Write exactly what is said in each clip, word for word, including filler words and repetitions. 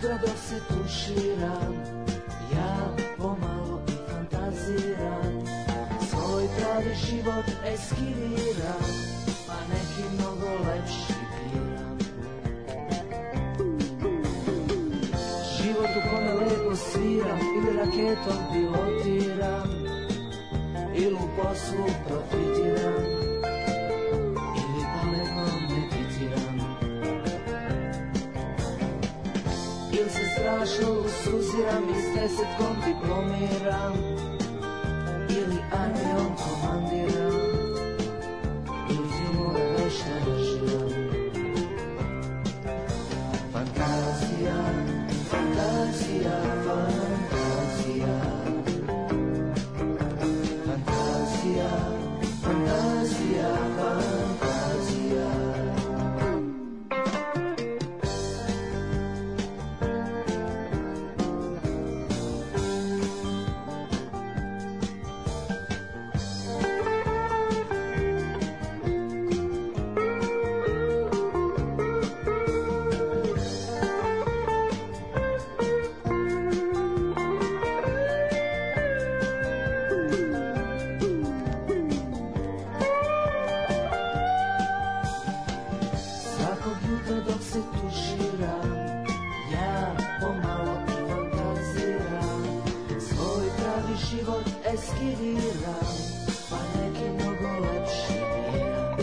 jutra dok se tuširam, ja pomalo i fantaziram, svoj pravi život eskiviram, pa neki mnogo lepši biram. Život u kome lepo sviram ili raketom pilotiram, ili u poslu profitiram, ili pametno meditiram, ili se strašno usuziram i s desetkom diplomiram, ili armijom komandiram, ili filmove vešto režiram. Fantazija, fantazija, fantazija, fantazija, fantazija, fantazija. Eskiviram, pa neki mnogo lepši biram.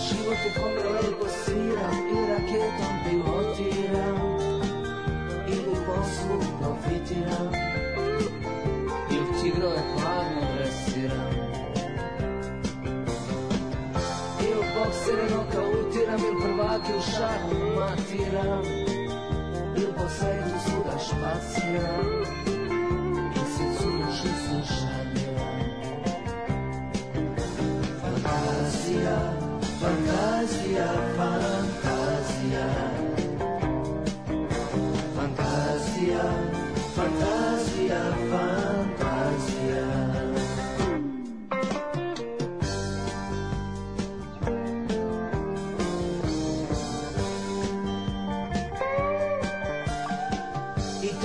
Život u kome lepo sviram i raketom pilotiram, ili u poslu profitiram, ili tigrove hladno dresiram, ili boksere nokautiram, ili prvake u šahu matiram, ili po svetu svuda špaciram, ili se cuši slušamiram. Fantazija, fantazija, fantazija, fantazija, fantazija, fantazija.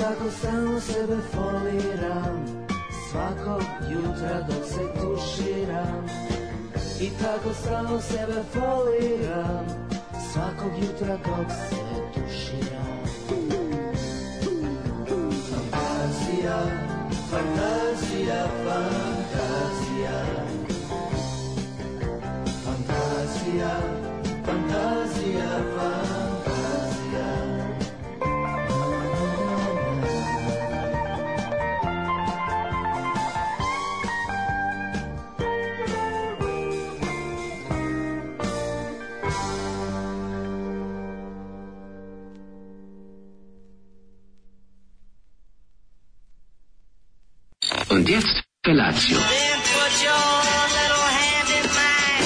Tako samo sebe foliram, svakog jutra dok se tuširam. I tako samo sebe foliram, svakog jutra dok se tuširam. Fantazija, fantazija, fantazija, fantazija, fantazija, fantazija. Und jetzt Felatio. Then put your little hand in mine.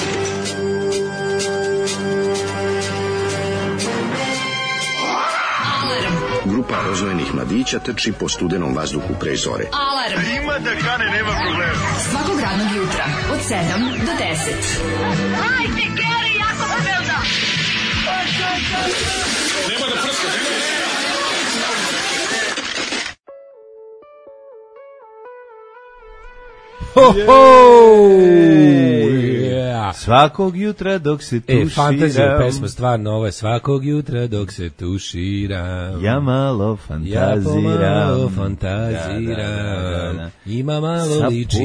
Grupa rozvojenih mladića trči po studenom vazduhu pre zore. Alarm. Ima da kane, nema problema. Svakog radnog jutra od sedam do deset. Hajde, Geri, jako se velda. Nema da prska, nema da prska. Ho, ho! Yeah. Svakog jutra dok se tuširam. E, fantazija pesma, stvarno, ovo je svakog jutra dok se tuširam. Ja malo fantaziram. Ja pomalo fantaziram. Da, da, da, da. Ima malo liči.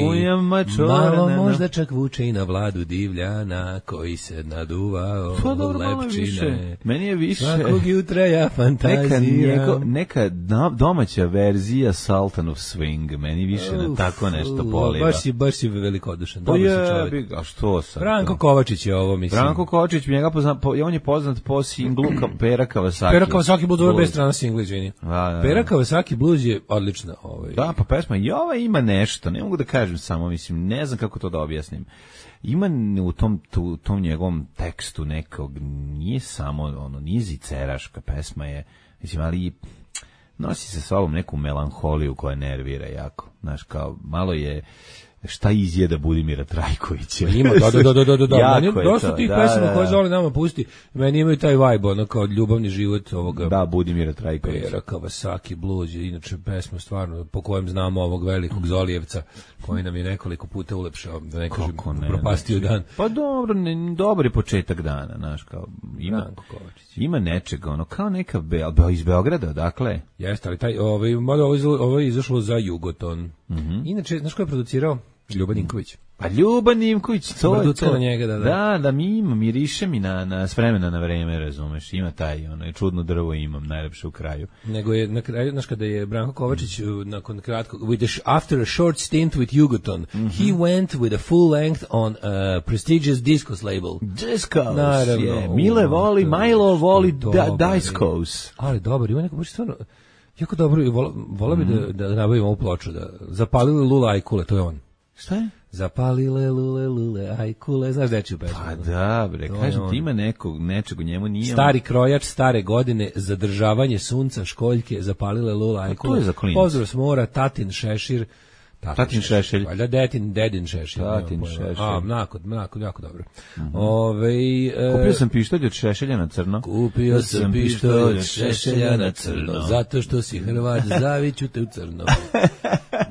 Malo možda čak vuče i na Vladu Divljana, koji se naduvao u lepčine. Meni je više. Svakog jutra ja fantaziram. Neka, njego, neka domaća verzija Sultan of Swing. Meni više uf, na tako nešto poliva. Baš si, baš si velikodušan. Pa je, a što sad? Branko Kovačić je ovo, mislim. Branko Kovačić, njega pozna, po, on je poznat po singlu Pera Kawasaki. Pera Kawasaki Blues, ovo je bez strana singla, izvini. Da, da, Pera Kawasaki Blues je odlična. Ovaj. Da, pa pesma, i ova ima nešto, ne mogu da kažem samo, mislim, ne znam kako to da objasnim. Ima u tom, tu, tom njegovom tekstu nekog, nije samo, ono, nije ziceraška pesma je, mislim, ali nosi sa sobom neku melanholiju koja nervira jako. Znaš, kao, malo je, šta izjeda Budimira Trajkovića. Ima, da, da, da, da, da, da. Jako Meni je dosta to, tih da, pesama da, koje da. Zoli nama pusti, meni imaju taj vibe, ono kao ljubavni život ovoga. Da, Budimira Trajkovića. Pera Kawasaki Blues je inače pesma stvarno po kojem znamo ovog velikog Zolijevca koji nam je nekoliko puta ulepšao, da ne kažem, ne, propastio znači, dan. Pa dobro, ne, dobri početak dana, znaš, kao ima, ima nečega, ono, kao neka Be, iz Beograda, dakle. Jeste, ali taj, ovaj, mada ovo, ovo je izašlo za Jugoton. Mm-hmm. Inače, znaš ko je producirao? Ljuba Ninković. Pa Ljuba Ninković, to je to. Na njega, da, da. Da, da, mi ima, miriše mi na, na s vremena na vreme, razumeš, ima taj, ono, čudno drvo imam, najlepše u kraju. Nego je, na kraju, znaš, kada je Branko Kovačić, nakon kratko, with a, after a short stint with Jugoton, mm-hmm. he went with a full length on a prestigious Discos label. Discos, naravno. Yeah. Mile voli, Milo voli da, Discos. Ali dobar, ima neko, baš stvarno, jako dobro, vola, vola bi mm. da, da nabavimo ovu ploču, da zapalili Lula Ajkule, to je on. Šta je? Zapalile lule lule ajkule, znaš dečiju pesmu? Pa da, bre, kažem ti ima nekog, nečeg u njemu nije... Stari krojač, stare godine, zadržavanje sunca, školjke, zapalile lule ajkule. To je za klinac. Pozdrav s mora, Tatin Šešir. Tatin, tatin Šešelj. Valjda Detin, Dedin Šešelj. Tatin Šešelj. A, mnako, mnako, jako dobro. Mm-hmm. Ove, e, kupio sam pištolj od Šešelja na crno. Kupio sam pištolj od Šešelja na crno, zato što si Hrvat, zaviću te u crno.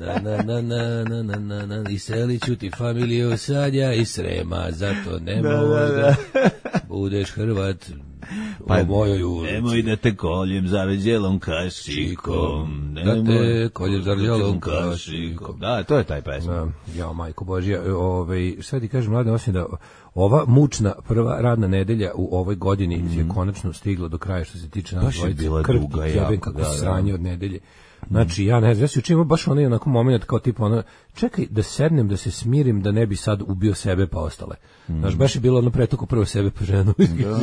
Na, na, na, na, na, na, na, na, i seliću ti familiju Sadja i Srema, zato nemoj da, da, da. budeš Hrvat. Pa mojoj ulici. Nemoj da te koljem zaveđelom kašikom. Da te koljem zaveđelom kašikom. Da, to je taj pesma. Da, ja, majko Božja, ovaj, šta ti kažem, mlade, osim da ova mučna prva radna nedelja u ovoj godini mm. je konačno stigla do kraja što se tiče nas dvojice. Krvki jebem kako da, sranje da. od nedelje. Znači, ja ne znam, ja si učinimo baš onaj onako moment kao tipa ono, čekaj da sednem, da se smirim, da ne bi sad ubio sebe pa ostale. Mm. Znaš, baš je bilo ono pretuko prvo sebe pa ženu. Da,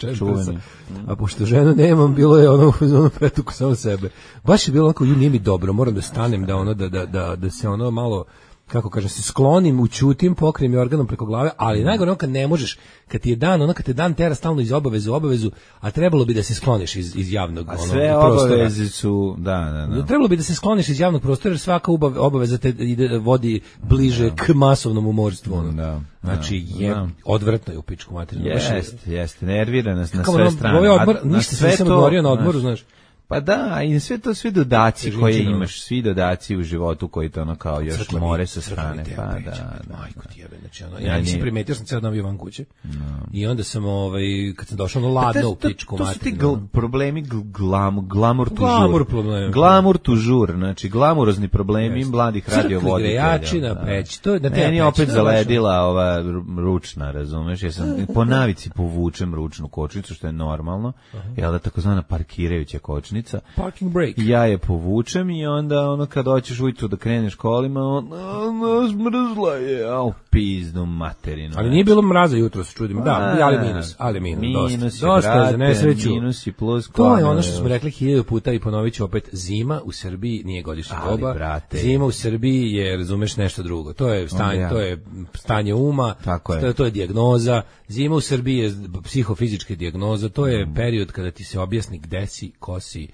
da, čuveni. A pošto ženu nemam, bilo je ono, ono pretuko samo sebe. Baš je bilo onako, ju nije mi dobro, moram da stanem, da ono, da, da, da, da se ono malo, kako kažem, se sklonim, ućutim, pokrijem i organom preko glave, ali najgore ono kad ne možeš, kad ti je dan, ono kad te dan tera stalno iz obavezu u obavezu, a trebalo bi da se skloniš iz, iz javnog a ono, sve prostora. Obaveze su, da, da, da. Trebalo bi da se skloniš iz javnog prostora, jer svaka obaveza te ide, vodi bliže da. k masovnom umorstvu. Ono. Da. Znači, je da. odvratno je u pičku materinu. Jeste, jeste, nervira nas na sve strane. Ovaj odmor, a, ništa se nisam odmorio na odmoru, znaš. Pa da, i sve to, svi dodaci koje imaš, svi dodaci u životu koji to ono kao još Crtlo more sa strane. Pa da, da. Majko ti jebe, znači ono, ja nisam primetio, sam ceo dan bio van kuće. No. I onda sam, ovaj, kad sam došao, ono ladno u pičku materinu. To su ti gl, problemi glam, glamur tu glamur problemi. Glamur tu žur, znači glamurozni problemi mladih radiovoditelja. Crkli grejači na peći, to je na te meni opet zaledila ova ručna, razumeš, ja sam po navici povučem ručnu kočnicu, što je normalno, jel da takozvana parkirajuća kočnica. Parking break. Ja je povučem i onda ono kad hoćeš ujutru da kreneš kolima, ono smrzla je, au pizdu materinu. Ali nije bilo mraza jutro, se čudim. Da, ali minus, ali minus, minus dosta. Dosta je za nesreću. Minus i plus. To je ono što smo rekli hiljadu puta i ponovit ću opet, zima u Srbiji nije godišnja doba. Brate. Zima u Srbiji je, razumeš, nešto drugo. To je stanje, to je stanje uma, Tako je. To, je, to je dijagnoza. Zima u Srbiji je psihofizička dijagnoza, to je mm. period kada ti se objasni gde si, ko si,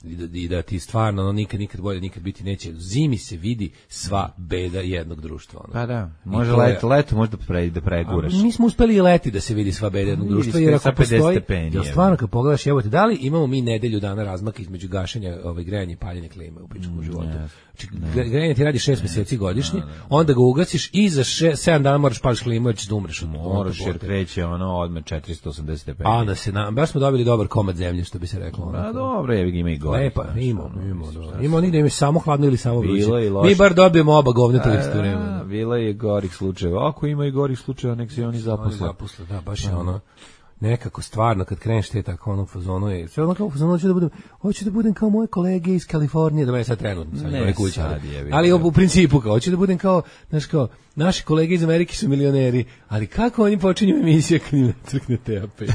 I da, i da ti stvarno ono, nikad, nikad bolje nikad biti neće. Zimi se vidi sva beda jednog društva. Ono. Pa da, može leto, leto možda pre, da preguraš. Mi smo uspeli i leti da se vidi sva beda jednog društva, jer ako postoji, jel stvarno kad pogledaš, evo te, da li imamo mi nedelju dana razmaka između gašenja, ovaj, grejanja i paljenja klime u pičkom mm, životu? Yes. Znači, grejanje ti radi šest meseci godišnje, no, no. onda ga ugasiš i za še, sedam dana moraš pališ klimu jer ćeš da umreš. Moraš jer kreće ono odme četiristo osamdeset stepeni. A na se na, baš smo dobili dobar komad zemlje, što bi se reklo. Pa dobro, je ima i gore. Lepa, ima, ima, ima onih da im je samo hladno ili samo vruće. Mi bar dobijemo oba govneta u isto vreme. Bilo je gorih slučajeva. Ako ima i gorih slučajeva, nek se oni zaposle. Zaposle, da, baš je ono. Nekako stvarno kad kreneš te tako ono fazonu je sve ono kao fazonu hoću da budem hoću da budem kao moje kolege iz Kalifornije, da me sad trenutno sad ne kući, ali, ali u principu kao hoću da budem kao znaš kao naši kolege iz Amerike su milioneri, ali kako oni počinju emisije kad im crkne Teja Peć?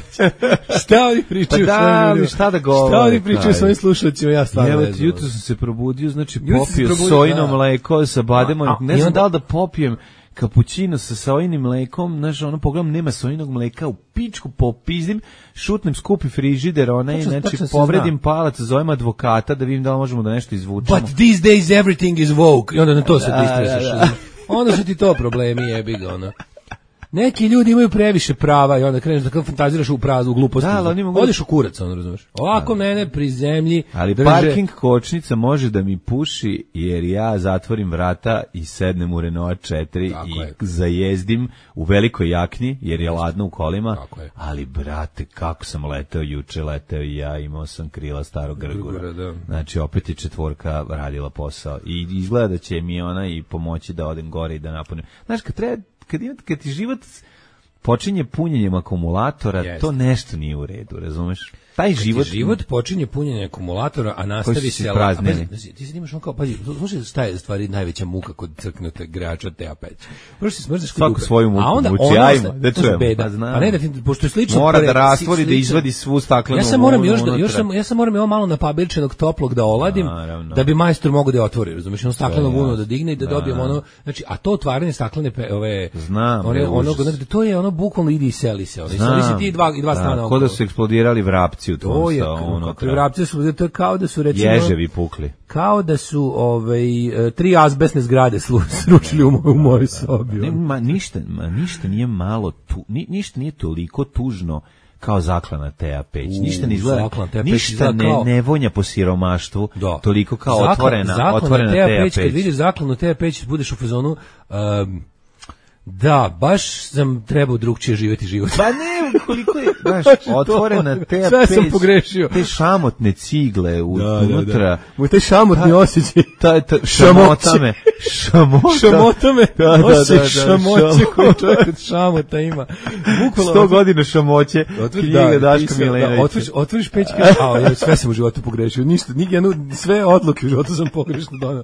Šta oni pričaju? Pa da, ali šta da govore? Šta oni pričaju svojim slušateljima? Ja stvarno ne znam. Jutro sam se probudio, znači popio sojino mleko sa bademom, ne znam da li da popijem kapućino sa sojinim mlekom, znaš, ono pogledam, nema sojinog mleka, u pičku popizdim, šutnem skupi frižider, onaj, znači, povredim palac, zovem advokata da vidim da li možemo da nešto izvučemo. But these days everything is woke. I onda na to se pristrašiš. onda su ti to problemi, jebi ga, ono. Neki ljudi imaju previše prava i onda kreneš da kao fantaziraš u praznu gluposti. Da, ali mogu... Odeš u kurac, ono, razumeš. Ovako mene pri zemlji ali drže... parking kočnica može da mi puši jer ja zatvorim vrata i sednem u Renault četiri tako i je. Zajezdim u velikoj jakni jer je ladno u kolima. Ali, brate, kako sam leteo juče, leteo i ja, imao sam krila starog grgura. Grgura, znači, opet je četvorka radila posao. I izgleda da će mi ona i pomoći da odem gore i da napunim. Znaš, kad treba Kad, ima, kad ti život počinje punjenjem akumulatora, yes. to nešto nije u redu, razumeš? Taj kad život... život počinje punjenjem akumulatora, a nastavi se... prazneni. Pa, ti se imaš on kao, pazi, slušaj, šta je stvari najveća muka kod crknute grača T A pet. Prvo si smrzeš kod dupe. Svoju muku a onda muči, ono, ajmo, da čujemo. Beda. Pa, pa ne, da ti, pošto je slično... Mora da rastvori, da izvadi svu staklenu... Ja sam moram još da, još sam, ja sam moram ovo malo napabirčenog toplog da oladim, naravno. Da bi majstor mogao da je otvori, razumiješ, ono stakleno vuno da digne i da, da dobijemo ono... Znači, a to otvaranje staklene pe, ove... Znam, one, ono, to je ono bukvalno idi i seli se. Ono, seli se ti i dva, i dva strana. Kod da su eksplodirali vrapci u tom unutra. Vrapci su, to je kao da su recimo... Ježevi pukli. Kao da su ovaj, tri azbestne zgrade sručili u, u mojoj sobi. Ne, ma, ništa, ma, ništa nije malo, tu, ni, ništa nije toliko tužno kao zaklana Teja peć. U, ništa ne izgleda, ništa ne, kao... ne vonja po siromaštvu, da. Toliko kao Zaklan, otvorena, otvorena Teja peć. Kad vidiš zaklanu Teja peć, budeš u fazonu... Um, da, baš sam trebao drugčije živjeti život. Pa ne, koliko je, znaš, otvorena te sve sam pogrešio. Te šamotne cigle u, da, unutra. Da, da. U te šamotni osjećaj. Ta, ta, šamotame. Šamotame. Šamotame. Da, da, da, da, šamoće koji čovjek od šamota ima. Bukvalno. Sto godina šamoće. Knjiga Daška Milenovića. Otvoriš, otvoriš peć i kažeš, a ja sve sam u životu pogrešio. Ništa, jednu, sve odluke u životu sam pogrešno donao.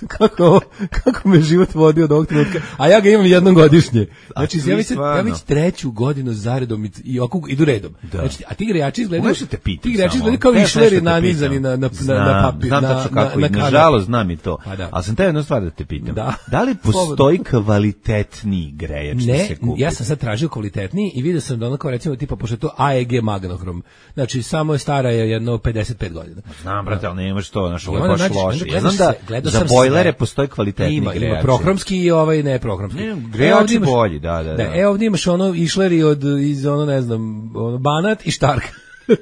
Kako, kako me život vodio do ovog trenutka. A ja ga imam jednom godišnje. Znači, ja već, ja već treću godinu zaredom i, i ovako idu redom. Da. Znači, a ti grejači izgledaju, ti grejači izgledaju kao išleri nanizani na, na, znam, na, na papir. Znam tačno kako na, na, na nažalost znam i to. Da. Ali sam te jednu stvar da te pitam. Da, da li postoji kvalitetniji grejač ne, da se kupi? Ja sam sad tražio kvalitetniji i vidio sam da ono kao recimo tipa, pošto je to A E G magnohrom. Znači, samo je stara je jedno pedeset pet godina. Znam, brate, ali nemaš to, znaš, ovo je baš loše. Ja znam da za bojlere postoji kvalitetniji grejač. Ima, ima prohromski i ovaj ne prohromski. Grejači bolji, da, da, da. Da, e ovdje imaš ono išleri od iz ono ne znam, ono Banat i Štark.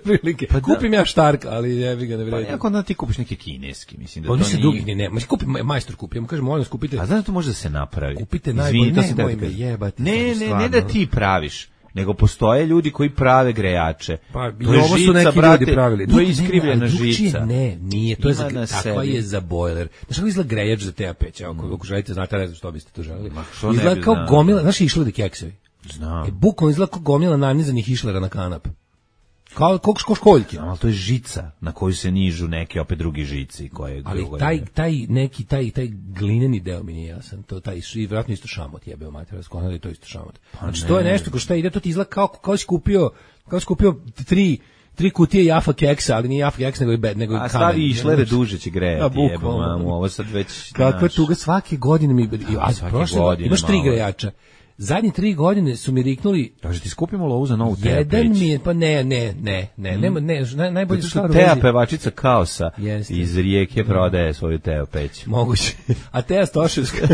Prilike. Pa kupim da. Ja Štark, ali jebi ga ne vredi. Pa jako onda ti kupiš neki kineski, mislim da pa to nije. Drugi ne, ne, ma kupi majstor kupi, ja mu kažem, molim vas kupite. A znaš da to može da se napravi. Kupite najbolje, ne, ne, me jebati. Ne, ne, ne da ti praviš. Nego postoje ljudi koji prave grejače. Pa i ovo su neki brate, ljudi pravili. To je iskrivljena žica. Ne, nije, to je za, takva je za bojler. Znaš kako izgleda grejač za T A peć? Ako, ako želite, znate, ne znam što biste to želeli. Izgleda kao znao. Gomila, znaš išledi keksevi? Znam. E, bukvalno izgleda kao gomila nanizanih išlera na kanap. Kao kako školjke. Ali to je žica na koju se nižu neke opet drugi žici koje. Ali taj taj neki taj taj glineni deo mi nije jasan. To taj i vjerojatno isto šamot jebeo mater, skoro da je to isto šamot. Pa znači ne. To je nešto ko šta ide, to ti izgleda kao kao si kupio, kao si kupio tri tri kutije Jaffa keksa, ali nije Jaffa keks nego i bed, nego i kamen. A stavi išlere duže će grejati, jebo mamu, ovo sad već. Kakva tuga svake godine mi, a prošle godine imaš tri grejača. Zadnje tri godine su mi riknuli... Kaže, ti skupimo lovu za novu Teja peć. Jedan mi je, pa ne, ne, ne, ne, mm. nema, ne, ne, najbolje stvar u Teja pevačica Kaosa Jeste. Iz Rijeke prodaje svoju Teja peć. Moguće. A Teja Stoševska,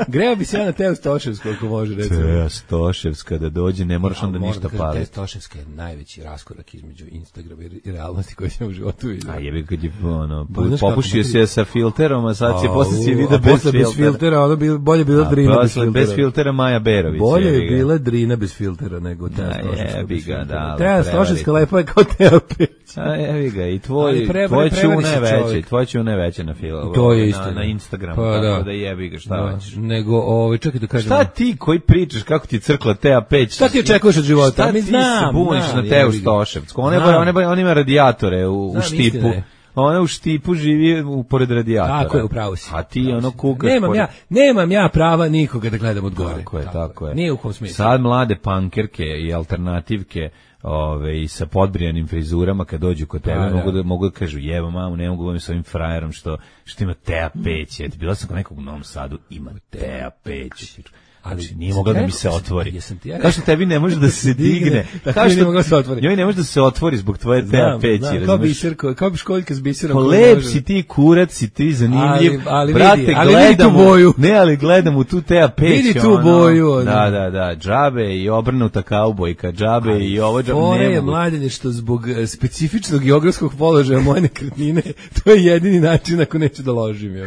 greo bi se ja na Teju Stoševsku, ako može, recimo. Teja Stoševska, da dođe, ne moraš onda ništa paliti. Teja Stoševska je najveći raskorak između Instagrama i realnosti koje sam u životu vidio. A jebi kad je, ono, popušio se sa filterom, a sad će posle si vidio bez filtera. Ono bolje bilo Drina bez filtera. Bez filtera Maja Berović. Bolje je bila Drina bez filtera nego Teja Stoševska. Jebi ga, da. Teja Stoševska lepo je kao Teja peć. A jebi ga, i tvoj, tvoj čune veće, tvoj čune veće na filu. To je isto. Na, na Instagramu, pa, tako da, da jebi ga, šta hoćeš. Nego, ovaj, čekaj da kažem. Šta ti koji pričaš kako ti crkla Teja peć? Šta ti očekuješ od života? Šta ti se buniš na Teju Stoševsku? Ona ima radijatore u štipu. Ona u štipu živi u pored radijatora. Tako je, upravo si. A ti ono kukaš. Nemam pored... ja, nemam ja prava nikoga da gledam od gore. Tako je, tako, tako je. Nije u kom smislu. Sad mlade pankerke i alternativke, ove, i sa podbrijanim frizurama kad dođu kod tebe, da, mogu da mogu da kažu jebo mamu, ne mogu da s ovim frajerom što što ima Teja peć. Bila sam kod nekog u Novom Sadu, ima Teja peć. ali znači, nije mogla da mi se otvori. Ja kao što tebi ne može da se digne, kao što ne se otvori. Njoj ne može da se otvori zbog tvoje T A peći, razumeš? Kao biser, kao bi školjka s biserom. Lep si ti, kurac si ti, zanimljiv. Ali, ali brate, vidi, ali gledam vidi tu boju. Ne, ali gledam u tu T A peć. Vidi tu boju. Ono. Da, da, da, džabe i obrnuta kaubojka, džabe ali, i ovo džabe. Fore je mladenje što zbog specifičnog geografskog položaja moje nekretnine, to je jedini način ako neću da ložim. Ja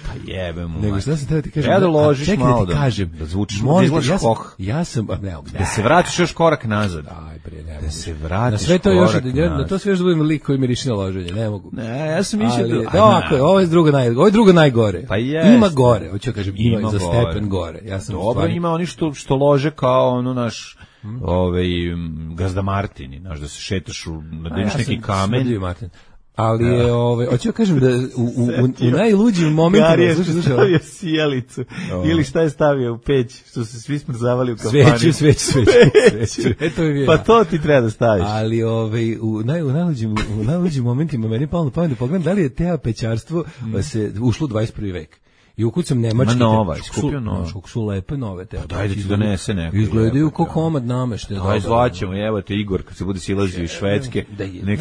pa jebem mu. Nego šta sam teo ti kažem? Ja da ložiš čekaj, malo da ti kažem. Da zvučiš, možda, da izgledaš ja sam, hoh. Ja sam, ne, da se vratiš još korak nazad. Aj, bre, ne da se vratiš na sve to još još, da, da to sve još da budem lik koji miriši na loženje, ne mogu. Ne, ja sam mislio da... Da, da ovako, ovo je drugo, naj, ovo je drugo najgore. Pa jest. Ima gore, hoću da kažem, ima, ima za gore. stepen gore. Ja sam dobro, stvari... ima oni što, što lože kao ono naš hmm. ovaj, Gazda Martini, znaš, da se šetaš u, nadeniš ja neki kamen. Martin. Ali je, ja. ovaj, hoću da kažem da u, u, u, u najluđim momentima... Gari je stavio sjelicu, oh. ili šta je stavio u peć, što se svi smrzavali u kafani. Sveću, sveću, sveću. sveću. E, to je pa to ti treba da staviš. Ali ovaj, u, naj, u, najluđim, u najluđim momentima meni je palo na pamet da pogledam da li je te pećarstvo mm. se ušlo u dvadeset prvi vek. I ukucam nemački. Ma nova, iskupio nova. Kako su lepe nove te. Pa dajde ti donese neko. Izgledaju kao komad nameštaja. Daj zvaćemo, evo te Igor kad se bude silazio iz Švedske.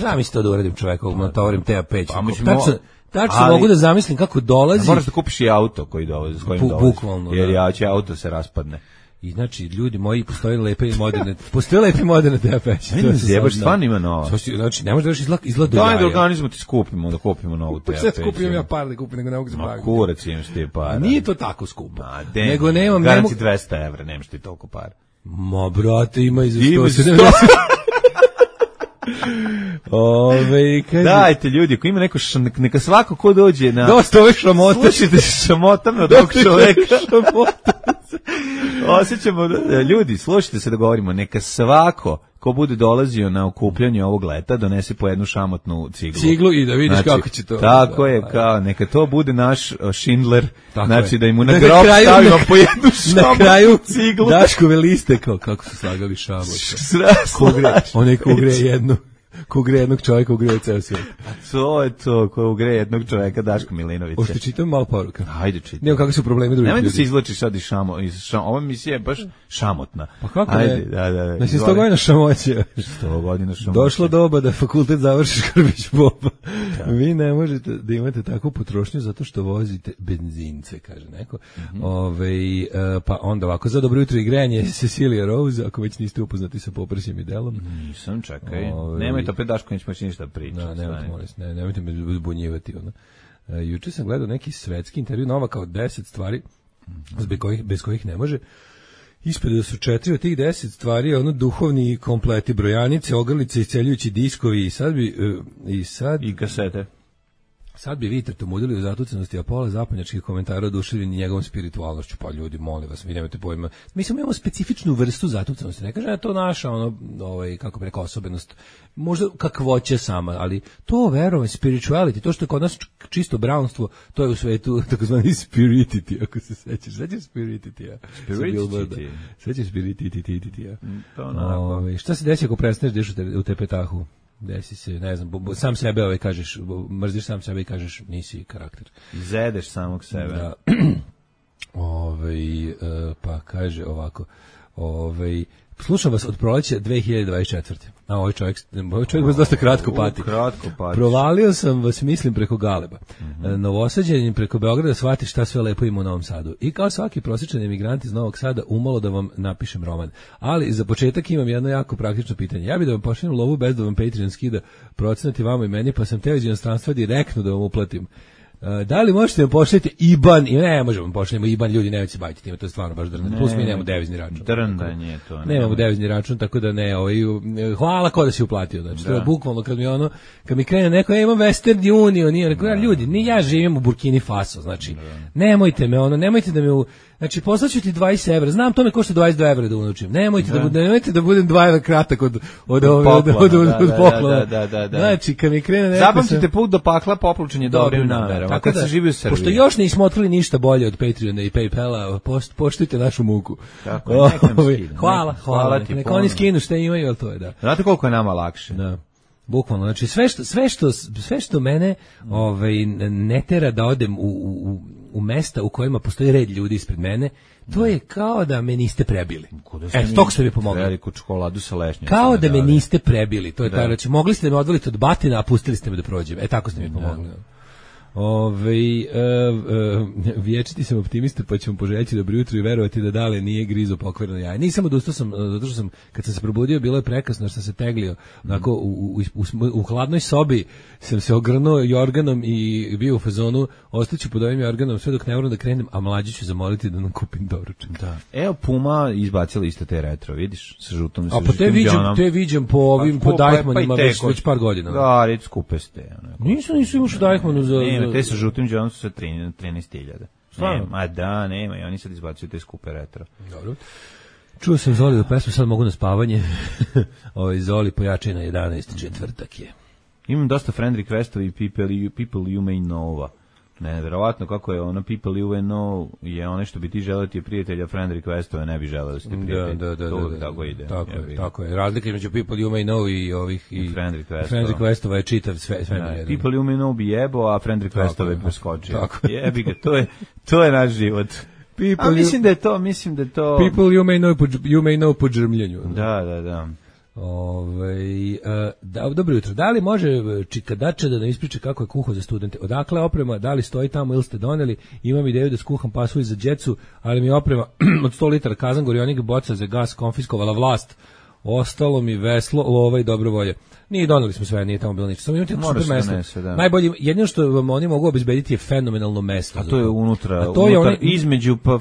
Da mi se to da uradim čoveku, natovarim te peć. Tačno, tačno mogu da zamislim kako dolazi. Moraš da kupiš i auto koji dolazi, s kojim dolazi. Bukvalno. Jer ja će auto se raspadne. I znači, ljudi moji, postoje lepe i moderne, postoje lepe i moderne T A peći. Ne zjebaš, stvarno ima nova. Znači, ne možeš da još izgleda izgleda do jaja. Daj da organizmo ti skupimo, da kupimo novu T A peć. Pa skupim ja par da kupim, nego ne mogu se baviti. Ma kurac imaš ti para. Nije to tako skupo. Ma, nego nemam... Garanci dvesta evra, nemaš ti toliko para. Ma, brate, ima i za sto sedamdeset. Ove, kaže... Dajte ljudi, ako ima neko š... neka svako ko dođe na... Dosta ove šamote. Slušajte šamotam od ovog čoveka. Osjećamo, ljudi, slušajte se da govorimo, neka svako ko bude dolazio na okupljanje ovog leta donese po jednu šamotnu ciglu. Ciglu i da vidiš znači, kako će to. Tako da, je, kao, neka to bude naš Schindler, tako znači je. da im na da grob kraju, stavimo na, po jednu šamotnu na kraju ciglu. Daškove liste, kao kako su slagali šamot. Onaj ko ugre jednu. Ko ugre jednog čovjeka, ugre ceo svijet. To je to, ko ugre jednog čovjeka, Daško Milinovića. Hoćete čitam malo poruka? Ajde čitam. Nijemo kakve su problemi drugih ljudi. Nemoj da se izvlačiš sad iz šamo, iz šamo. Ova misija je baš šamotna. Pa kako Ajde, ne? Da, da, da. Znači sto godina šamoće. sto godina šamoće. Došlo doba da fakultet završiš Krbić Boba. Da. Vi ne možete da imate takvu potrošnju zato što vozite benzince, kaže neko. Mm-hmm. Ove, pa onda ovako, za dobro jutro i grejanje Cecilia Rose, ako već niste upoznati sa Poprsjem i delom. Nisam, čekaj. Ove, nemojte opet Daško, nećemo ništa pričati. Da, nemojte, molim, ne, nemojte me zbunjivati. Ono. E, juče sam gledao neki svetski intervju Novaka od deset stvari mm-hmm. bez, kojih, bez kojih ne može. Ispred da su četiri od tih deset stvari ono duhovni kompleti, brojanice, ogrlice, isceljujući diskovi i sad bi... Uh, i, sad, I kasete. Sad bi vi tretomudili u zatucanosti, a pola zapadnjačkih komentara oduševljeni njegovom spiritualnošću. Pa ljudi, molim vas, vi nemate pojma. Mi smo imamo specifičnu vrstu zatucanosti. Ne kažem da je to naša, ono, ovaj, kako bi rekao, osobenost. Možda kakvoće sama, ali to verovanje, spirituality, to što je kod nas čisto brownstvo, to je u svetu takozvani spiritity, ako se sećaš. Sećaš spiritity, ja? Spiritity. Sećaš spiritity, ja? To onako. Šta se desi ako prestaneš deš u te petahu? Desi se, ne znam, sam sebe ovaj kažeš, mrziš sam sebe i kažeš nisi karakter. Zedeš samog sebe. Da. Ovaj, pa kaže ovako, ovaj, slušam vas od proleća dve hiljade dvadeset četvrte. A ovaj čovjek, ovaj čovjek vas dosta kratko pati. Kratko pati. Provalio sam vas, mislim, preko Galeba. Mm-hmm. Novosađanin preko Beograda shvati šta sve lepo ima u Novom Sadu. I kao svaki prosječan emigrant iz Novog Sada umalo da vam napišem roman. Ali za početak imam jedno jako praktično pitanje. Ja bih da vam pošaljem lovu bez da vam Patreon skida procenati vama i meni, pa sam teo iz inostranstva direktno da vam uplatim. Uh, da li možete vam pošaljati I B A N? I ne, možemo vam pošaljemo I B A N, ljudi, nemojte se baviti time, to je stvarno baš drndanje. Plus mi nemamo devizni račun. Drndanje je to. Ne nemamo devizni račun, tako da ne, ovaj, hvala ko da si uplatio. Znači, to je bukvalno kad mi ono, kad mi krene neko, ja imam Western Union, nije, rekao, ljudi, ni ja živim u Burkini Faso, znači, da. nemojte me, ono, nemojte da me u, znači, poslaću ti dvadeset evra, znam, to me košta dvadeset dva evra da unučim, nemojte da, da, nemojte da budem dva evra kratak od, od, od, od, od, od, od poklona. Da, da, da. Znači, kad mi krene neko... Zapamtite sam... put do pakla, poplučen je dobrim namerama, kad se živi u Srbiji. Pošto još nismo otkrili ništa bolje od Patreona i PayPala, post, poštujte našu muku. Tako je, hvala, hvala, hvala ti. Neka oni skinu šta imaju, ali to je, da. Znate koliko je nama lakše? Da. Bukvalno, znači sve što sve što sve što mene ovaj ne tera da odem u, u, u mesta u kojima postoji red ljudi ispred mene, to je kao da me niste prebili. E, tog ste mi pomogli. Veliku čokoladu sa lešnjom. Kao da me niste prebili. To je taj, znači mogli ste me odvaliti od batina, a pustili ste me da prođem. E, tako ste mi pomogli. Ove, e, e, vječiti sam optimista, pa ću vam poželjeti dobro jutro i verovati da Dale nije grizo pokvareno jaje. Nisam odustao sam, zato što sam, kad sam se probudio, bilo je prekasno, jer sam se teglio, onako, u, u, u, u hladnoj sobi sam se ogrnuo jorganom i bio u fazonu, ostaću pod ovim jorganom sve dok ne moram da krenem, a mlađi ću zamoliti da nam kupim doručak. Da. Evo, Puma izbacila isto te retro, vidiš, sa žutom, sa a pa te viđem, te viđem po ovim, pa, po Deichmannima pa već, već par godina. Da, reći skupe ste. Nisu, nisu imaš u Deichmannu za... Ne, te sa žutim džonom su sa trinaest hiljada. Ma da, nema, i oni sad izbacuju te skupe retro. Dobro. Čuo sam Zoli do pesmu, sad mogu na spavanje. Ovo Zoli pojačaj na jedanaest, četvrtak je. Imam dosta friend requestovi i people, people you may know-ova. Ne, verovatno kako je ono people you may know je ono što bi ti želeo ti je prijatelja, friend requestove ne bi želeo da ste prijatelji. Da, da, da, to da, da, tako ide. Tako je, tako je. Razlika između people you may know i ovih i, I friend requestova. Friend requestova je čitav sve sve. Da, people you may know bi jebo, a friend requestove bi preskočio. Jebi ga, to je to je naš život. People a mislim you, da je to, mislim da je to people you may know you may know po džrmljenju. Da, da, da. Ove, uh, da, dobro jutro. Da li može Čikadača da nam ispriča kako je kuhao za studente? Odakle oprema? Da li stoji tamo ili ste doneli? Imam ideju da skuham pasulj za djecu, ali mi je oprema od sto litara kazan gorionik boca za gas konfiskovala vlast. Ostalo mi veslo, lova i dobro volje. Nije doneli smo sve, nije tamo bilo ništa. Samo imate super mesto. Donese, da. Najbolje, jedino što vam oni mogu obezbediti je fenomenalno mesto. A to je unutra, to unutar, je onaj, između pa,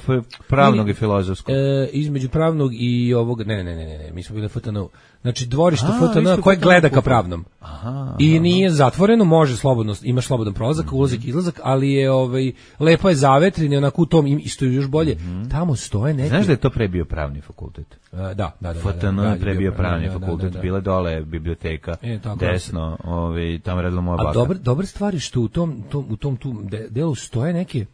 pravnog i filozofskog. E, između pravnog i ovog, ne, ne, ne, ne, ne, mi smo bili F T N U. Znači dvorište F T N U koje gleda ka pravnom. Aha, I aha. Nije zatvoreno, može slobodno, imaš slobodan prolazak, mm-hmm. ulazak i izlazak, ali je ovaj lepo je zavetrin, onako u tom isto još bolje. Mm-hmm. Tamo stoje neki. Znaš da je to pre bio pravni fakultet? Uh, da, da, da. F T N U je pre bio pravni da, fakultet, da, da, da. Bile dole biblioteka, e, desno, ovaj tamo redila moja baka. A dobar dobar stvari što u tom tom u tom tu delu stoje neke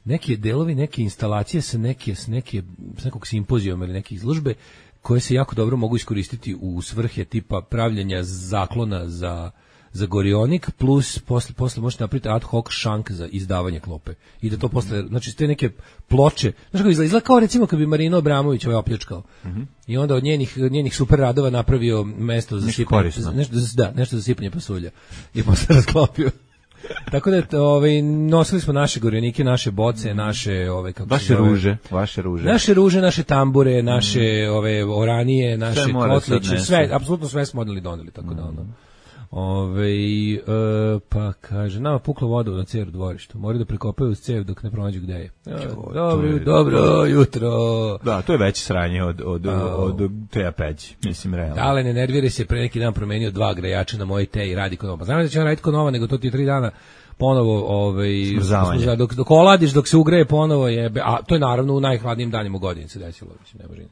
neke delovi, neke instalacije sa neke s neke s nekog simpozijuma ili neke izložbe koje se jako dobro mogu iskoristiti u svrhe tipa pravljenja zaklona za za gorionik, plus posle, posle možete napraviti ad hoc šank za izdavanje klope. I da to posle, znači te neke ploče, znaš kako izgleda, izgleda kao recimo kad bi Marino Abramović ovaj opljačkao. Mm-hmm. I onda od njenih, njenih super radova napravio mesto za sipanje, nešto, da, nešto za sipanje pasulja. I posle rasklopio. Tako da ovaj nosili smo naše gorionike, naše boce, naše ove kako vaše se ruže, vaše ruže. Naše ruže, naše tambure, naše mm. ove oranije, naše kotliće, sve, apsolutno sve smo odneli doneli, tako mm. da ono. Ove, e, pa kaže, nama pukla voda na ceru dvorištu, moraju da prekopaju uz cev dok ne pronađu gde je. E, dobro, je, dobro jutro. Da, to je veće sranje od, od, od, od teja peći, mislim, realno. Dale, ne nervire se, pre neki dan promenio dva grejača na moje te i radi kod nova. Pa znam da će on raditi kod nova, nego to ti je tri dana ponovo ovaj, smrzavanje. Dok, dok oladiš, dok se ugreje ponovo je, a to je naravno u najhladnijim danima u godini se desilo, mislim, ne može nič.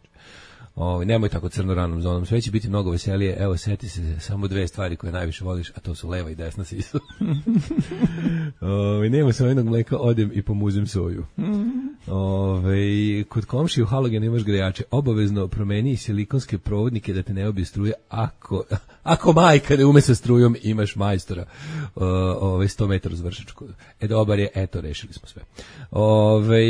Ovaj nemoj tako crno ranom zonom, sve će biti mnogo veselije. Evo seti se samo dve stvari koje najviše voliš, a to su leva i desna sisa. Ovaj nema samo jednog mleka, odem i pomuzim soju. Ovaj kod komšije u halogen imaš grejače, obavezno promeni silikonske provodnike da te ne obije struje. Ako ako majka ne ume sa strujom, imaš majstora. Ovaj sto metara zvršačku. E dobar je, eto rešili smo sve. Ovaj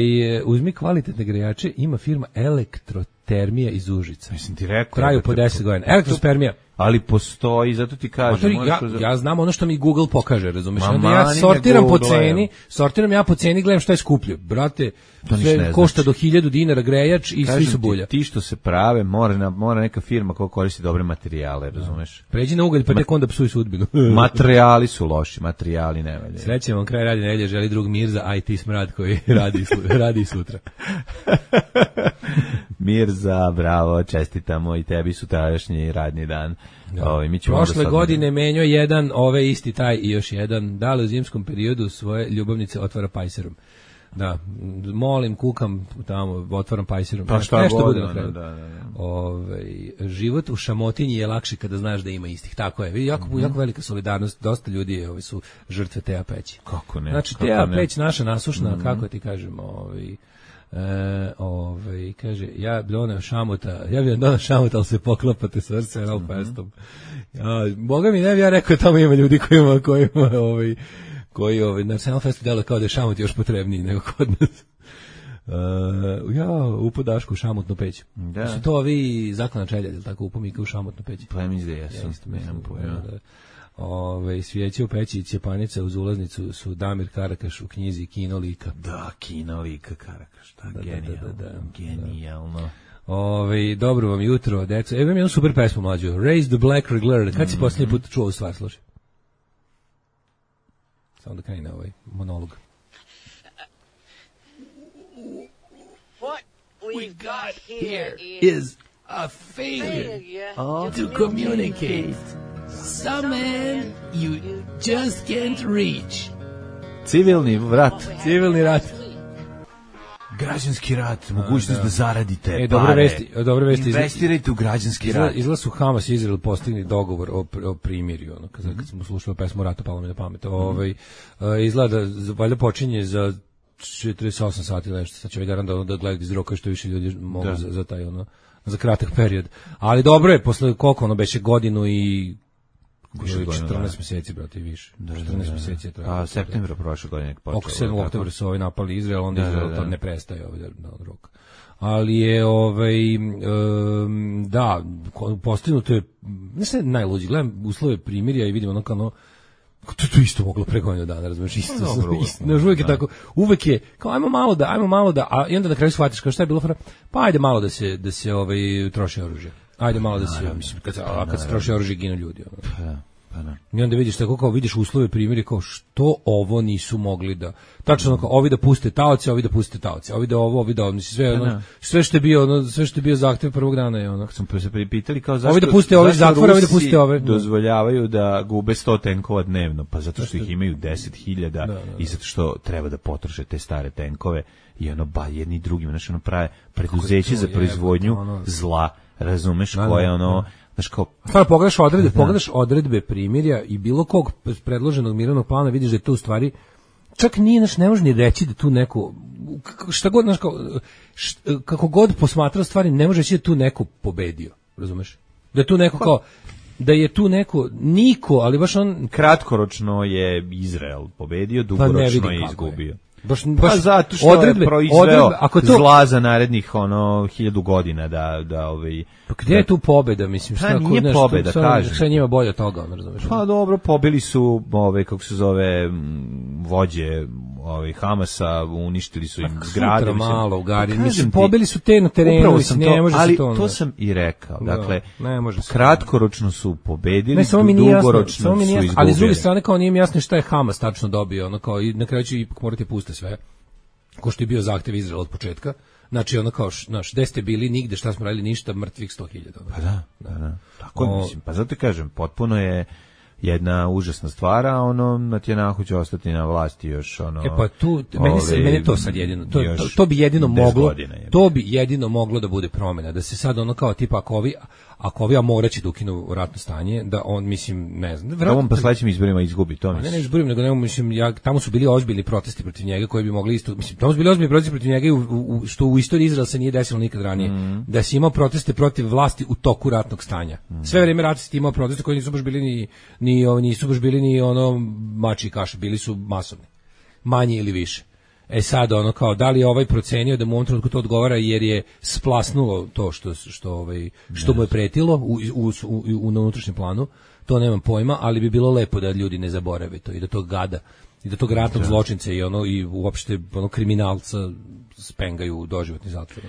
uzmi kvalitetne grejače, ima firma Elektro Termija iz Užica. Mislim ti rekao. Traju po deset godina. Elektrospermija. Ali postoji, zato ti kažem. Ja, ja znam ono što mi Google pokaže, razumiješ? Onda ja sortiram po ceni, sortiram ja po ceni, gledam šta je skuplje. Brate, sve košta znači. Do hiljadu dinara grejač i kažem svi su bulja. Ti, ti što se prave, mora, mora neka firma koja koristi dobre materijale, razumiješ? Pređi na ugalj, pa tek onda psuj sudbinu. Materijali su loši, materijali ne valje. Srećem vam kraj radi nedelje, želi drug Mirza, I T smrad koji radi, radi sutra. Mirza, bravo, čestitamo i tebi sutrašnji radni dan. Da. Ove, mi prošle godine menjao jedan, ove isti taj i još jedan. Da li u zimskom periodu svoje ljubavnice otvara pajserom? Da, molim, kukam tamo, otvaram pajserom. Pa šta nešto god, bude na kraju. Da, da, da. Ove, život u Šamotinji je lakši kada znaš da ima istih. Tako je. Vidi, jako, mm-hmm. jako velika solidarnost. Dosta ljudi ovi su žrtve Teja Peći. Kako ne? Znači, kako Teja ne? Peć, naša nasušna, mm-hmm. kako ti kažemo, ovi... E, ovaj kaže ja bi doneo šamuta, ja bi doneo šamuta, ali se poklopate srce Ralph Westom. A, Boga mi ne bi ja rekao, tamo ima ljudi koji ima, koji ima, ovaj, koji ovaj, na Arsenal Festu delo kao da je šamut još potrebniji nego kod nas. Uh, ja, upo Daško u šamutnu peć. Da. Su to ovi zaklana čelja, ili tako, upo Mika u šamutnu peć? Pa mi izde, jesu. Ja, Ove, svijeće u peći i Cjepanica uz ulaznicu su Damir Karakaš u knjizi Kino lika. Da, Kino lika Karakaš, da, da, genijalno, da, da, da, genijalno. Da. Ove, dobro vam jutro, deco. Evo imam jednu super pesmu mlađu. Raise the Black Regulator. Kad si mm-hmm. posljednji put čuo ovu stvar, slušaj? Samo da krene ovaj monolog. What we've got here is a failure to communicate. Some man you just can't reach. Civilni rat. Civilni rat. Građanski rat, mogućnost da, da zaradite e, dobre vesti, dobre vesti. Investirajte u građanski izla, rat. Izgleda su Hamas i Izrael postigli dogovor o, o primirju, ono, kad, mm-hmm. kad smo slušali pesmu Rata, palo mi na pamet. Mm-hmm. Ovaj, izgleda da valjda počinje za četrdeset osam sati nešto, sad će ovaj garant da, da gleda iz roka što više ljudi mogu da. za, za taj, ono, za kratak period. Ali dobro je, posle koliko ono beše godinu i četrnaest mjeseci, brate, i više. Da, četrnaest da, da. mjeseci je trajalo. A septembra prošle godine počelo. Oko sedmog oktobra su ovaj napali Izrael, onda da, Izrael da, da. to ne prestaje ovaj da, rok. Ali je ovaj um, da, postignuto je, ne sve najluđi, gledam uslove primirja i vidim ono kao ono, to to isto moglo pre godinu dana, razumeš, isto, no, isto, no, uvek je tako, uvek je, kao ajmo malo da, ajmo malo da, a i onda na kraju shvatiš kao šta je bilo fora, pa ajde malo da se, da se ovaj, troši oružje. Ajde malo da se, mislim, kad, a kad se troši oružje ginu ljudi. Ono. Pa, pa ne. I onda vidiš tako kao, vidiš uslove primjeri kao što ovo nisu mogli da, tačno kao, ovi da puste taoce, ovi da puste taoce, ovi da ovo, ovi da ovo, mislim, sve, ono, sve što je bio, ono, sve što je bio zahtev prvog dana je ono. Sam se pripitali kao zašto, ovi da puste ove zatvore, ovi da puste ove. Dozvoljavaju da gube sto tenkova dnevno, pa zato što ih imaju deset hiljada da, da, da. I zato što treba da potroše te stare tenkove i ono, ba, jedni drugim, znači ono prave preduzeće za proizvodnju ono, zla. Razumeš da, koje ono, znaš kao... Stvarno, pogledaš odredbe, da. pogledaš odredbe primirja i bilo kog predloženog mirovnog plana, vidiš da je to u stvari, čak nije, znaš, ne može ni reći da tu neko, šta god, znaš, kao, šta, kako god posmatrao stvari, ne može reći da tu neko pobedio, razumeš? Da je tu neko kao, da je tu neko, niko, ali baš on... Kratkoročno je Izrael pobedio, dugoročno pa je izgubio. Je. Baš, baš pa zato što odredbe, je proizveo odredbe, ako to, zla za narednih ono hiljadu godina da da ovaj pa gdje je tu pobeda, mislim, šta nije nešto, pobeda, kažem. Šta njima bolje od toga, ono, razumeš? Pa dobro, pobili su ove kako se zove vođe ove Hamasa, uništili su im pa, zgrade, mislim, malo u Gari, pa, mislim, pobili su te na terenu, mislim, ne može ali se to. Ali to sam i rekao. Dakle, no, ne može kratkoročno su pobedili, ne, samo mi nije dugoročno jasno, su izgubili. Ali s druge strane kao nije mi jasno šta je Hamas tačno dobio, ono kao i na kraju će ipak morati pustiti sve. Ko što je bio zahtev Izraela od početka. Znači ono kao, znaš, gde ste bili, nigde, šta smo radili, ništa, mrtvih sto hiljada. Pa da, da, da. Tako o, mislim, pa zato ti kažem, potpuno je jedna užasna stvar, a ono, Netanjahu će ostati na vlasti još, ono... E pa tu, meni, se, meni to sad jedino, to, to, to bi jedino moglo, to bi jedino moglo da bude promjena, da se sad ono kao tipa, ako ovi, ako ovi Amoraći da ukinu ratno stanje, da on, mislim, ne znam... Da on pa sledećim izborima izgubi, to mislim. Ne, ne izborim, nego ne, mislim, ja, tamo su bili ozbiljni protesti protiv njega koji bi mogli isto, mislim, tamo su bili ozbiljni protesti protiv njega, u, u, što u istoriji Izraela se nije desilo nikad ranije, mm. da si imao proteste protiv vlasti u toku ratnog stanja. Mm. Sve vreme rata si imao proteste koji nisu baš bili ni, ni, ni nisu baš bili ni ono mači i kaše, bili su masovni. Manje ili više. E sad ono kao da li je ovaj procenio da mu u ovom trenutku to odgovara jer je splasnulo to što što ovaj što mu je pretilo u u, u, u na unutrašnjem planu, to nemam pojma, ali bi bilo lepo da ljudi ne zaborave to i da to gada i da tog ratnog zločinca i ono i uopšte ono kriminalca spengaju u doživotni zatvor.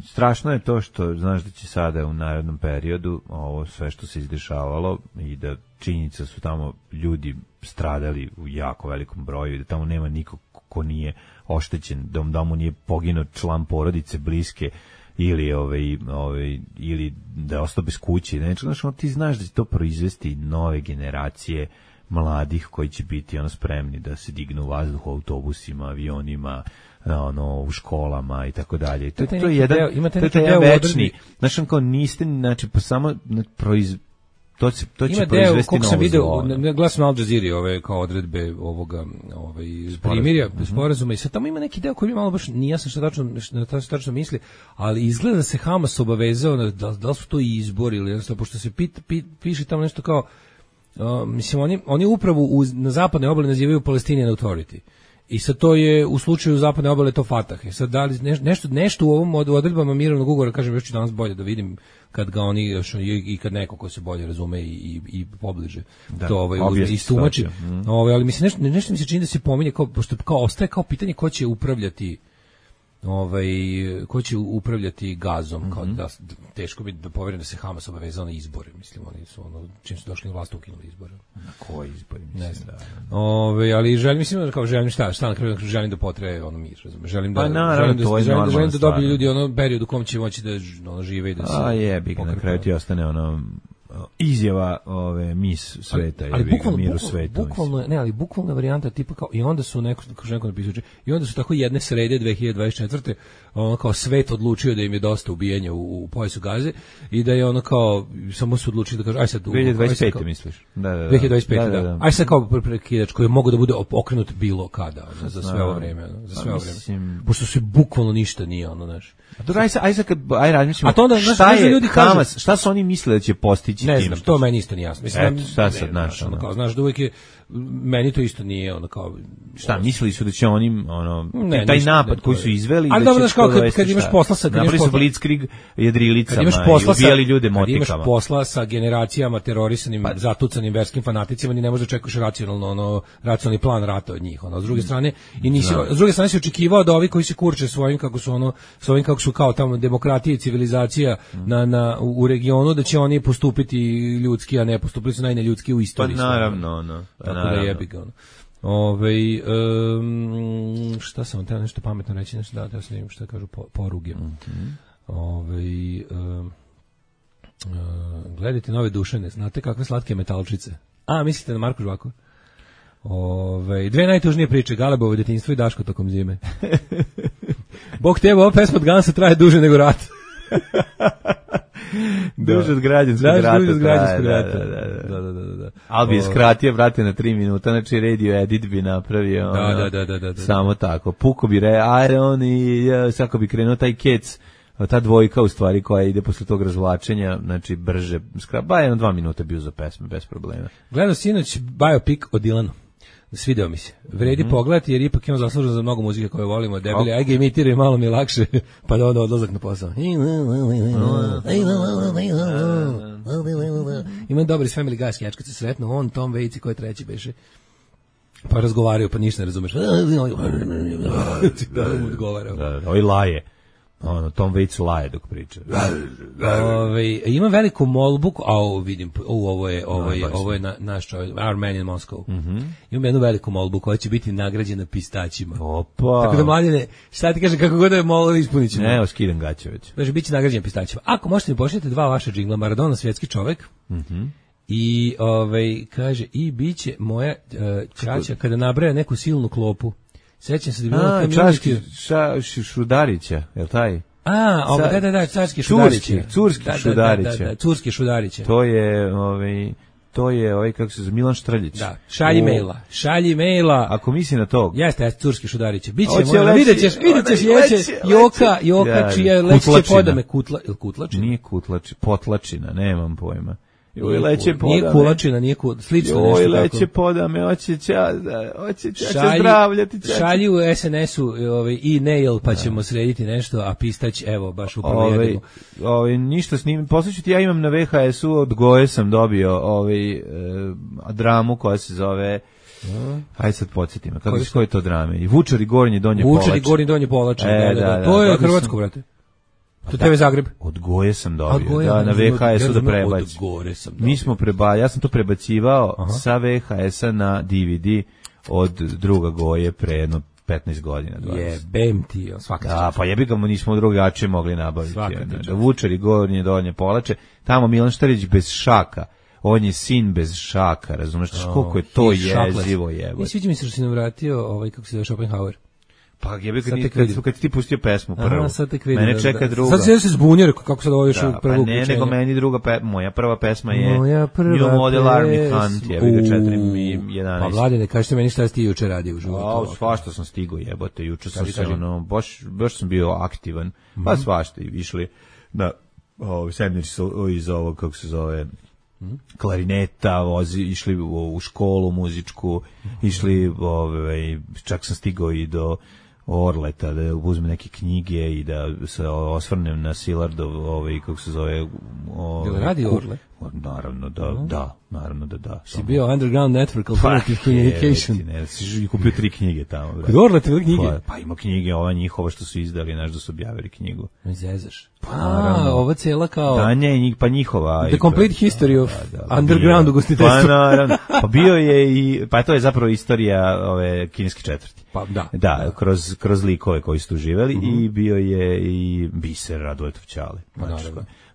Strašno je to što znaš da će sada u narednom periodu ovo sve što se izdešavalo i da činjenica su tamo ljudi stradali u jako velikom broju i da tamo nema nikog ko nije oštećen, da, da mu nije poginuo član porodice bliske ili ovaj ovaj ili da je ostao bez kuće. Znači, znaš, ti znaš da će to proizvesti nove generacije mladih koji će biti ono spremni da se dignu u vazduh autobusima, avionima, ono u školama i tako dalje. To, to je jedan, deo, to je jedan večni. Znači, kao niste, znači, pa samo proiz, To će, to će ima deo, koliko sam video, glasno Al Jazeera ove kao odredbe ovoga ovaj, primirja, mm-hmm. sporazuma i sad tamo ima neki deo koji mi malo baš nije jasno šta tačno, šta tačno misli, ali izgleda da se Hamas obavezao, da, da li su to i izbori ili jednostavno, pošto se pit, pit, piše tamo nešto kao, uh, mislim, oni, oni upravo uz, na zapadnoj obali nazivaju Palestinian Authority. I sad to je u slučaju zapadne obale to Fatah. I sad da li nešto, nešto u ovom odredbama mirovnog ugovora, kažem, još ću danas bolje da vidim kad ga oni još, i kad neko ko se bolje razume i, i, i pobliže da, to ovaj, istumači. Mm. Ovaj, ali mislim, nešto, nešto mi se čini da se pominje, kao, pošto kao, ostaje kao pitanje ko će upravljati ovaj, ko će upravljati Gazom, mm-hmm. kao da, teško bi da poverim da se Hamas obavezao na izbore, mislim, oni su ono, čim su došli na vlast ukinuli izbore. Na koji izbori, mislim, ne znam. Da. Ove, ali želim, mislim, kao želim šta, šta na kraju, želim da potraje ono mir, razumiješ, želim da, pa, naravno, želim da, želim, želim, želim da dobiju ljudi ono period u kom će moći da ono, žive i da se... A jebi ga, na kraju ti ostane ono... izjava ove mis sveta ali, ali bukvalno, mir u bukvalno, svetu. Bukvalno, ne, ali bukvalna varijanta tipa kao i onda su neko kako neko napisao i onda su tako jedne srede dve hiljade dvadeset četvrte ono kao svet odlučio da im je dosta ubijanja u, u pojasu Gaze i da je ono kao samo su odlučili da kaže aj sad dve hiljade dvadeset pete kao, misliš? Da, da, da. dve hiljade dvadeset pete da. da, da. Aj sad kao prekidač koji mogu da bude okrenut bilo kada za, za sve ovo vreme, ono, za sve ovo vreme. Mislim... Pošto se bukvalno ništa nije ono, znaš. A to aj sad aj sad kad aj razmišljamo. A to onda šta je ljudi Hamas, šta su oni mislili da će postići ne tim? Znam, to meni isto nije jasno. Mislim, eto, šta sad naš, ono, kao, znaš da uvijek je, meni to isto nije, ono, kao... Šta, mislili su da će oni, ono, ne, taj napad koji su izveli... Ali dobro, znaš, kao kad, kad imaš posla sa... Napravili su blitzkrieg jedrilicama i ubijali ljude motikama. Kad imaš posla sa generacijama terorisanim, pa, zatucanim verskim fanaticima, ni ne možeš da čekaš racionalno, ono, racionalni plan rata od njih, ono, s druge strane, i nisi, s druge strane si očekivao da ovi koji se kurče svojim, kako su, ono, svojim, kako su kao tamo demokratija i civilizacija na, na, u regionu, da će oni postupiti ljudski, a ne postupili su najneljudski u istoriji. Pa naravno, no. Tako da jebi ga, ono. Ove, um, šta sam vam teo nešto pametno reći, nešto da, da sam šta kažu po, poruge. Mm-hmm. Ove, um, uh, gledajte Nove Dušane, znate kakve slatke metalčice? A, mislite na Marku Žvaku? Ove, dve najtužnije priče, Galebovo detinjstvo i Daško tokom zime. Bog te, ova pesma od Gansa traje duže nego rat. Duže od građanskog rata. Duže od građanskog rata. Da, da, da, da, da. Ali bi skratio, brate, na tri minuta, znači radio edit bi napravio. Da, ono, da, da, da, da, da. Samo tako. Puko bi re, Iron i svako bi krenuo taj kec, ta dvojka u stvari koja ide posle tog razvlačenja, znači brže. Ba, jedno dva minuta bio za pesme, bez problema. Gledao sinoć biopic o Dylanu. Svideo mi se. Vredi mm-hmm. pogledati jer ipak imam zaslužen za mnogo muzike koje volimo. Debeli, okay. Aj ga imitiraju, malo mi je lakše, pa da onda odlazak na posao. Imam dobri s Family Guy sketch kad se sretnu, on, Tom Waits i ko je treći beše. Pa razgovaraju, pa ništa ne razumeš. Da mu odgovarao. Da, da, ovaj laje. Ono, Tom Waits laje dok priča. Ove, ima veliku molbu, a ovo vidim, o, ovo je, ovo je, ovo je na, naš čovjek, Our Man in Moscow. Mm-hmm. Ima jednu veliku molbu koja će biti nagrađena pistaćima. Opa. Tako da, mladine, šta ti kaže, kako god da je molbu, ispunit ćemo. Ne, oskidam gaće već. Znači, bit će nagrađena pistaćima. Ako možete mi pošljete dva vaša džingla, Maradona, svjetski čovjek, mm-hmm. i, ovaj, kaže, i bit će moja uh, čača kada nabraja neku silnu klopu. Sećam se da je bilo A, Čaški ša, Šudarića, je li taj? A, ovo, da, da, da, Čaški Šudarića. Curski da, Šudarića. Da, da, da, Curski Šudarića. To je, ovaj, to je, ovaj, kako se zove, Milan Štrljić. Da, šalji o... maila, šalji maila. Ako misli na to. Jeste, jeste, Curski Šudarića. Biće, možda, vidjet ćeš, vidjet ćeš, jeće, Joka, Joka, čija leće podame, kutla, ili Kutlačina? Nije Kutlačina, Potlačina, nemam pojma. Joj, leće podame. Nije Kulačina, nije ku, slično Joj, nešto tako. Joj, leće tako. podame, hoće ča, hoće ča, šalji, zdravljati ča. Šalji u es en esu ovaj, e-nail, pa ćemo srediti nešto, a pistać, evo, baš upravo ove, jedemo. Ove, ništa s njim, poslušajte, ja imam na ve ha esu, od Goje sam dobio ovaj, e, dramu koja se zove... Mm. Hajde sad podsjetimo, kako je, koje to drame? I Vučari Gornje Donje Polače. Vučari Gornje Donje Polače, e, da, da, da. To je hrvatsko, brate. To te ve Zagreb. Od Goje sam dobio, Goje, da, na ve ha esu ja da prebaci. Mi smo preba, ja sam to prebacivao Aha. sa ve ha esa na de ve de od druga Goje pre jedno petnaest godina. Jebem ti, svaka čast. Da, pa jebi ga mu nismo drugačije mogli nabaviti. Da, Vučari Gornje Donje Polače, tamo Milan Štrljić bez šaka. On je sin bez šaka, razumeš, oh, koliko je to jezivo jebo. I sviđa mi se što si nam vratio, ovaj, kako se zove, Schopenhauer. Pa jebe kad, kad, kad ti pustio pesmu prvu. Aha, sad tek vidim, mene čeka da, druga. Sad se zbunio, kako sad ovo još da, prvo uključenje. Ne, nego meni druga pe, moja prva pesma je New Model Army Hunt, jebi ga četiri jedanaest. Pa Vladine, kažete meni šta si ti juče radio u životu? A, svašta sam stigao, jebote, juče sam se ono, baš, baš sam bio aktivan, mm-hmm. pa svašta i išli na ovo, sedmici iz ovog, kako se zove, klarineta, vozi, išli u, u školu muzičku, išli, ovaj, čak sam stigao i do Orleta, da uzmem neke knjige i da se osvrnem na Silardov, ovaj, kako se zove... Ovaj, radi Orle? Naravno da, no. da, naravno da da. Si bio Underground Network Alternative pa, Communication. Je, ne, si kupio tri knjige tamo. Kod Orleta ili knjige? Pa, pa ima knjige, ova njihova što su izdali, znaš da su objavili knjigu. Ne zezaš. Pa, naravno. A, ova cijela kao... Da, ne, pa njihova... The Complete History of da, da, Underground ugostiteljstva. Pa, naravno. Pa bio je i... Pa to je zapravo istorija ove kineske četvrti. Pa da. Da, da. Kroz, kroz likove koji su tu živeli mm-hmm. i bio je i Biser Radoletov Ćale. Znači,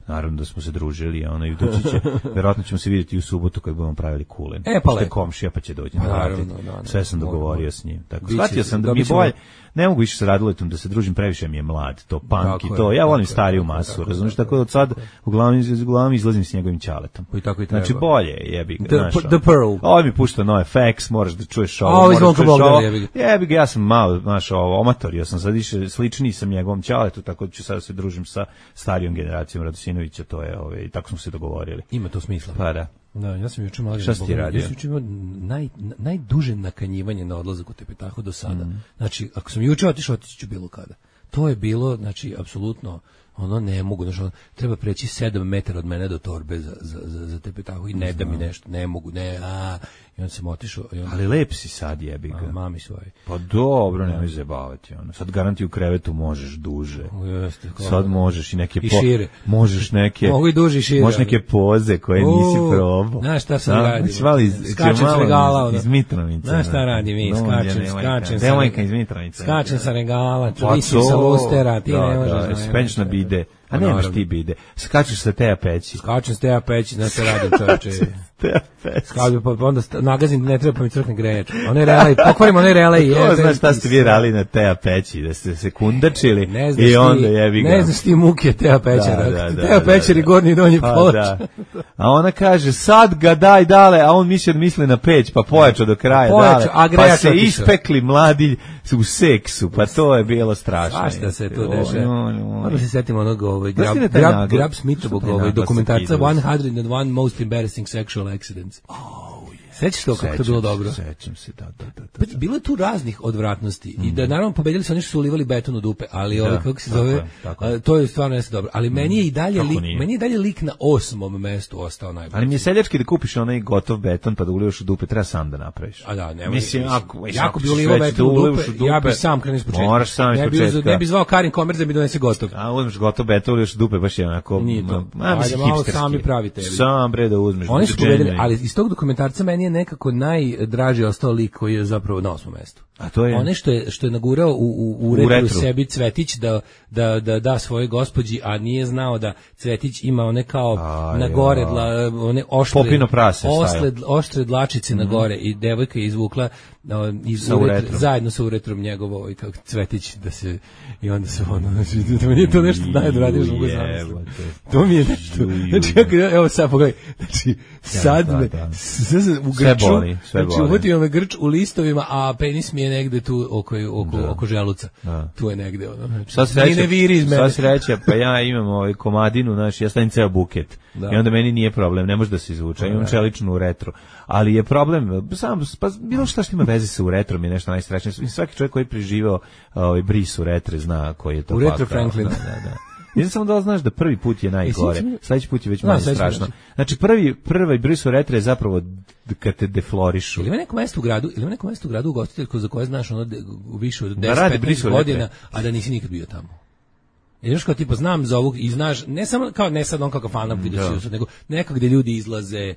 naravno da smo se družili, a onaj doći će, verovatno ćemo se vidjeti u subotu kad budemo pravili kulen. E, pa lepo. Komšija pa će doći. Pa, naravno, da, da, sve sam dogovorio moj, s njim. Tako, shvatio sam da mi je bolje, ne mogu više sa Radoletom da se družim, previše mi je mlad, to punk i to. Ja volim stariju masu, razumiješ, tako da od sad uglavnom, uglavnom izlazim s njegovim ćaletom. I tako i treba. Znači bolje jebi ga. The, znaš, the Pearl. Ovo mi pušta No F X, moraš da čuješ ovo. Ovo izvonko Bogdan jebi ga. Jebi ga, ja sam malo, znaš, ovo, omatorio sam, sad više sličniji sam njegovom ćaletu, tako da ću sad se družim sa starijom generacijom Radosinovića, to je, ove, i tako smo se dogovorili. Ima to smisla. Pa da. Da, ja sam juče malo... Šta si ti radio? Ja sam juče imao naj, najduže nakanjivanje na odlazak u Tepetahu do sada. Mm. Znači, ako sam juče otišao, otići ću bilo kada. To je bilo, znači, apsolutno, ono ne mogu, znači, ono, treba preći sedam metara od mene do torbe za, za, za, za Tepetahu i ne da mi nešto, ne mogu, ne, a i onda sam otišao. Onda... Ali lep si sad, jebi ga. A, mami svoje. Pa dobro, nemoj zajebavati, ono. Sad garanti u krevetu možeš duže. Jeste, sad možeš i neke... I šire. Po... Možeš neke... Mogu i duže i šire. Možeš neke poze koje U, nisi probao. Znaš šta sam radio? Skačem s regala. Iz, iz Mitrovice. Znaš šta radi mi? Skačem, skačem. Devojka iz Mitrovice. Skačem sa regala, visim sa lustera, ti ne možeš. Da, spenješ na bide. A nemaš ti bide. Skačeš sa Teja Peći. Skačem sa Teja Peći, znaš šta radim čovječe. Teja Peći. Skačem, pa onda nagazim, ne treba pa mi crkne grejač. Onaj relej, pokvarimo onaj relej. Ko znaš šta ste vi rali na Teja Peći, da ste se kundačili i onda jebi ga. Ne znaš ti muke Teja Pećara. Da, da, Teja Pećar i gornji i donji ploč. A ona kaže, sad ga daj dale, a on misli da misli na peć, pa pojačao do kraja dale. Pa se ispekli mladi u seksu, pa to je bilo strašno. Svašta se to dešava. Onda se setimo onog ovaj, grab, grab, grab Smithovog ovaj, dokumentarca one hundred one Most Embarrassing Sexual Accidents. Sećaš to kako to bilo dobro? Sećam se, da, da, da. da, da. Bilo je tu raznih odvratnosti mm. i da naravno pobedili su oni što su ulivali beton u dupe, ali ovaj kako se zove, tako, tako. A, to je stvarno jeste dobro. Ali mm. meni je i dalje lik, meni je dalje lik na osmom mestu ostao najbolji. Ali mi je seljački da kupiš onaj gotov beton pa da ulivaš u dupe, treba sam da napraviš. A da, nema. Mislim, ako jako bi ulivao beton u dupe, ja bih sam krenuo iz početka. Moraš sam iz početka. Ne bi zvao Karin Komerc da mi donese gotov. A uzmeš gotov beton, ulivaš u dupe, baš je onako. Ajde malo sami pravite. Sam bre da uzmeš. Oni su pobedili, ali iz tog dokumentarca meni je nekako naj draži ostao lik koji je zapravo na osmom mestu. A to je one što je što je nagurao u u, u, retru, u retru sebi Cvetić da da da da svojoj gospođi, a nije znao da Cvetić ima one kao a, na gore dla, one oštre oštre oštre dlačice mm-hmm. na gore i devojka je izvukla no, iz uretra, zajedno sa uretrom njegovo i kako Cvetić da se i onda se ono da mi je to nešto najdraže što mogu zamisliti. To mi je nešto. Znači evo sad pogledaj. Znači sad me u grču, znači uvatio me grč u listovima, a penis mi je negde tu oko oko oko želuca. Tu je negde ono. Sad sreće, sad sreće, pa ja imam ovaj komadinu, znači ja stavim ceo buket. Da. I onda meni nije problem, ne može da se izvuče, imam čeličnu u retro. Ali je problem, sam, pa bilo šta što ima veze sa uretrom je nešto najstrašnije. Svaki čovjek koji je preživao ovaj bris u retre zna koji je to u retro Franklin. Da, da, da. Nisam samo da znaš da prvi put je najgore, sledeći put je već manje strašno. Znači prvi prvi bris u retre je zapravo kad te deflorišu. Ili ima neko mesto u gradu, ili ima neko mesto u gradu ugostiteljsko za koje znaš ono više od deset petnaest godina, a da nisi nikad bio tamo. I još kao tipa znam za ovog i znaš, ne samo kao ne sad on kao kafana vidio se, nego nekako gde ljudi izlaze,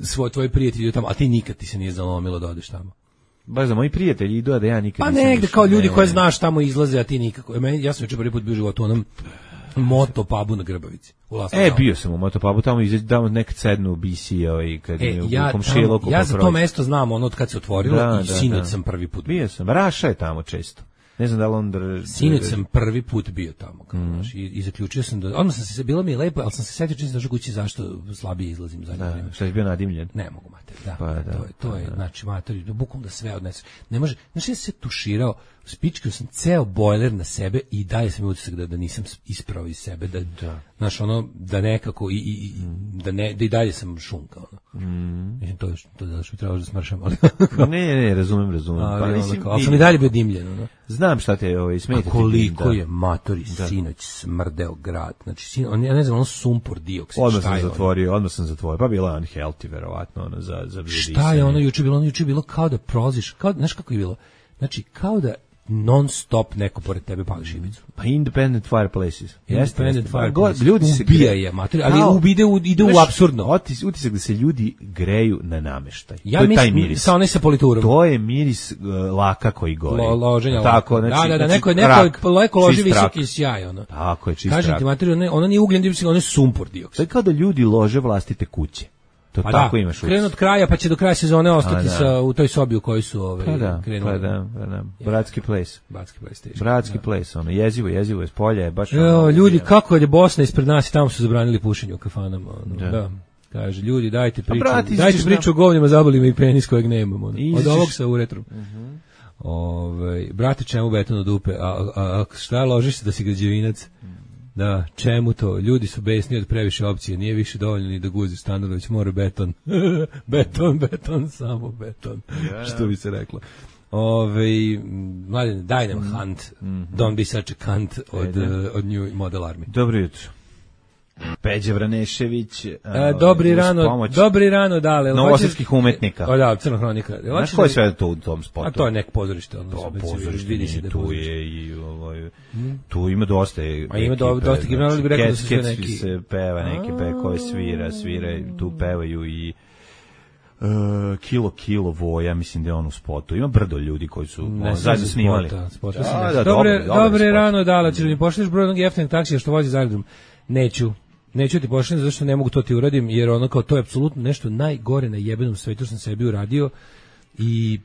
svoj tvoj prijatelji idu tamo, a ti nikad ti se nije zalomilo da odeš tamo. Baš za moji prijatelji idu, a da ja nikad pa nisam. Pa negde kao ljudi ne, koje znaš tamo izlaze, a ti nikako. Meni ja sam juče prvi put bio u životu u onom moto pubu na Grbavici. E, bio sam u moto pubu, tamo izađe tamo nekad sednu B C i kad e, je ja, u komšiluku. Ja za to mesto znam ono od kad se otvorilo da, i sinoć da, sam prvi put. Bio sam, Raša je tamo često. Ne znam da li on drži. Sinoć sam prvi put bio tamo, kao, mm. znaš, i, i zaključio sam da, odmah sam se, bilo mi je lepo, ali sam se setio čim sam došao kući zašto slabije izlazim za da, što je bio nadimljen. Ne mogu, mater, da, pa, da, to je, to pa, je da. znači, mater, bukvalno da sve odnese. Ne može, znaš, ja sam se tuširao, spičkio sam ceo bojler na sebe i dalje sam utisak da, da nisam isprao iz sebe, da, da. Znaš, ono, da nekako, i, i, mm. da, ne, da i dalje sam šunka, ono. Mm. Mislim, to je to da što mi trebaš da smršam, ali... ne, ne, razumem, razumem. Ali, pa, ono, mislim, ali sam i dalje bio dimljen, ono. Znam šta te ovaj, smeta. A koliko da. je matori da. Sinoć smrdeo grad. Znači, sin, on, ja ne znam, on sumpor dioksid. Odmah sam zatvorio, ono? odmah sam zatvorio. Pa bila je unhealthy, verovatno, ono, za, za šta je ono juče bilo? Ono juče bilo kao da prolaziš, kao, znaš kako je bilo? Znači, kao da non stop neko pored tebe pali šibicu. Pa independent fireplaces. Independent fireplaces. Ljudi se ubija je, mater, ali kao, ide u, ide u apsurdno. Otis, utisak da se ljudi greju na nameštaj. Ja to je mis, taj miris. Sa onaj sa politurom. To je miris uh, laka koji gori. Lo, loženja tako, laka. Znači, da, da, da, znači, neko je neko leko loži visoki sjaj, ono. Tako je, čist kažem rak. ti, mater, ono, ono nije ugljen dioksid, ono je sumpor dioksid. To je kao da ljudi lože vlastite kuće. To pa tako da, imaš. krenu od kraja, pa će do kraja sezone ostati sa, u toj sobi u kojoj su ove, pa da, krenuli. Pa da, pa da. Bratski ples. Bratski ples. Teški, Bratski da. ples, ono, jezivo, jezivo je, s polja je baš... Jo, ono, ljudi, je. kako je Bosna ispred nas i tamo su zabranili pušenje u kafanama. Ono, da. da. Kaže, ljudi, dajte priču, brati, dajte priču o govnima, zabolima i penis kojeg nemamo. Ono. Iziš... Od ovog sa uretrom. Uh-huh. Ove, brate, čemu beton od dupe? A, a, a šta ložiš se da si građevinac? Da, čemu to? Ljudi su besni od previše opcije, nije više dovoljno ni da guzi Stanović, mora beton. beton, beton, samo beton. Ja, što bi se reklo. Ove, mladen, daj nam mm. hunt, mm-hmm. don't be such a cunt od, uh, od New Model Army. Dobro jutro. Peđa Vranešević. E, dobri rano, dobri rano, dale. Novosadskih umetnika. O da, crnohronika. Znaš ko je sve to u tom spotu? A to je nek pozorište. Ono, to pozorište, vidi se da tu pozorište. Je i ovaj, hmm. tu ima dosta. A ima do, dosta generalno bi rekao da su sve neki. se peva, neke pekove svira, svira, tu pevaju i Uh, kilo kilo voja, mislim da je on u spotu. Ima brdo ljudi koji su ne, zajedno snimali. Spota, spota da, da, dobre, dobre, dobre rano, dala, ćeš mi pošliš broj onog jeftinog taksija što vozi za aerodrom? Neću. Neću ti pošlim zato što ne mogu to ti uradim, jer ono kao to je apsolutno nešto najgore na jebenom svetu što sam sebi uradio i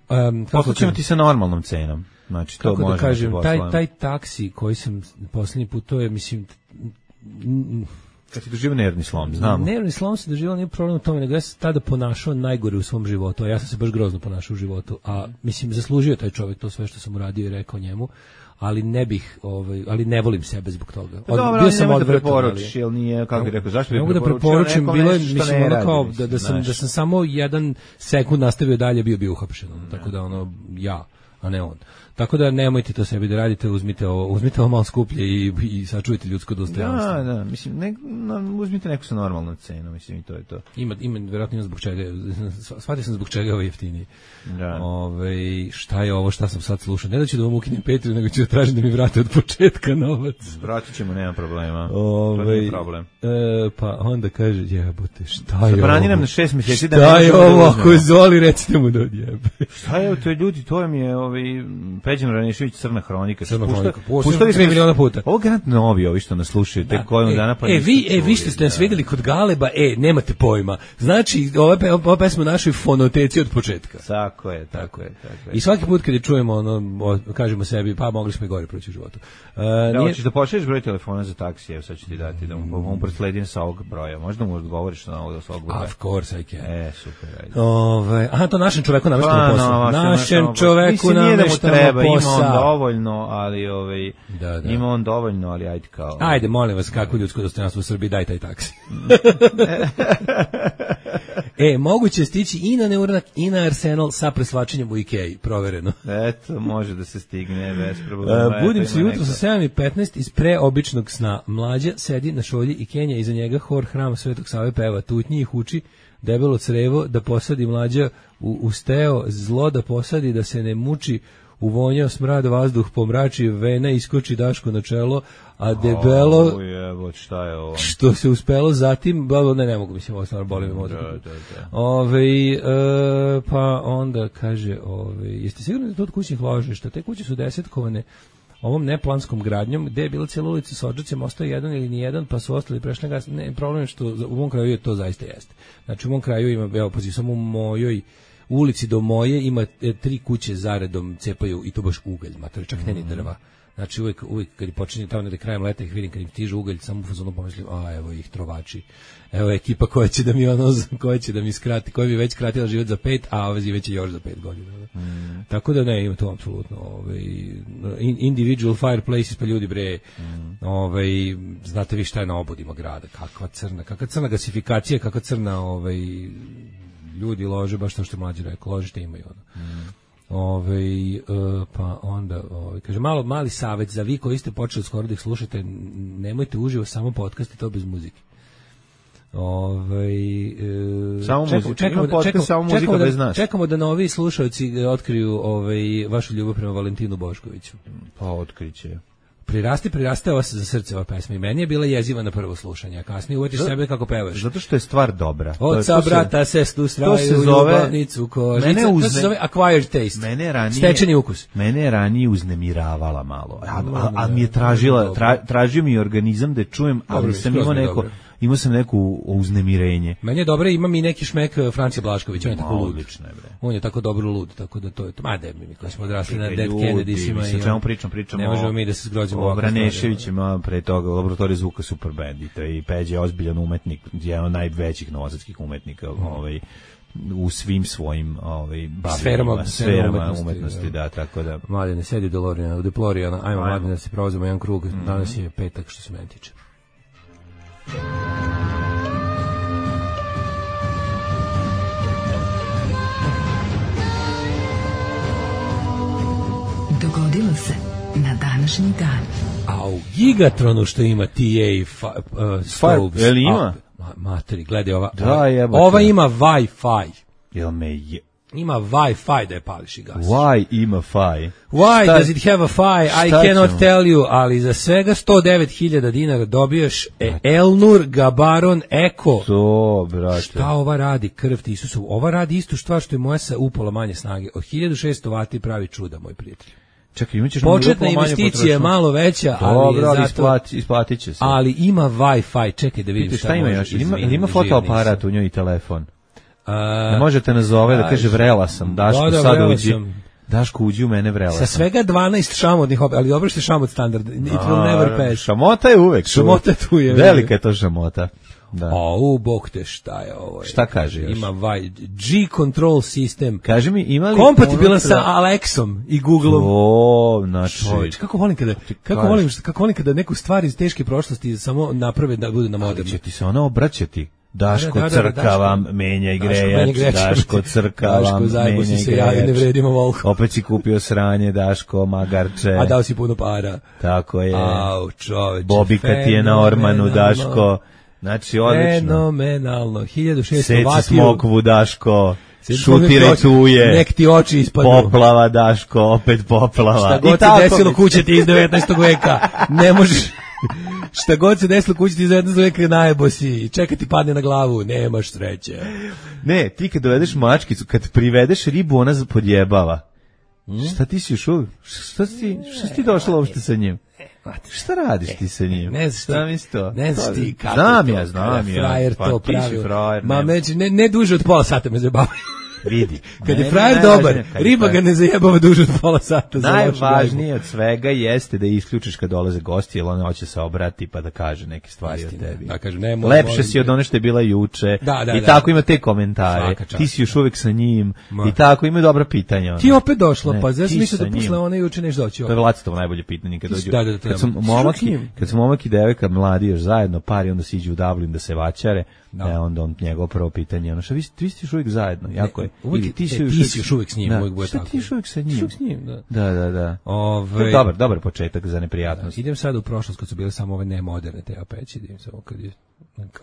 um, kako ćemo ti sa normalnom cenom. Znači to kako može da kažem, taj taj taksi koji sam poslednji put, to je mislim kad si doživio nervni slom, znam. Nervni slom se doživio, nije problem u tome, nego ja sam tada ponašao najgore u svom životu, a ja sam se baš grozno ponašao u životu, a mislim zaslužio taj čovjek to sve što sam uradio i rekao njemu, ali ne bih, ovaj, ali ne volim sebe zbog toga. Od, dobro, bio sam odvratan, da preporučiš, jel nije, kako bih rekao, zašto bih preporučio? Ne mogu da preporučim, bilo je, mislim, ono kao, da, da, sam, da sam samo jedan sekund nastavio dalje, bio bio uhapšen, tako da ono, ja, a ne on. Tako da nemojte to sebi da radite, uzmite ovo, uzmite ovo malo skuplje i, i sačuvajte ljudsko dostojanstvo. Da, da, mislim, ne, no, uzmite neku sa normalnom cenom, mislim, i to je to. Ima, ima, vjerojatno ima zbog čega, shvatio sam zbog čega ovo je jeftiniji. Da. Ove, šta je ovo, šta sam sad slušao? Ne da ću da vam ukinem Patreon, nego ću da tražim da mi vrate od početka novac. Vratit ćemo, nema problema. Ove, to nije problem. E, pa onda kaže, jebote, šta je Zabrani ovo? nam na šest mjeseci da šta je ovo, ako je Zoli, recite mu da odjebe. Šta je ovo, to je ljudi, to mi je ovaj, Peđan Vranešević, Crna hronika. Crna hronika, puštali smo miliona puta. Ovo grad novi, ovi što nas slušaju, tek koju dana pa E, vi, e, vi što ste nas vidjeli kod Galeba, e, nemate pojma. Znači, ova, ova pesma u našoj fonoteci od početka. Tako je, tako je, tako je. I svaki put kad je čujemo, ono, kažemo sebi, pa mogli smo i gore proći u životu. Uh, da, nije... hoćeš da pošalješ broj telefona za taksi, evo sad ću ti dati, da mu, mu prosledim sa ovog broja. Možda mu odgovoriš na ovo sa ovog broja. Of course I can. E, super, ajde. Ove, aha, to našem čoveku nameštamo posao. No, našem čoveku nameštamo posao. Ima on dovoljno, ali ovaj, da, da. ima on dovoljno, ali ajde kao... Ajde, molim vas, kako ljudsko dostojanstvo u Srbiji, daj taj taksi. E, moguće stići i na Neuranak i na Arsenal sa preslačenjem u Ikeji, provereno. Eto, može da se stigne bez problema. Uh, budim se jutro sa sedam i petnaest iz preobičnog sna. Mlađa sedi na šolji i Kenja, iza njega hor hrama Svetog Save peva tutnji i huči, debelo crevo da posadi mlađa u, u steo, zlo da posadi da se ne muči, uvonjao smrad vazduh pomrači, vena iskoči Daško na čelo, a debelo oh, jebo, šta je ovo? Što se uspelo zatim, ne, ne mogu, mislim, ovo stvarno boli me mozak. Da, da, da. Ove, e, pa onda kaže, ove, jeste sigurni da to od kućnih ložišta? Te kuće su desetkovane ovom neplanskom gradnjom, gde je bila cijela ulica s odžacima, ostao jedan ili nijedan, pa su ostali prešli gas. Ne, problem je što u mom kraju je to zaista jeste. Znači, u mom kraju ima, evo, pazi, samo u mojoj u ulici do moje ima e, tri kuće zaredom cepaju i to baš ugalj, mater, čak ne ni drva. Znači uvijek, uvijek kad počinje tamo negde krajem leta ih vidim, kad im stiže ugalj, samo u fazonu pomislim, a evo ih trovači. Evo ekipa koja će da mi ono, koja će da mi skrati, koja bi već skratila život za pet, a ova već još za pet godina. Mm. Tako da ne, ima to apsolutno. Ovaj, individual fireplaces, pa ljudi bre, mm. ovaj, znate vi šta je na obodima grada, kakva crna, kakva crna gasifikacija, kakva crna, ovaj, ljudi lože, baš to što je mlađi rekao, ložište imaju ono. Mm. Ove, uh, pa onda ove, kaže, malo mali savjet za vi koji ste počeli skoro da ih slušate, nemojte uživo samo podcast i to bez muzike. Ove, uh, samo čekamo, muzika, čekamo, podcast, čekamo, samo muzika čekamo, bez da, nas. Čekamo da novi slušalci otkriju ove, vašu ljubav prema Valentinu Boškoviću. Pa otkriće. Prirasti, priraste ova za srce ova pesma i meni je bila jeziva na prvo slušanje, a kasnije uvetiš sebe kako pevaš. Zato što je stvar dobra. Oca, brata, sestru, straju, ljubavnicu, kožica. Mene uzne, to se zove acquired taste. Mene ranije, stečeni ukus. Mene je ranije uznemiravala malo. A, a, a mi je tražila, tra, tražio mi organizam da čujem, ali dobro, sam imao neko... Dobro. Imao sam neku uznemirenje. Meni je dobro, ima mi neki šmek Francije Blašković, on je tako lud. Odlično je, bre. On je tako dobro lud, tako da to je to. Ma da mi koji smo odrasli na Dead Kennedysima i o čemu pričam, pričamo. Ne možemo mi da se zgrođemo o Braneševićima, pre toga Laboratorij zvuka super band i to i Peđa je ozbiljan umetnik, jedan od najvećih novosadskih umetnika, mm. ovaj u svim svojim ovaj sferama, sferama umetnosti, umetnosti da. da, tako da. Mladene, sedi Dolorijana, u Deplorijana, ajmo Mladene da se provozimo jedan krug, mm. danas je petak što se meni tiče. Dogodilo se na današnji dan. A u Gigatronu što ima T A fa, uh, stoves. Jel ima? A, materi, gledaj ova. Da, ova, ova ima Wi-Fi. Jel me je... Ima Wi-Fi da je pališ i gasiš. Why ima fi? Why šta, does it have a fi? I cannot ćemo? Tell you, ali za svega sto devet hiljada dinara dobiješ e, Elnur Gabaron Eko. To, brate. Šta ova radi, krv ti Isusu? Ova radi istu stvar što je moja sa upola manje snage. Od hiljadu šesto vati pravi čuda, moj prijatelj. Čekaj, imaćeš početna investicija je malo veća, ali dobro, je zato, isplati, isplatit će se. Ali ima Wi-Fi, čekaj da vidim. Pite, šta, šta ima još? Ima, ima fotoaparat u njoj i telefon? A, ne možete nazove da kaže vrela sam, Daško da, da, sad uđi. Sam. Daško uđi u mene vrela sam. Sa svega dvanaest šamotnih, ali dobro što je šamot standard. It will never pass. Šamota je uvek. Šamota tu je. Velika je to šamota. Da. O, u bog te šta je ovo. Je. Šta kaže još? Ima vaj, G-Control sistem. Kaže mi, ima li... Kompatibilan sa Alexom i Googleom. O, znači... Čovječ, kako volim kada, kako volim, kako volim kada neku stvar iz teške prošlosti samo naprave da bude na moderno. Ali će ti se ona obraćati. Daško da, da, da, crka vam, menja i grejač, Daško crka vam, menja i grejač. Ne vredimo volko. Opet si kupio sranje, Daško, magarče. A dao si puno para. Tako je. Au, čoveče. Bobika ti je na Ormanu, Daško. Znači, odlično. Fenomenalno. hiljadu šesto vatiju. Seci smokvu, Daško. Šutire tuje. Nek ti oči ispadnu. Poplava, Daško, opet poplava. Šta god se desilo kuće ti iz devetnaestog veka. Ne možeš... Šta god se desilo kući ti iz devetnaestog veka najebo si, čeka ti padne na glavu, nemaš sreće. Ne, ti kad dovedeš mačkicu, kad privedeš ribu, ona podjebava. Hmm? Šta ti si još uvijek? Šta si, šta si ti došla uopšte sa njim? Šta radiš ti sa njim? Ne znaš šta mi to? Ne znaš ti kako znam to, ja, znam ja. Frajer pa, to pravi. Frajer, Ma među, ne, ne duže od pola sata me zabavaju. Vidi. Kad je frajer dobar, riba ga ne zajebava duže od pola sata. Najvažnije od svega jeste da isključiš kad dolaze gosti, jer ona hoće se obrati pa da kaže neke stvari o tebi. Da, kaže, ne, lepše si od one što je bila juče. Da, da, I da, tako da. Ima te komentare. Ti si još uvijek sa njim. Ma. I tako ima dobra pitanja. Ona. Ti opet došla, ne, pa znaš misle da posle one juče neš doći. To je Vlacitovo najbolje pitanje kad dođu. Da, da, da, kad su momaki, kad su momak i devojka mladi još zajedno, par i onda siđu u Dublin da se vaćare. Da, e, onda on njegovo prvo pitanje, ono što vi, vi ste još uvijek zajedno, jako je. Ili ti si, e, ti si još uvijek s njim, da, uvijek bude tako. Šta ti još uvijek sa njim? S njim, da. Da, da, da. Ove, dobar, dobar početak za neprijatnost. Da, idem sad u prošlost kad su bile samo ove nemoderne te apeći, idem samo kad je...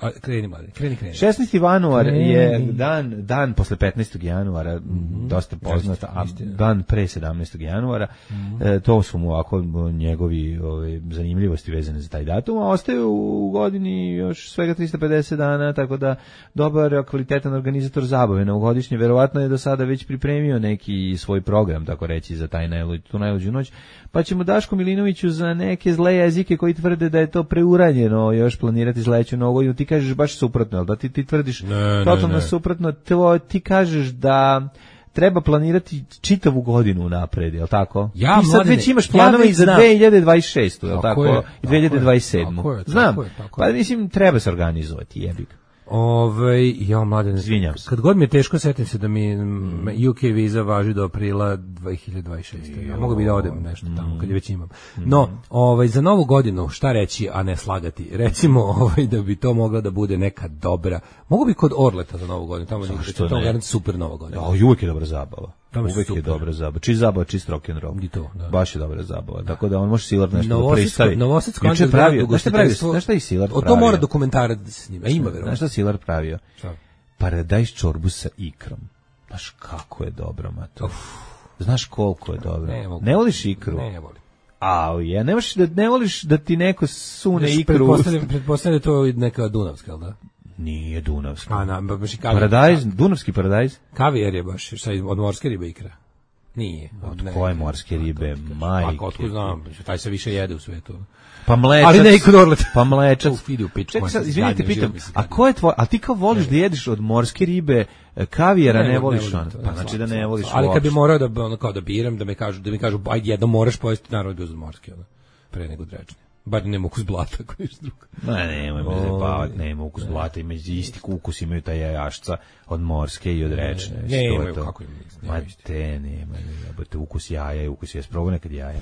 A, kreni, mali, kreni, kreni. šesnaesti januar je dan, dan posle petnaestog januara, mm-hmm. dosta poznat, a dan pre sedamnaestog januara, mm-hmm. e, to su mu ovako njegovi ove, zanimljivosti vezane za taj datum, a ostaju u godini još svega tristo pedeset dana, tako da dobar, kvalitetan organizator zabave novogodišnje, verovatno je do sada već pripremio neki svoj program, tako reći, za taj najluđu, tu najluđu noć, pa ćemo Daško Milinoviću za neke zle jezike koji tvrde da je to preuranjeno još planirati zleću novu. Ti kažeš baš suprotno, da ti ti tvrdiš ne, totalno ne, ne. suprotno, to, ti kažeš da treba planirati čitavu godinu napred, je li tako? Ja, ti sad mladine, već imaš planove ja i za znam. dve hiljade dvadeset šestu, je li Tako tako? je, I dve hiljade dvadeset sedmu. tako je, Znam, tako je, tako je. pa mislim, treba se organizovati, jebi ga. Ove, ja, mladen, Izvinjam se. kad god mi je teško, setim se da mi mm. U K viza važi do aprila dve hiljade dvadeset šeste. Ja mogu bi da odem nešto tamo, kad je već imam. No, ovaj, za novu godinu, šta reći, a ne slagati? Recimo, ovaj, da bi to mogla da bude neka dobra. Mogu bi kod Orleta za novu godinu, tamo je tamo garant super nova godina. Ja, uvek je dobra zabava. Tamo Uvek super. je dobra zabava. Čist zabava, čist rock'n'roll. I to, da. Baš je dobra zabava. Da. Tako da on može Silar nešto Novosadsko- da pristavi. Novosadsko Juče je underground pravio. Znaš šta pravi? ugostiteljstvo- Znaš šta je Silar O pravio? to mora dokumentarac da se snima. A ima, verovatno. Znaš šta je Silar pravio? Šta? Paradajz čorbu sa ikrom. Znaš kako je dobro, mato. Znaš koliko je dobro. Ne, mogu. Ne voliš ikru? Ne, ne volim. A, je, ne možeš da ne voliš da ti neko sune Znaš, ikru. pretpostavljam, pretpostavljam da je to neka dunavska, jel da? Nije dunavski. A, na, baš i kavijer. Paradajz, dunavski paradajz. Kavijer je baš, šta je, od morske ribe ikra. Nije. Od koje morske ribe, majke. Pa, otkud znam, taj se više jede u svetu. Pa mlečac. Ali ne i kod Orleta. Pa mlečac. Uf, ide u pičku, Čekaj, sad, majke, izvinite, gadno, pitam, živo mi se a gadno. ko je tvoj, a ti kao voliš da jedeš od morske ribe, kavijera, ne, Ne, ne voliš volim ono? to, Pa ne, znači slabo, da ne slabo. voliš Ali kad bi uopšte. morao da ono kao da biram, da me kažu, da mi kažu ajde jedno moraš pojesti, naravno bi uzeo morski, ono, pre nego drečni. Bar nema ukus blata koji je drugo. Ne, nemoj me zabavati, nema ukus blata, ima isti ukus, imaju taj jajašca od morske i od rečne. Ne, to je imaju, to. kako imaju, Ma nemaju isti. te, nema, jebote, ukus jaja i ukus je, sprobao nekad jaja.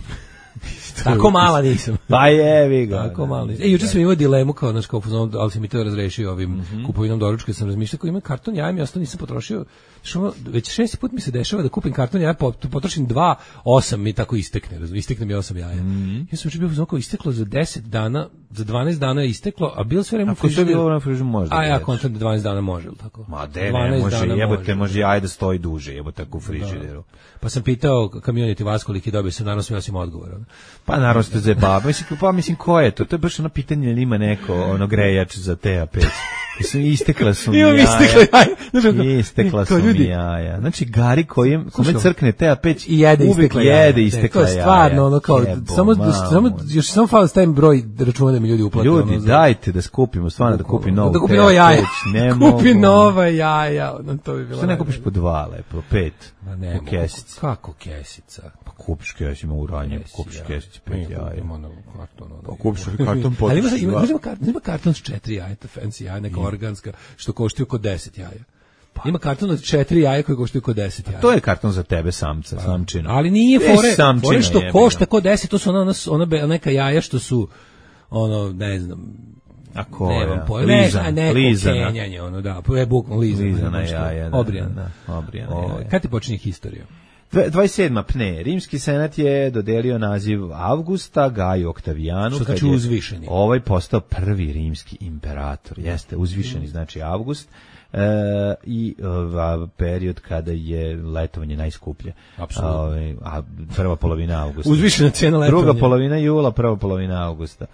Tako mala nisam. Pa jevi ga. Tako malo. E, juče sam imao dilemu kao, znaš, kao, ali sam mi to razrešio ovim Mhm. kupovinom doručka, sam razmišljao kao imam karton jaja, ja ostalo nisam potrošio. Što već šesti put mi se dešava da kupim karton jaja, pot- potrošim dva, osam mi tako istekne, razumiješ, istekne mi osam jaja. Mhm. Ja sam juče bio u zonu isteklo za deset dana, za dvanaest dana je isteklo, a bilo sve vreme u Ako što je frižideru. bilo na frižu možda. A da ja jedeš. kontam da dvanaest dana može, ili tako? Ma de, ne, dvanaest može, dana jebote, može jaje da stoji duže, jebote, tako u frižideru. Pa sam pitao kamioniti vas koliki dobio sam, naravno sam ja sam odgovor. ono. Pa naravno ste zajebava. Mislim, pa mislim ko je to? To je baš ono pitanje ili ima neko ono grejač za T A pet. Mislim, istekla su mi Imam jaja. istekla jaja. Znaš, ono, Istekla kao su mi ljudi. jaja. Znači, Gari kojem, kome Slušaj, crkne T A pet, I jede uvek istekla jaja. jede Ne, istekla to jaja. je stvarno ono kao Jebo, samo mamu. samo još samo fali stavim broj računa da mi ljudi uplate. Ljudi, ono, za- dajte da skupimo, stvarno da kupim novu da kupi T A nova jaja. pet. Ne Kupi mogu. nova jaja. ono, to bi bilo. Što ne kupiš po dva lepo, pet? Ma ne, u kesici. Kako kesica? Pa kupiš kesicu, ima uranje, Kesi, kupiš ja. kesici, Mi pet jaja. kupimo ono karton. ono. Pa kupiš karton Ali ima, potrošiš ima, dva. ima, karton, ima karton s četiri jaja, to fancy jaja, neka organska, što koštuju oko deset jaja. Ima karton od četiri jaja koji koštuju oko deset jaja. To je karton za tebe samca, samčina. Ali nije Veš fore, samčina, fore što jebi košta ga. ko deset, to su ona, ona, ona be- neka jaja što su, ono, ne znam, A ko nemam je? pojma, ne, Lizana, a neko lizana. kenjanje, ono, da, je bukvalno lizana. Lizana nešto. jaja, da, Obrijana. da, da, obrijana O, jaja. kad ti počinje historija? Dve- dvadeset sedma pne. Rimski senat je dodelio naziv Avgusta Gaju Oktavijanu. Što kad znači je uzvišeni. Ovaj postao prvi rimski imperator. Jeste, uzvišeni znači Avgust. E, i ova period kada je letovanje najskuplje. Apsolutno. A, ovaj, a prva polovina avgusta. Uzvišena cena letovanja. Druga polovina jula, prva polovina avgusta.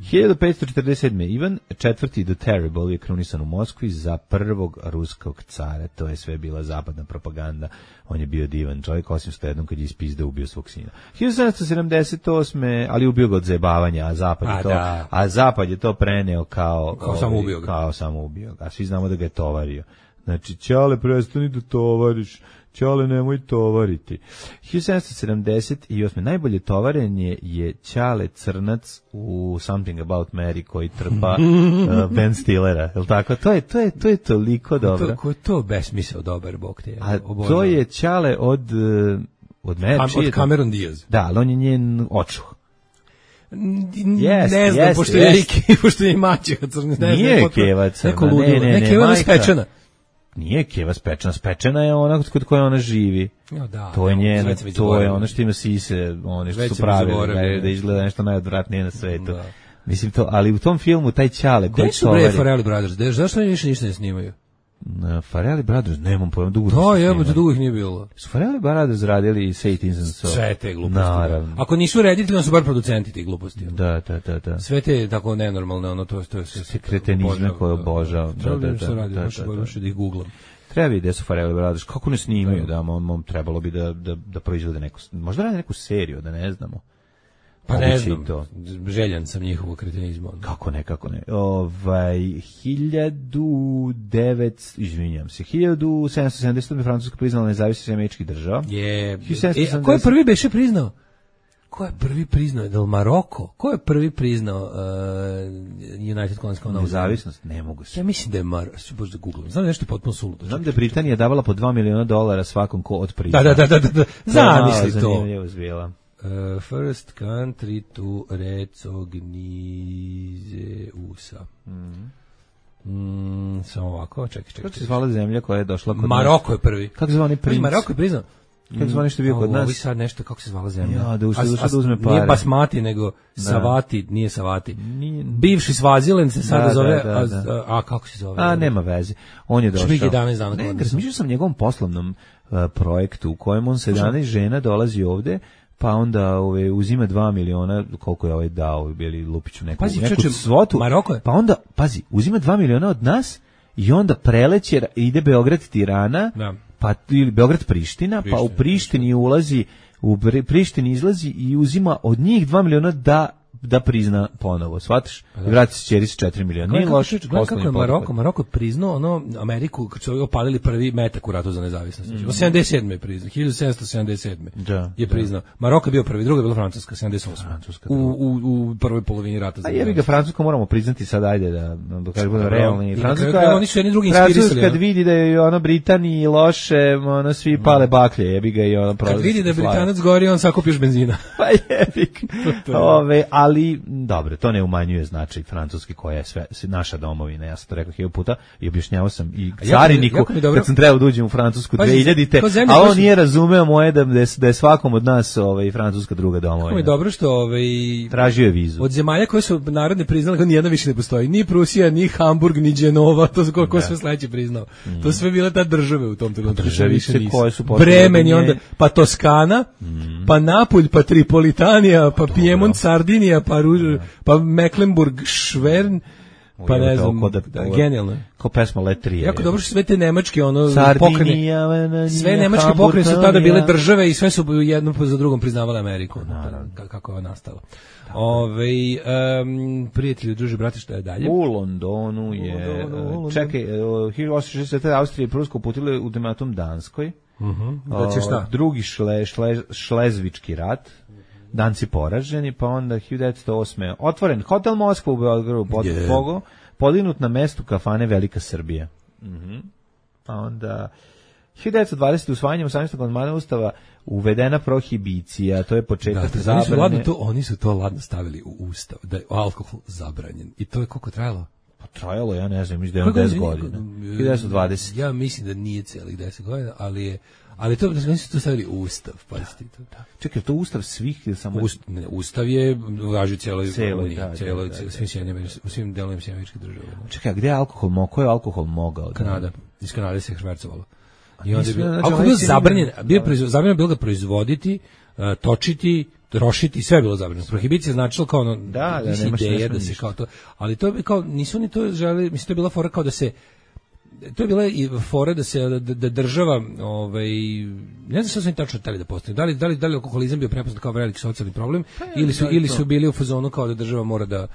hiljadu petsto četrdeset sedme. Ivan četvrti the Terrible je krunisan u Moskvi za prvog ruskog cara. To je sve bila zapadna propaganda. On je bio divan čovjek, osim što jednom kad je ispizdao ubio svog sina. hiljadu sedamsto sedamdeset osme. ali ubio ga od zajebavanja, a zapad je A, to, da. a zapad je to preneo kao Kao samo ubio ga. Kao samo ubio ga. A svi znamo da ga je tovario. Znači, Ćale, prestani da tovariš. Ćale, nemoj tovariti. hiljadu sedamsto sedamdeset osme. najbolje tovarenje je Ćale Crnac u Something About Mary koji trpa uh, Ben Stillera. Je li tako? To je, to je, to je toliko dobro. To, ko je to besmisao dobar, bog te je. A obožavam. to je Ćale od, uh, od Mary. Kam, čiji je od to? Cameron Diaz. Da, ali on je njen očuh. Yes, ne znam, jest, pošto je jest. Riki, pošto je mačeha crna. Ne Nije znam, potpuno- Keva crna, Neko ne, ludilo. ne, Ne, ne, Keva je majka. spečena. Nije Keva spečena, spečena je ona kod koje ona živi. Ja, da, To je evo, njena, već sam već to je zaboravio. ono što ima sise, one što Već su sam pravili, zaboravio. da, da izgleda nešto najodvratnije na svetu. Da. Mislim to, ali u tom filmu taj Ćale koji Gde su bre tovari... Farrelly Brothers? Gde- Zašto oni više ništa ne snimaju? Na Farrelly Brothers, nemam pojma, dugo Da, nisu jebote, snimali. dugo ih nije bilo. Su Farrelly Brothers radili Satan's and so? Sve te gluposti. Naravno. Ako nisu reditelji, onda su bar producenti tih gluposti. Da, da, da, da. Sve te tako nenormalne, ono, to, to je sve... Sve kretenizme koje obožavam. Treba Da, da, da, da, da, radi, da, baš, da, da. baš da ih googlam. Treba vidjeti gde su Farrelly Brothers. Kako ne snimaju, da, mom, mom, trebalo bi da, da, da proizvode neku, možda rade neku seriju, da ne znamo. Pa ne znam, željan sam njihovu kretenizmu. Kako ne, kako ne. Ovaj, hiljadu devetsto, izvinjam se, hiljadu sedamsto sedamdeset Francuska priznala nezavisnost američkih država. Je. E, a ko je prvi beše priznao? Ko je prvi priznao? Del Maroko? Ko je prvi priznao uh, United Colonies kao nezavisnost? Ne mogu se. Ja mislim da je Mar... Bože da googlam. Znam nešto potpuno suludo. Znam da je Britanija davala po dva miliona dolara svakom ko od priznao. Da, da, da, da, da. Zamisli to. Zanimljivo zbijela. Uh, first country to recognize U S A. Mhm. Mm, samo ovako, čekaj, čekaj. Kako se zvala zemlja koja je došla kod Maroko je prvi. Kako se zvala oni princ? Maroko je priznao. Kako se zvala nešto bio kod nas? Ovi sad nešto, kako se zvala zemlja? Ja, da ušli da uzme pare. Nije Basmati, nego Savati, nije Savati. Nije... Bivši Svaziland se sada da, zove, da, da, da. A, a kako se zove? A, nema veze. On je došao. Šmig jedanaest dana. Ne, razmišljao sam njegovom poslovnom uh, projektu u kojem on sedamnaest žena dolazi ovde, pa onda ove, uzima dva miliona, koliko je ovaj dao, bili Lupiću neku, pazi, neku čeče, svotu, Maroko je. Pa onda, pazi, uzima dva miliona od nas i onda preleće, ide Beograd-Tirana, da. Pa ili Beograd-Priština, Priština, pa u Prištini ulazi, u Prištini izlazi i uzima od njih dva miliona da da prizna ponovo, shvatiš? I vrati se ćeri sa četiri miliona. Nije loš. Gledaj kako je Maroko, Maroko priznao ono Ameriku kad su opalili prvi metak u ratu za nezavisnost. Mm. sedamdeset sedme je priznao, hiljadu sedamsto sedamdeset sedme Da, je priznao. Da. Maroko je bio prvi, druga je bila Francuska, sedamdeset osme Francuska. U, u, u prvoj polovini rata za. A jebi ga Francusku moramo priznati sad, ajde da da kažemo realni. Francuska, oni su jedni drugi inspirisali. Kad vidi da je ono Britaniji loše, ono svi pale baklje, jebi ga i ono prolazi. Kad vidi da je Britanac gori, on sakupi još benzina. Pa jebi. Ove, ali dobro, to ne umanjuje značaj Francuske koja je sve naša domovina. Ja sam to rekao hiljadu puta i objašnjavao sam i cariniku jako, jako kad sam trebao da uđem u Francusku dve hiljadite, a on nije razumeo moje da, da je svakom od nas ovaj, Francuska druga domovina. Kako mi je dobro što ovaj, tražio je vizu. Od zemalja koje su narodne priznali, kao nijedna više ne postoji. Ni Prusija, ni Hamburg, ni Genova, to ko, ko sve sledeće priznao. Mm. To sve bile ta države u tom trenutku. Državice koje su Bremen i onda, pa Toskana, mm. pa Napulj, pa Tripolitanija, pa pa Piemont, Sardinija, pa, Ruž, pa Mecklenburg, Švern, pa ne znam, da, da, genijalno. Kao pesma Letrije. Jako dobro što sve te nemačke ono pokrene, sve nemačke pokrene su tada bile države i sve su jedno za drugom priznavale Ameriku. Naravno. Kako je nastalo. Ove, um, prijatelji, druže, brate, šta je dalje? U Londonu je, u Londonu, čekaj, hiljadu osamsto šezdeset sedme Austrija i Pruska uputile ultimatum Danskoj. Uh-huh. Da će šta? Drugi šle, šle, šlezvički rat. Danci poraženi, pa onda hiljadu devetsto osme otvoren hotel Moskva u Beogradu pod yeah. Pogo, podignut na mestu kafane Velika Srbija. Mhm. Pa onda hiljadu devetsto dvadesete usvajanjem osamnaestog amandmana Ustava uvedena prohibicija, to je početak da, zabrane. Oni su, ladno to, oni su to ladno stavili u Ustav, da je alkohol zabranjen. I to je koliko trajalo? Pa trajalo, ja ne znam, mislim da je deset godina. hiljadu devetsto dvadesete Ja mislim da nije celih deset godina, ali je Ali to, da su to stavili Ustav, pazite to. Da. Čekaj, to Ustav svih ili samo... Ust, ne, Ustav je važi cijeloj Uniji, cijeloj, svim sjednjama, u svim delovima Sjemeničke države. Čekaj, a gde je alkohol mogao? Ko je alkohol mogao? Kanada, iz Kanade se švercovalo. I onda je bio, znači, alkohol bio zabranjen, bio je zabranjeno bilo ga proizvoditi, uh, točiti, trošiti, sve je bilo zabranjeno. Prohibicija značilo kao ono, da, da, nemaš ideja da se kao to, ali to je kao, nisu ni to želeli, mislim, to je bila fora kao da se to je bila i fora da se da, da država ovaj ne znam šta su oni tačno hteli da postane. Da li da li da li alkoholizam bio prepoznat kao veliki socijalni problem pa, ili su ili su bili u fazonu kao da država mora da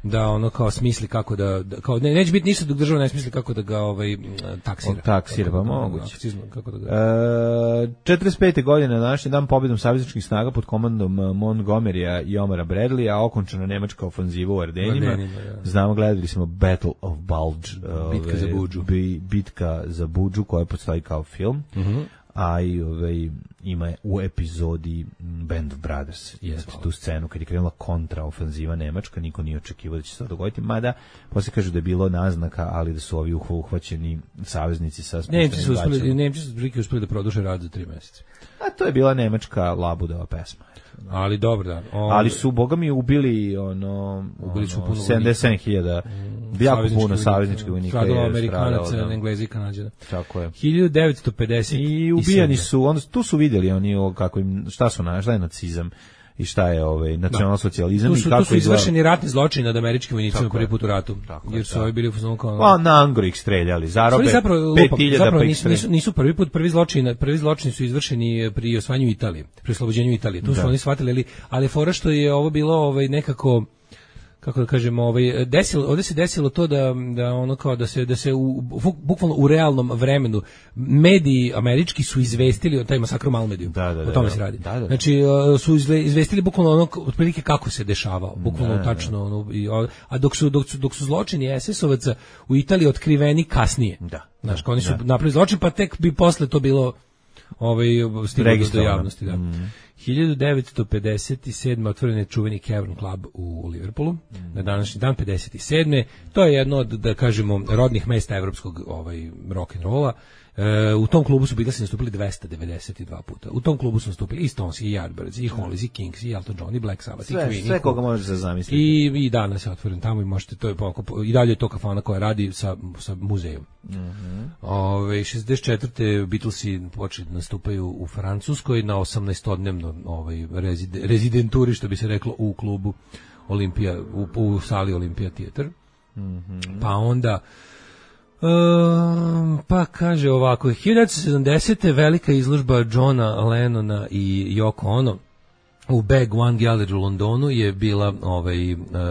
da ono kao smisli kako da, da kao ne neće biti ništa dok država ne smisli kako da ga ovaj taksira. Taksira pa moguće. Kako da ga. E, četrdeset pete godine na današnji dan pobedom savezničkih snaga pod komandom Montgomerya i Omara Bradleya okončana nemačka ofanziva u Ardenima. Ardenima ja. Znamo, gledali smo Battle of Bulge, bitka ove, za Budžu. Bi, bitka za Budžu koja postoji kao film. Mhm. A i ovaj, ima u epizodi Band of Brothers. Yes, tu scenu kad je krenula kontraofanziva nemačka, niko nije očekivao da će se to dogoditi, mada posle kažu da je bilo naznaka, ali da su ovi uhvaćeni saveznici sa Nemci su uspeli, Nemci su prilike uspeli da produže rad za tri meseca. A to je bila nemačka labudova pesma. Ali dobro da. On... Ali su boga mi ubili ono, ubili su ono, puno sedamdeset sedam hiljada mm, jako puno savezničkih vojnika. Stradalo Amerikanaca, da. Englezi i Kanađana. Tako je. hiljadu devetsto pedeset I ubijani su, onda tu su vidjeli oni kako im šta su na, šta je nacizam. i šta je ovaj nacionalsocijalizam da. i su, kako tu su izvršeni ratni zločini nad američkim vojnicima prvi put u ratu, tako jer su ovi bili u fazonu kao pa na Angro ih streljali, zarobe pet hiljada zapravo pa nisu, nisu, nisu prvi put, prvi zločini, prvi zločini su izvršeni pri osvajanju Italije, pri oslobođenju Italije. Tu su da. Oni shvatili, ali, ali fora što je ovo bilo ovaj nekako, kako da kažemo, ovaj desilo, ovdje se desilo to da da ono kao da se da se u, bukvalno u realnom vremenu mediji američki su izvestili o taj masakru Malmediju. Da, da, o tome da, se radi. Da, da, da. Znači su izvestili bukvalno ono otprilike kako se dešavao, bukvalno da, tačno da. Ono i, a dok su dok su dok su zločini es es ovaca u Italiji otkriveni kasnije. Da. Znači oni su da. napravili zločin pa tek bi posle to bilo ovaj stiglo do javnosti, da. Mm. hiljadu devetsto pedeset sedme otvoren je čuveni Cavern Club u Liverpoolu, mm. na današnji dan pedeset sedme To je jedno od, da kažemo, rodnih mesta evropskog ovaj, rock and rolla. E, u tom klubu su Beatlesi nastupili dvesta devedeset dva puta. U tom klubu su nastupili i Stones, i Yardbirds, i Hollies, i Kings, i Elton John, i Black Sabbath, sve, i Queen. Sve koga možeš da zamisliti. I, I danas je otvoren tamo i možete, to je i dalje je to kafana koja radi sa, sa muzejom. Mm-hmm. Ove, šezdeset četvrte Beatlesi počeli da nastupaju u Francuskoj na osamnaestodnevno ovaj, rezid, rezidenturi, što bi se reklo, u klubu Olimpija, u, u sali Olimpija Theater. Mm-hmm. Pa onda Um, pa kaže ovako, hiljadu devetsto sedamdesete velika izložba Johna Lennona i Yoko Ono u Bag One Gallery u Londonu je bila ovaj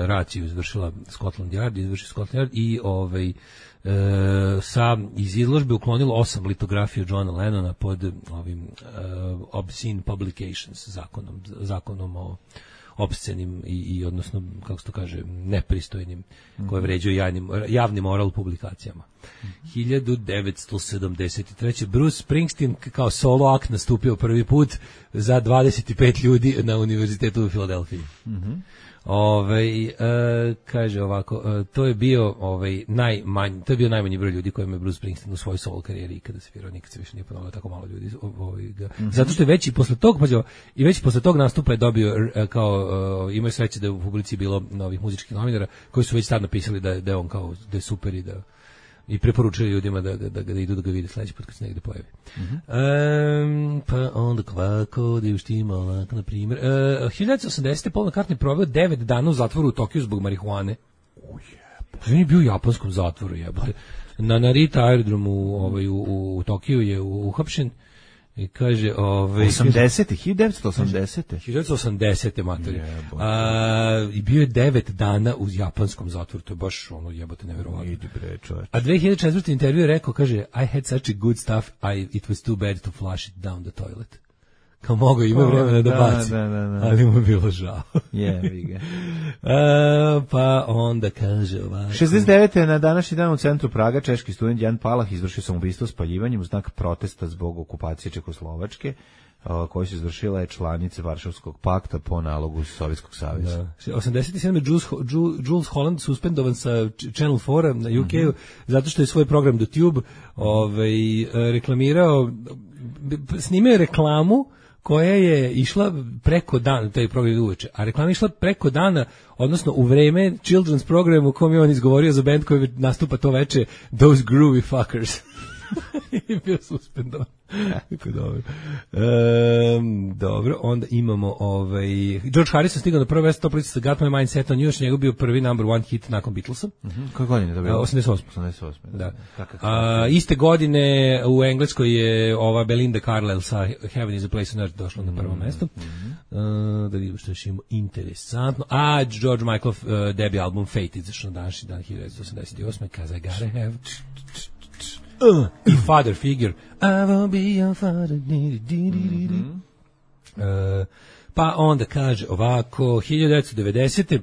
raciju izvršila Scotland Yard, izvršila Scotland Yard i ovaj e, sa iz izložbe uklonilo osam litografija Johna Lennona pod ovim uh, obscene publications zakonom zakonom o opscenim i, i odnosno, kako se to kaže, nepristojnim, mm-hmm. koje vređaju javnim, javni moral publikacijama. Mm-hmm. hiljadu devetsto sedamdeset treće Bruce Springsteen kao solo akt nastupio prvi put za dvadeset pet ljudi na univerzitetu u Filadelfiji. Mm-hmm. Ovaj e, kaže ovako, e, to je bio ovaj najmanji, to je bio najmanji broj ljudi kojima je Bruce Springsteen u svojoj solo karijeri ikada svirao, nikad se više nije ponovilo tako malo ljudi, ovaj ga. Mm-hmm. Zato što je već i posle tog, pa i već posle tog nastupa je dobio kao uh, imaju sreće da je u publici bilo novih muzičkih novinara koji su već tad napisali da da je on kao da je super i da i preporučuju ljudima da, da, da, da idu da ga vide sledeći put kad se negde pojavi. Mm-hmm. Um, pa onda kvako, da je uštima ovako, na primjer. Uh, hiljadu devetsto osamdesete Paul McCartney proveo devet dana u zatvoru u Tokiju zbog marihuane. Oh, jebote. On je bio u japanskom zatvoru, jebote. Na Narita aerodromu ovaj, u, u Tokiju je uhapšen i kaže... Ovaj, osamdesete hiljadu devetsto osamdesete hiljadu devetsto osamdesete matori. A, i bio je devet dana u japanskom zatvoru, to je baš ono jebote neverovatno. Idi bre, čovječ. A dve hiljade četvrte intervju je rekao, kaže, I had such a good stuff, I, it was too bad to flush it down the toilet. Kao mogo, ima vremena da, da baci, da, da, da. Ali mu je bilo žao. Jebi ga. uh, pa onda kaže ovako. šezdeset devete na današnji dan u centru Praga češki student Jan Palach izvršio samoubistvo spaljivanjem u znak protesta zbog okupacije Čekoslovačke, uh, koju su izvršile članice Varšavskog pakta po nalogu Sovjetskog saveza. Da. osamdeset sedme Jules, Jules Holland suspendovan sa Channel četiri na U K-u, mm-hmm. zato što je svoj program do Tube ovaj, reklamirao, snimio je reklamu koja je išla preko dana, taj program uveče, a reklama je išla preko dana, odnosno u vreme children's programu u kom je on izgovorio za band koji nastupa to veče, Those Groovy Fuckers. I bio suspendovan. Tako dobro. Um, dobro, onda imamo ovaj George Harrison stigao na prvo mesto sa Got My Mind Set on You, njegov bio prvi number one hit nakon Beatlesa. Mhm. Koje godine to bilo? osamdeset osme osamdeset osme Da. A, iste godine u Engleskoj je ova Belinda Carlisle sa Heaven is a Place on Earth došla mm-hmm. na prvo mesto. Mm-hmm. Uh, da vidimo što još imamo interesantno. A George Michael uh, debut album Fate izašao na današnji dan hiljadu devetsto osamdeset osme Cause I gotta have Uh, i Father Figure I will be your father. Mm-hmm. uh, pa onda kaže ovako hiljadu devetsto devedesete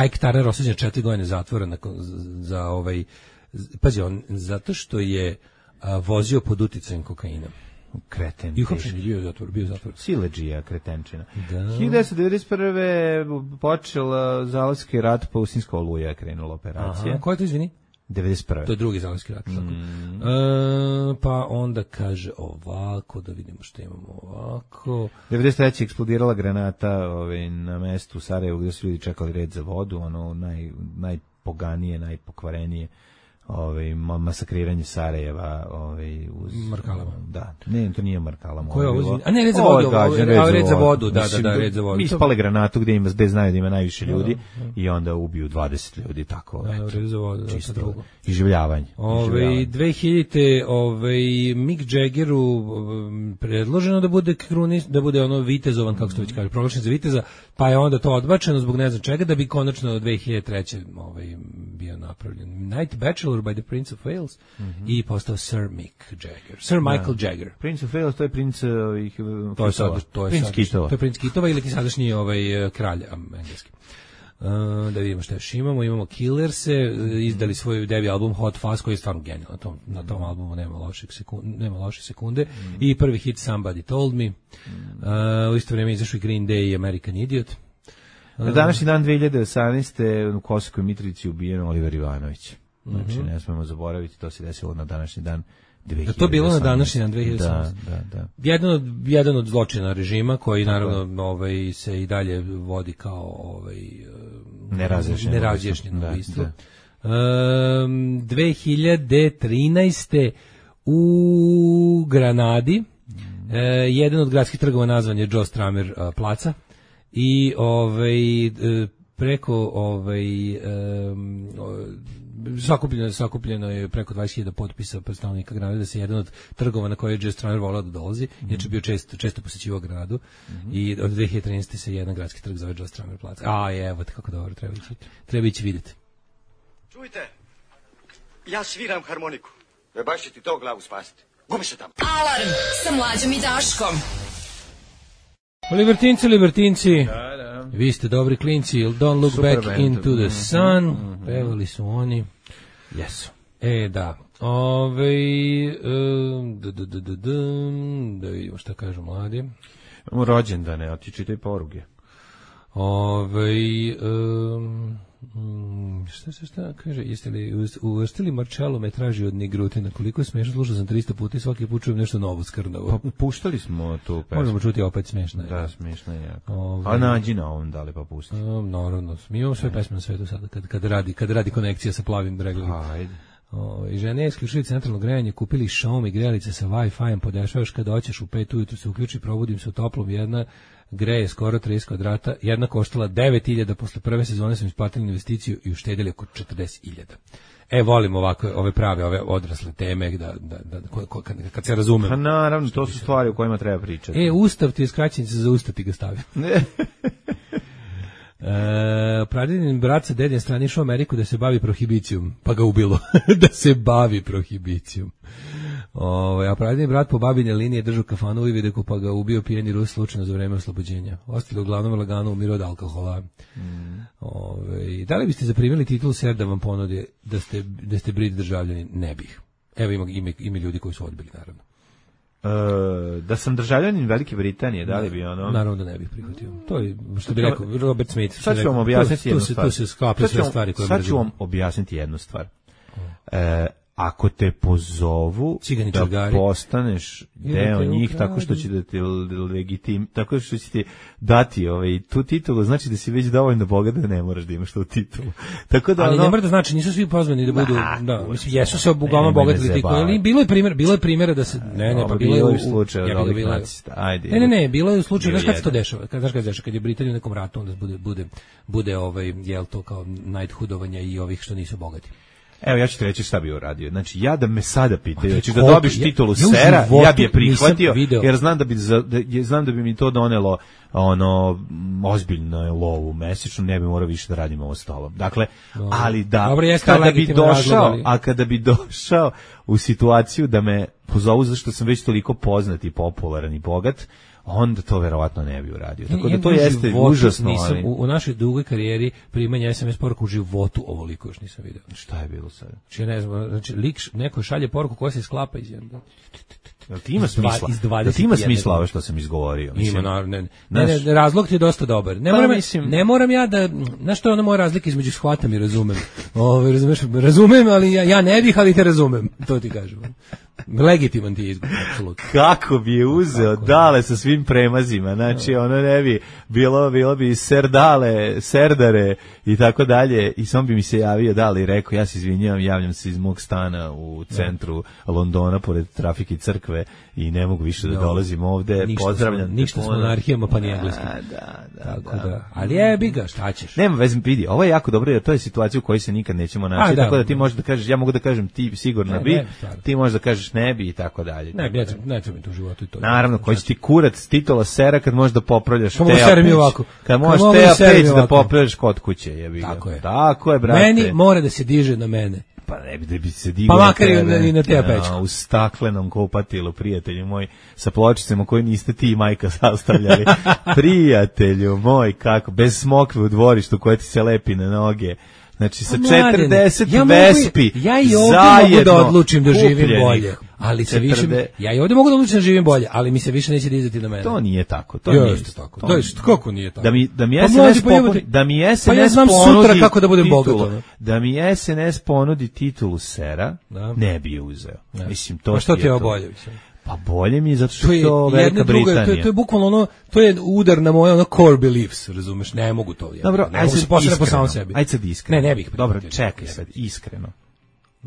Ike Turner osuđen četiri godine zatvora nakon, za, za ovaj pazi on zato što je a, vozio pod uticajem kokaina. Kreten. I uhapšen je bio zatvor, bio zatvor. Siledžija, kretenčina. Da. hiljadu devetsto devedeset prve počeo Zalivski rat, pa Usinska oluja je krenula operacija. Aha, ko je to, izvini? devedeset prve To je drugi Zalivski rat. Tako. Mm. E, pa onda kaže ovako, da vidimo što imamo ovako. devedeset treće eksplodirala granata ovaj, na mestu u Sarajevu gdje su ljudi čekali red za vodu, ono naj, najpoganije, najpokvarenije ovaj masakriranje Sarajeva, ovaj uz Markalama. Da, ne, to nije Markalama. Ko je ovo? A ne, red za vodu, a red za vodu, da, da, da, red za vodu. Mi ispale granatu gde ima, gde znaju da ima najviše ljudi i onda ubiju dvadeset ljudi, tako. Da, red za vodu, čisto drugo. Iživljavanje. Ovaj dve hiljadite ovaj Mick Jaggeru predloženo da bude krunis, da bude ono vitezovan, kako se to već kaže, proglašen za viteza, pa je onda to odbačeno zbog ne znam čega, da bi konačno dve hiljade treće ovaj bio napravljen Night Bachelor by the Prince of Wales mm -hmm. i postao Sir Mick Jagger. Sir Michael da. Jagger. Prince of Wales, to je princ ovih to je sad, to je princ sad, Kitova. To je princ Kitova ili ti sadašnji ovaj kralj engleski. Uh, da vidimo šta još imamo. Imamo Killerse, izdali svoj debi album Hot Fuzz, koji je stvarno genijalan. Na tom, na tom albumu nema loših sekunde, nema loše sekunde. Mm. I prvi hit Somebody Told Me. Uh, u isto vrijeme izašao i Green Day i American Idiot. Na današnji dan dve hiljade osamnaeste u Kosovskoj Mitrovici ubijen Oliver Ivanović. Znači, mm-hmm. ne smemo zaboraviti, to se desilo na današnji dan dve hiljade osamnaeste. Da to bilo na današnji dan dve hiljade osamnaeste. Da, da, da. Jedan od, jedan od zločina režima, koji naravno ovaj, se i dalje vodi kao ovaj, nerazjašnjeno nerazjašnjeno ubistvo. Um, dve hiljade trinaeste u Granadi mm. uh, jedan od gradskih trgova nazvan je Joe Stramer uh, placa. I ovaj preko ovaj um, sakupljeno, sakupljeno je preko dvadeset hiljada potpisa predstavnika Granade da se jedan od trgova na koje je Joe Stramer volao da dolazi, mm-hmm. inače bio često često posećivao Granadu mm-hmm. i od dve hiljade trinaeste se jedan gradski trg zove Joe Stramer placa. A evo kako dobro, treba ići. Treba ići vidjeti. Čujte, ja sviram harmoniku. Ne baš će ti to glavu spasiti. Gubi se tamo. Alarm sa Mlađom i Daškom. Libertinci, libertinci, da, da. Vi ste dobri klinci, don't look Super back band. Into the sun, mm-hmm. pevali su oni. Jesu. E, da. Ove, um, da, da, da, da, da, da vidimo šta kažu mladi. Imamo rođendane, a ti čitaj poruge. Ove, um, šta se šta kaže, jeste li uvrstili Marcello me traži od Nigrutina, koliko je smiješno, slušao sam tristo puta i svaki put čujem nešto novo skrnavo. Pa puštali smo tu pesmu. Možemo čuti opet smiješno. Da, smiješno je jako. Ove, a nađi na ovom, da li pa pusti? Um, naravno, mi imamo sve pesme na svetu sada, kad, kad, radi, kad radi konekcija sa plavim bregom. Ajde. O, i žene isključili centralno grejanje, kupili Xiaomi grejalice sa Wi-Fi-em, podešavaš kad hoćeš u pet ujutru se uključi, probudim se u toplom, jedna greje skoro trideset kvadrata, jedna koštala devet hiljada, posle prve sezone sam isplatili investiciju i uštedili oko četrdeset hiljada. E, volim ovako, ove prave, ove odrasle teme, da, da, da, ko, ko, kad, kad se razumem. Pa naravno, to su stvari o kojima treba pričati. E, Ustav ti je skraćenica za Ustav ti ga stavio. E, pradedin brat sa dedin strani išao u Ameriku da se bavi prohibicijom, pa ga ubilo. Da se bavi prohibicijom. Ove, a pradedin brat po babine linije držao kafanu u Ivideku, pa ga ubio pijeni Rus slučajno za vreme oslobođenja. Ostali uglavnom lagano umiru od alkohola. Mm. Ove, da li biste zaprimili titulu ser da vam ponudi da ste, da ste Brit državljani? Ne bih. Evo ima, ima, ima ljudi koji su odbili, naravno. Uh, da sam državljanin Velike Britanije, da li bi ono? Naravno da ne bih prihvatio. To je što bi rekao Robert Smith. Sad ću vam objasniti jednu stvar. Tu se sklapaju sve stvari koje sad ću vam objasniti jednu stvar. Uh, ako te pozovu da čugari. Postaneš deo njih tako što će da te legitim, tako što će ti dati ovaj tu titulu, znači da si već dovoljno bogat da ne moraš da imaš tu titulu. Tako da ali ono, ne mora da znači nisu svi pozvani da budu nah, da mislim jesu se uglavnom bogatili ti koji bilo je primjer bilo je primjera da se ne ne pa bilo je u slučaju ja ovih nacista. Ajde. Ne ne ne bilo je u slučaju znaš kad se to dešava. Kad znaš kad se dešava kad je Britanija u nekom ratu onda bude bude bude ovaj jel to kao knighthoodovanja i ovih što nisu bogati. Evo, ja ću ti reći šta bi uradio. Znači, ja da me sada pitaju, znači da dobiš titulu ja, sera, ja, ja bi je prihvatio, jer znam da bi, za, da, znam da bi mi to donelo ono, ozbiljno lovu mesečno, ne bi morao više da radim ovo s tobom. Dakle, no. ali da, Dobre, kada bi došao, razlog, a kada bi došao u situaciju da me pozovu zašto sam već toliko poznat i popularan i bogat, onda to verovatno ne bi uradio. Tako da to jeste užasno. Nisam, u, u našoj dugoj karijeri primanja es em es poruku u životu ovoliko još nisam vidio. Šta je bilo sad? Znači, ne znam, znači, lik neko šalje poruku koja se sklapa iz jednog. Jel ti ima smisla? Jel ti ima smisla ovo što sam izgovorio? Ima, naravno. Ne, ne, ne, razlog ti je dosta dobar. Ne, pa, moram, mislim, ne moram ja da, znaš što je ono moja razlika između shvatam i razumem. Ove, razumeš, razumem, ali ja, ja ne bih, ali te razumem. To ti kažem. Legitiman ti je izgovor, apsolutno. Kako bi je uzeo Kako? Dale sa svim premazima, znači ono ne bi, bilo, bilo bi Serdale, Serdare i tako dalje, i sam bi mi se javio Dale i rekao, ja se izvinjavam, javljam se iz mog stana u centru Londona, pored trafike crkve, i ne mogu više da dolazim ovde, ništa pozdravljam. Smo, ništa smo monarhijama, pa ni engleskim. Da, da, tako da. da. Ali jebi ga, šta ćeš? Nema veze, vidi, ovo je jako dobro, jer to je situacija u kojoj se nikad nećemo naći, A, tako da, da ti možeš da kažeš, ja mogu da kažem ti sigurno ne, bi, ne, ti možeš da kažeš ne bi i tako dalje. Ne, ne, ne treba mi to u životu i to. Naravno, koji će ti kurac titola sera kad možeš da popravljaš Teja Peć. Kad možeš Teja Peć da popravljaš kod kuće, jebi ga. Tako je. Tako je, brate. Meni mora da se diže na mene. Pa ne bi da bi se digao. Pa makar i na, i na Teja Peć. U staklenom kupatilu, prijatelju moj, sa pločicama koje niste ti i majka sastavljali. Prijatelju moj, kako, bez smokve u dvorištu koja ti se lepi na noge. Znači sa četrdeset ja Vespi ja i ovdje mogu da odlučim da živim bolje, ali se više ja i ovdje mogu da odlučim da živim bolje, ali mi se više neće dizati na mene. To nije tako, to nije tako. To je kako nije tako. Da mi da mi S N S ponudi, da mi S N S pa ja znam sutra kako da budem bogat. Da mi S N S ponudi titulu sera, ne bi je uzeo. Mislim to. Pa što ti je bolje? Pa bolje mi je zato što to je to Velika Britanija. To je, to je bukvalno ono, to je udar na moje ono core beliefs, razumeš, ne mogu to. Dobro, ne mogu se postaviti po samom sebi. Ajde sad iskreno. Ne, ne bih. Dobro, čekaj sad, iskreno.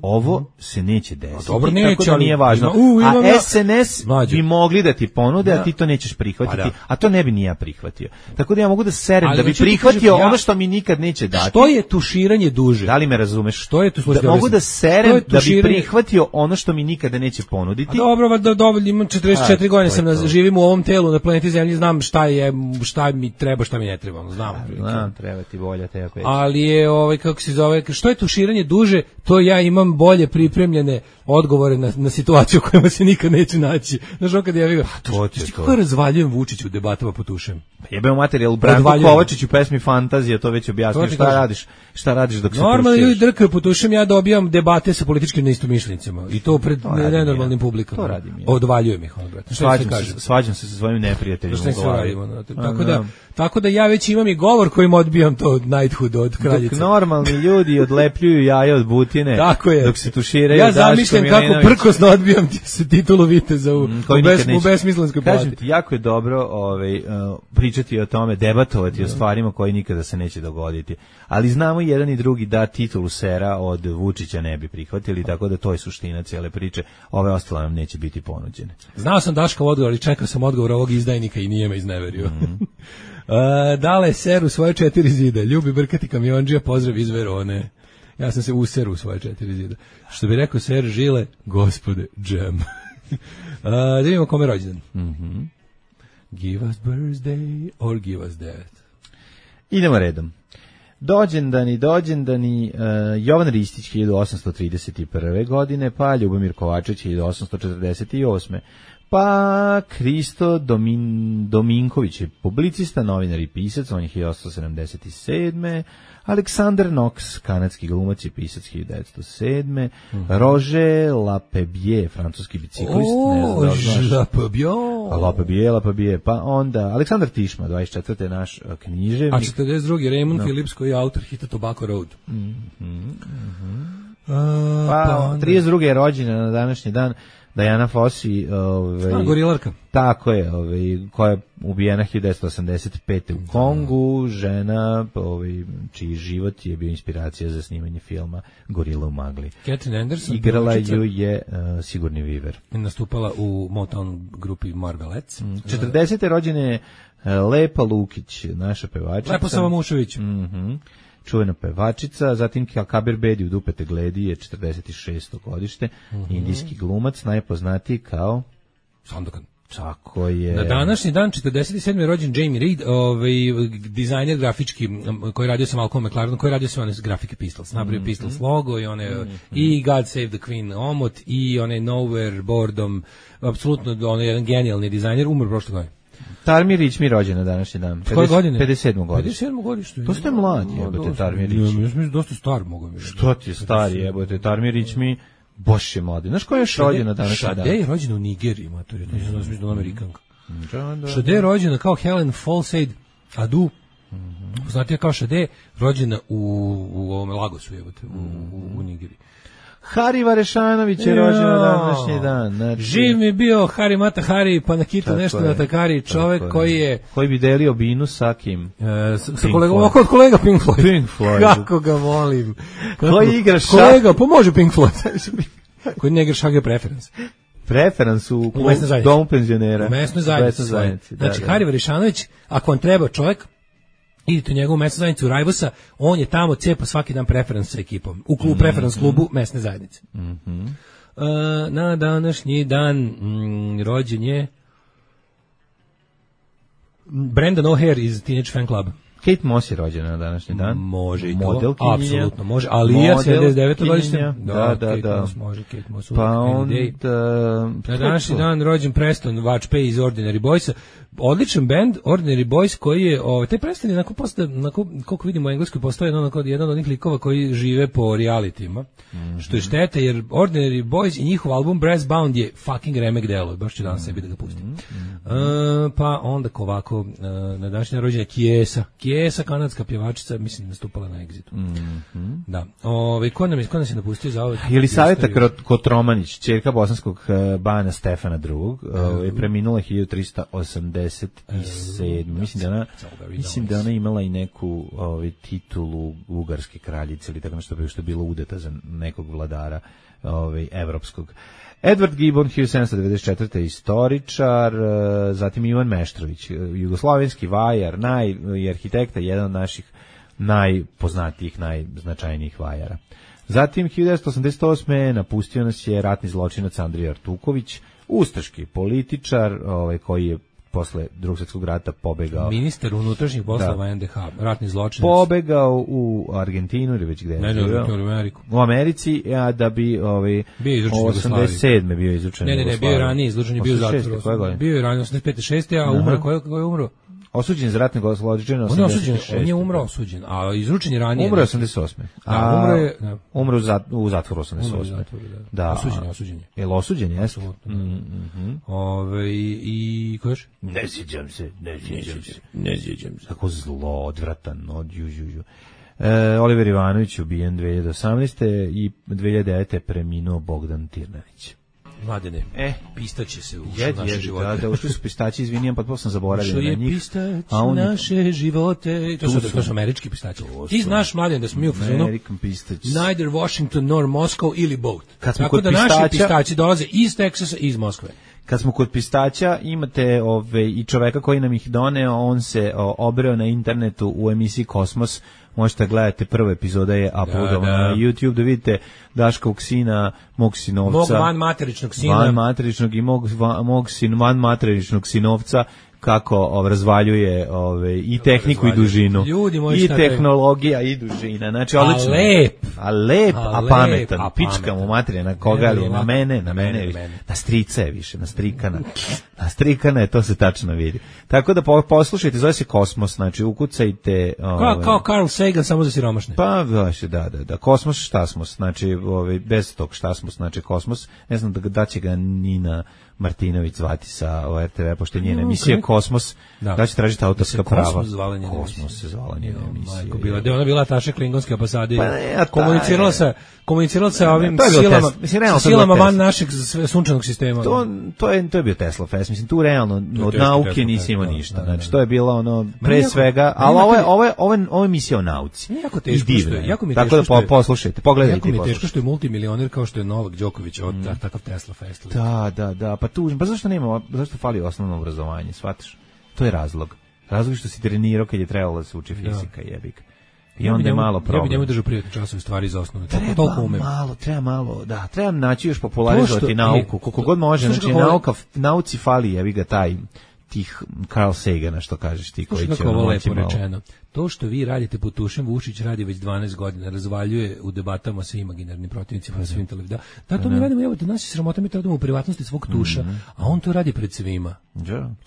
Ovo se neće desiti. Dobro, neće, tako da nije važno. U, a S N S bi mogli da ti ponude, a ti to nećeš prihvatiti. Pa a to ne bi ni ja prihvatio. Tako da ja mogu da serem ali da bi prihvatio kažem, ja, ono što mi nikad neće dati. Što je tuširanje duže? Da li me razumeš? Što je tu da, mogu da serem da bi prihvatio ono što mi nikada neće ponuditi. A dobro, da dovoljno, imam četrdeset četiri godine, sam na, živim u ovom telu na planeti Zemlji, znam šta je, šta mi treba, šta mi ne treba, znam. Znam, treba ti bolja Teja Peć. Ali je ovaj kako se zove, što je tuširanje duže, to ja imam bolje pripremljene odgovore na, na situaciju u kojima se nikad neće naći. Znaš, on kad ja vidim, to će to. Kako razvaljujem Vučiću u debatama po tušem? Jebeo materijal, Branko Kovačić u pesmi Fantazija, to već objasnio. Šta radiš? Šta radiš dok se tuširaš? Normalno ljudi drkaju po tušem, ja dobijam debate sa političkim neistomišljenicima. I to pred to nenormalnim publikama. To radim ja. Odvaljujem ih, on, brate. Svađam se, svađam se sa svojim neprijateljima u glavi. Tako da, tako da ja već imam i govor kojim odbijam to od knighthood, od kraljice. Dok normalni ljudi odlepljuju jaje od butine, tako je. Dok se tuširaju. Ja zamišljam kako prkosno odbijam ti se titulu viteza u, mm, u, bes, u besmislenskoj plati. Kažem ti, jako je dobro ovaj, uh, pričati o tome, debatovati o stvarima koje nikada se neće dogoditi. Ali znamo jedan i drugi da titulu sera od Vučića ne bi prihvatili, tako da to je suština cijele priče. Ove ostale nam neće biti ponuđene. Znao sam Daškov odgovor i čekao sam odgovor ovog izdajnika i nije me izneverio. Mm. uh, dale ser u svoje četiri zida, ljubi brkati kamionđija, pozdrav iz Verone. Ja sam se useru u svoje četiri zida. Što bi rekao ser Žile, gospode, džem. uh, da vidimo kome rođendan. Mm-hmm. Give us birthday or give us death. Idemo redom. Dođendani, dođendani, uh, Jovan Ristić hiljadu osamsto trideset prve godine, pa Ljubomir Kovačić hiljadu osamsto četrdeset osme Pa Kristo Domin, Dominković je publicista, novinar i pisac, on je hiljadu osamsto sedamdeset sedme Aleksandar Knox, kanadski glumac i pisac hiljadu devetsto sedme Mm. Roger Lapebie, francuski biciklist. O, Lapebie. Lapebie, Lapebie. Pa onda Aleksandar Tišma, dvadeset četvrte naš književnik. A četrdeset drugi Raymond no. Phillips, koji je autor hita Tobacco Road. Mm -hmm, mm -hmm. Uh, pa, pa trideset druge je rođena na današnji dan Diana Fossey, ovaj, gorilarka. Tako je, ovaj, koja je ubijena hiljadu devetsto osamdeset pete u Kongu, žena ovaj, čiji život je bio inspiracija za snimanje filma Gorila u magli. Catherine Anderson. Igrala ju je uh, Sigurni Viver. Nastupala u Motown grupi Marvelettes. Mm. četrdesete rođene uh, Lepa Lukić, naša pevačica. Lepo Savamušević. Mhm. Čuvena pevačica, zatim Kabir Bedi u Dupete Gledi je četrdeset šesto godište, mm -hmm. indijski glumac, najpoznatiji kao Sandokan. Tako je. Na današnji dan četrdeset sedme je rođen Jamie Reed, ovaj dizajner grafički koji radio sa Malcolm McLarenom, koji radio sa one grafike Pistols, napravio mm -hmm. Pistols logo i one mm -hmm. i God Save the Queen omot i one Nowhere Boredom, apsolutno on je jedan genijalni dizajner, umro prošle godine. Tarmir Ričmi rođen na današnji dan. Koje godine? pedeset sedmo godište. pedeset sedmo godište. To ste mladi, jebote, Tarmir Ričmi. Ja mislim dosta star mogu mi. Što ti je stari, jebote, Tarmir Ričmi, boš je mladi. Znaš ko je još rođen na današnji dan? Šade je rođena u Nigeriji, matori, to je znači mislim da Amerikanka. Šade je rođena kao Helen Falseid Adu. Poznatija kao Šade, rođena u u ovom Lagosu, jebote, u u Nigeriji. Hari Varešanović je rođen na današnji dan. Znači, živ mi bio Hari Mata Hari, pa na kitu nešto na takari, čovek koji je... Koji bi delio binu sa kim? E, sa sa kolegom, oko od kolega Pink Floyd. Pink Floyd. Kako ga volim. Kako, koji igra šah? Kolega, pomože Pink Floyd. Koji ne igra šah je preference. Preferans u, u domu penzionera. U mesnoj zajednici. zajednici. Znači, da, da. Hari Varišanović, ako vam treba čovjek, idite u njegovu mesnu zajednicu Rajvosa, on je tamo cepa svaki dan preferans sa ekipom. U klubu, mm -hmm. preferans klubu mesne zajednice. Mm -hmm. uh, na današnji dan mm, rođen je Brandon O'Hare iz Teenage Fan Club. Kate Moss je rođena na današnji dan. Može i to. Apsolutno može. Alija sedamdeset devete godište. Da, da, Kate da. Moss može, Kate Moss. Pa onda... Na današnji dan rođen Preston Watchpay iz Ordinary Boysa. Odličan band, Ordinary Boys, koji je, ovaj, taj Preston je, onako, posta, onako, koliko vidimo u Engleskoj, postoje jedan, onako, jedan od onih likova koji žive po realitima, mm -hmm. što je šteta, jer Ordinary Boys i njihov album Brass Bound je fucking remek delo, baš ću danas sebi da ga pustim. Mm -hmm. uh, pa onda ovako, uh, na današnji rođenje Kiesa, Kiesa, kanadska pjevačica, mislim, nastupala na Exitu. Mm -hmm. Da. Ove, ko nam je, ko nas je napustio za ovaj? Jelisaveta Kotromanić, ćerka bosanskog uh, bana Stefana drugog, uh, je preminula hiljadu trista osamdeset sedam. Mislim da ona, mislim da ona imala i neku ovaj, titulu ugarske kraljice ili tako nešto što je bilo udeta za nekog vladara ovaj, evropskog. Edward Gibbon, hiljadu sedamsto devedeset četvrte istoričar, zatim Ivan Meštrović, jugoslovenski vajar, naj, i arhitekta, jedan od naših najpoznatijih, najznačajnijih vajara. Zatim, hiljadu devetsto osamdeset osme napustio nas je ratni zločinac Andrija Artuković, ustaški političar, ovaj, koji je posle Drugog svjetskog rata pobegao. Ministar unutrašnjih poslova N D H, ratni zločinac. Pobegao u Argentinu ili već gde? Ne, ne, u Ameriku. U Americi, a da bi ovaj osamdeset sedme bio izručen. Ne, ne, ne, bio je ranije izručen, bio u zatvoru. Bio je ranije osamdeset pete šeste a umro, ko je, ko je umro? Osuđen za ratne zločine osamdeset šeste. On je osuđen, on je umro osuđen, a izručen je ranije. Umro je osamdeset osme. A umro je, da. Umro u zatvoru osamdeset osme. Da. Da. Osuđen je, osuđen je. Jel osuđen je? Apsolutno. Mhm. Ove i ko još? Ne sjećam se, ne sjećam se. Ne sjećam se. Kako zlo, odvratan, od južužu. E, Oliver Ivanović ubijen dve hiljade osamnaeste i dve hiljade devete preminuo Bogdan Tirnanić. Mladene, e, pistaće se u jed, naše jed, živote. Da, da, ušli su pistaći, izvinijam, pa to sam zaboravio na njih. Ušli je pistać u naše živote. To su, to su američki pistaći. Ti znaš, Mladen, da smo mi u fazonu neither Washington nor Moscow ili both. Tako da pistača, naši pistaći dolaze iz Teksasa i iz Moskve. Kad smo kod pistaća, imate ove, i čoveka koji nam ih doneo, on se o, obreo na internetu u emisiji Kosmos. Možete gledati, prva epizoda je uploadovana da, da. na YouTube, da vidite Daškovog sina, mog sinovca. Mog van materičnog sina. Van materičnog i mog, mog sin, van materičnog sinovca, kako razvaljuje ove, i tehniku i dužinu. Ljudi, i tehnologija i dužina. Znači, odlično. A lep. A lep, a, a pametan. A pička mu materija, na koga li je? Na mene, na mene, mene, mene. Na strica je više, na strikana. Na strikana je, to se tačno vidi. Tako da poslušajte, zove se Kosmos, znači ukucajte... Ove, kao, kao Carl Sagan, samo za siromašne. Pa, da, da, da. Kosmos, šta smo, znači, ove, bez tog šta smo, znači Kosmos. Ne znam da, da će ga Nina Martinović zvati sa o R T V, pošto njena emisija Kosmos, da, da će tražiti autorska prava. Kosmos zvala njena emisija. Kosmos se zvala njena emisija. Majko, bila, da ona bila taše klingonske ambasade, pa ne, komunicirala sa, komunicirala sa ovim silama, mislim, realno, silama van našeg sunčanog sistema. To, to, je, to je bio Tesla Fest, mislim, tu realno od nauke nisi imao ništa, znači, to je bilo ono, pre svega, ali ovo je, ovo je, ovo je, ovo je emisija o nauci. Jako teško što je, jako mi je teško što je, poslušajte, pogledajte. Jako mi je teško što je multimilioner kao što je Novak Đoković od takav Tesla Fest. Da, da, da, pa tu, pa zašto nema, zašto fali osnovno obrazovanje, shvataš? To je razlog. Razlog je što si trenirao kad je trebalo da se uči fizika, jebik. I onda je malo problem. Ja bih njemu držao privatne časove stvari za osnovne. Toliko umem. Malo, treba malo, da, treba naći još popularizovati nauku, koliko god može, znači nauka, nauci fali, jebi ga taj tih Carl Sagana, što kažeš ti, koji će ovo lepo rečeno. To što vi radite pod tušem, Vučić radi već dvanaest godina, razvaljuje u debatama sa imaginarnim protivnicima na svim televizijama. Da, to mi radimo, evo, da nas je sramota, mi radimo u privatnosti svog tuša, a on to radi pred svima.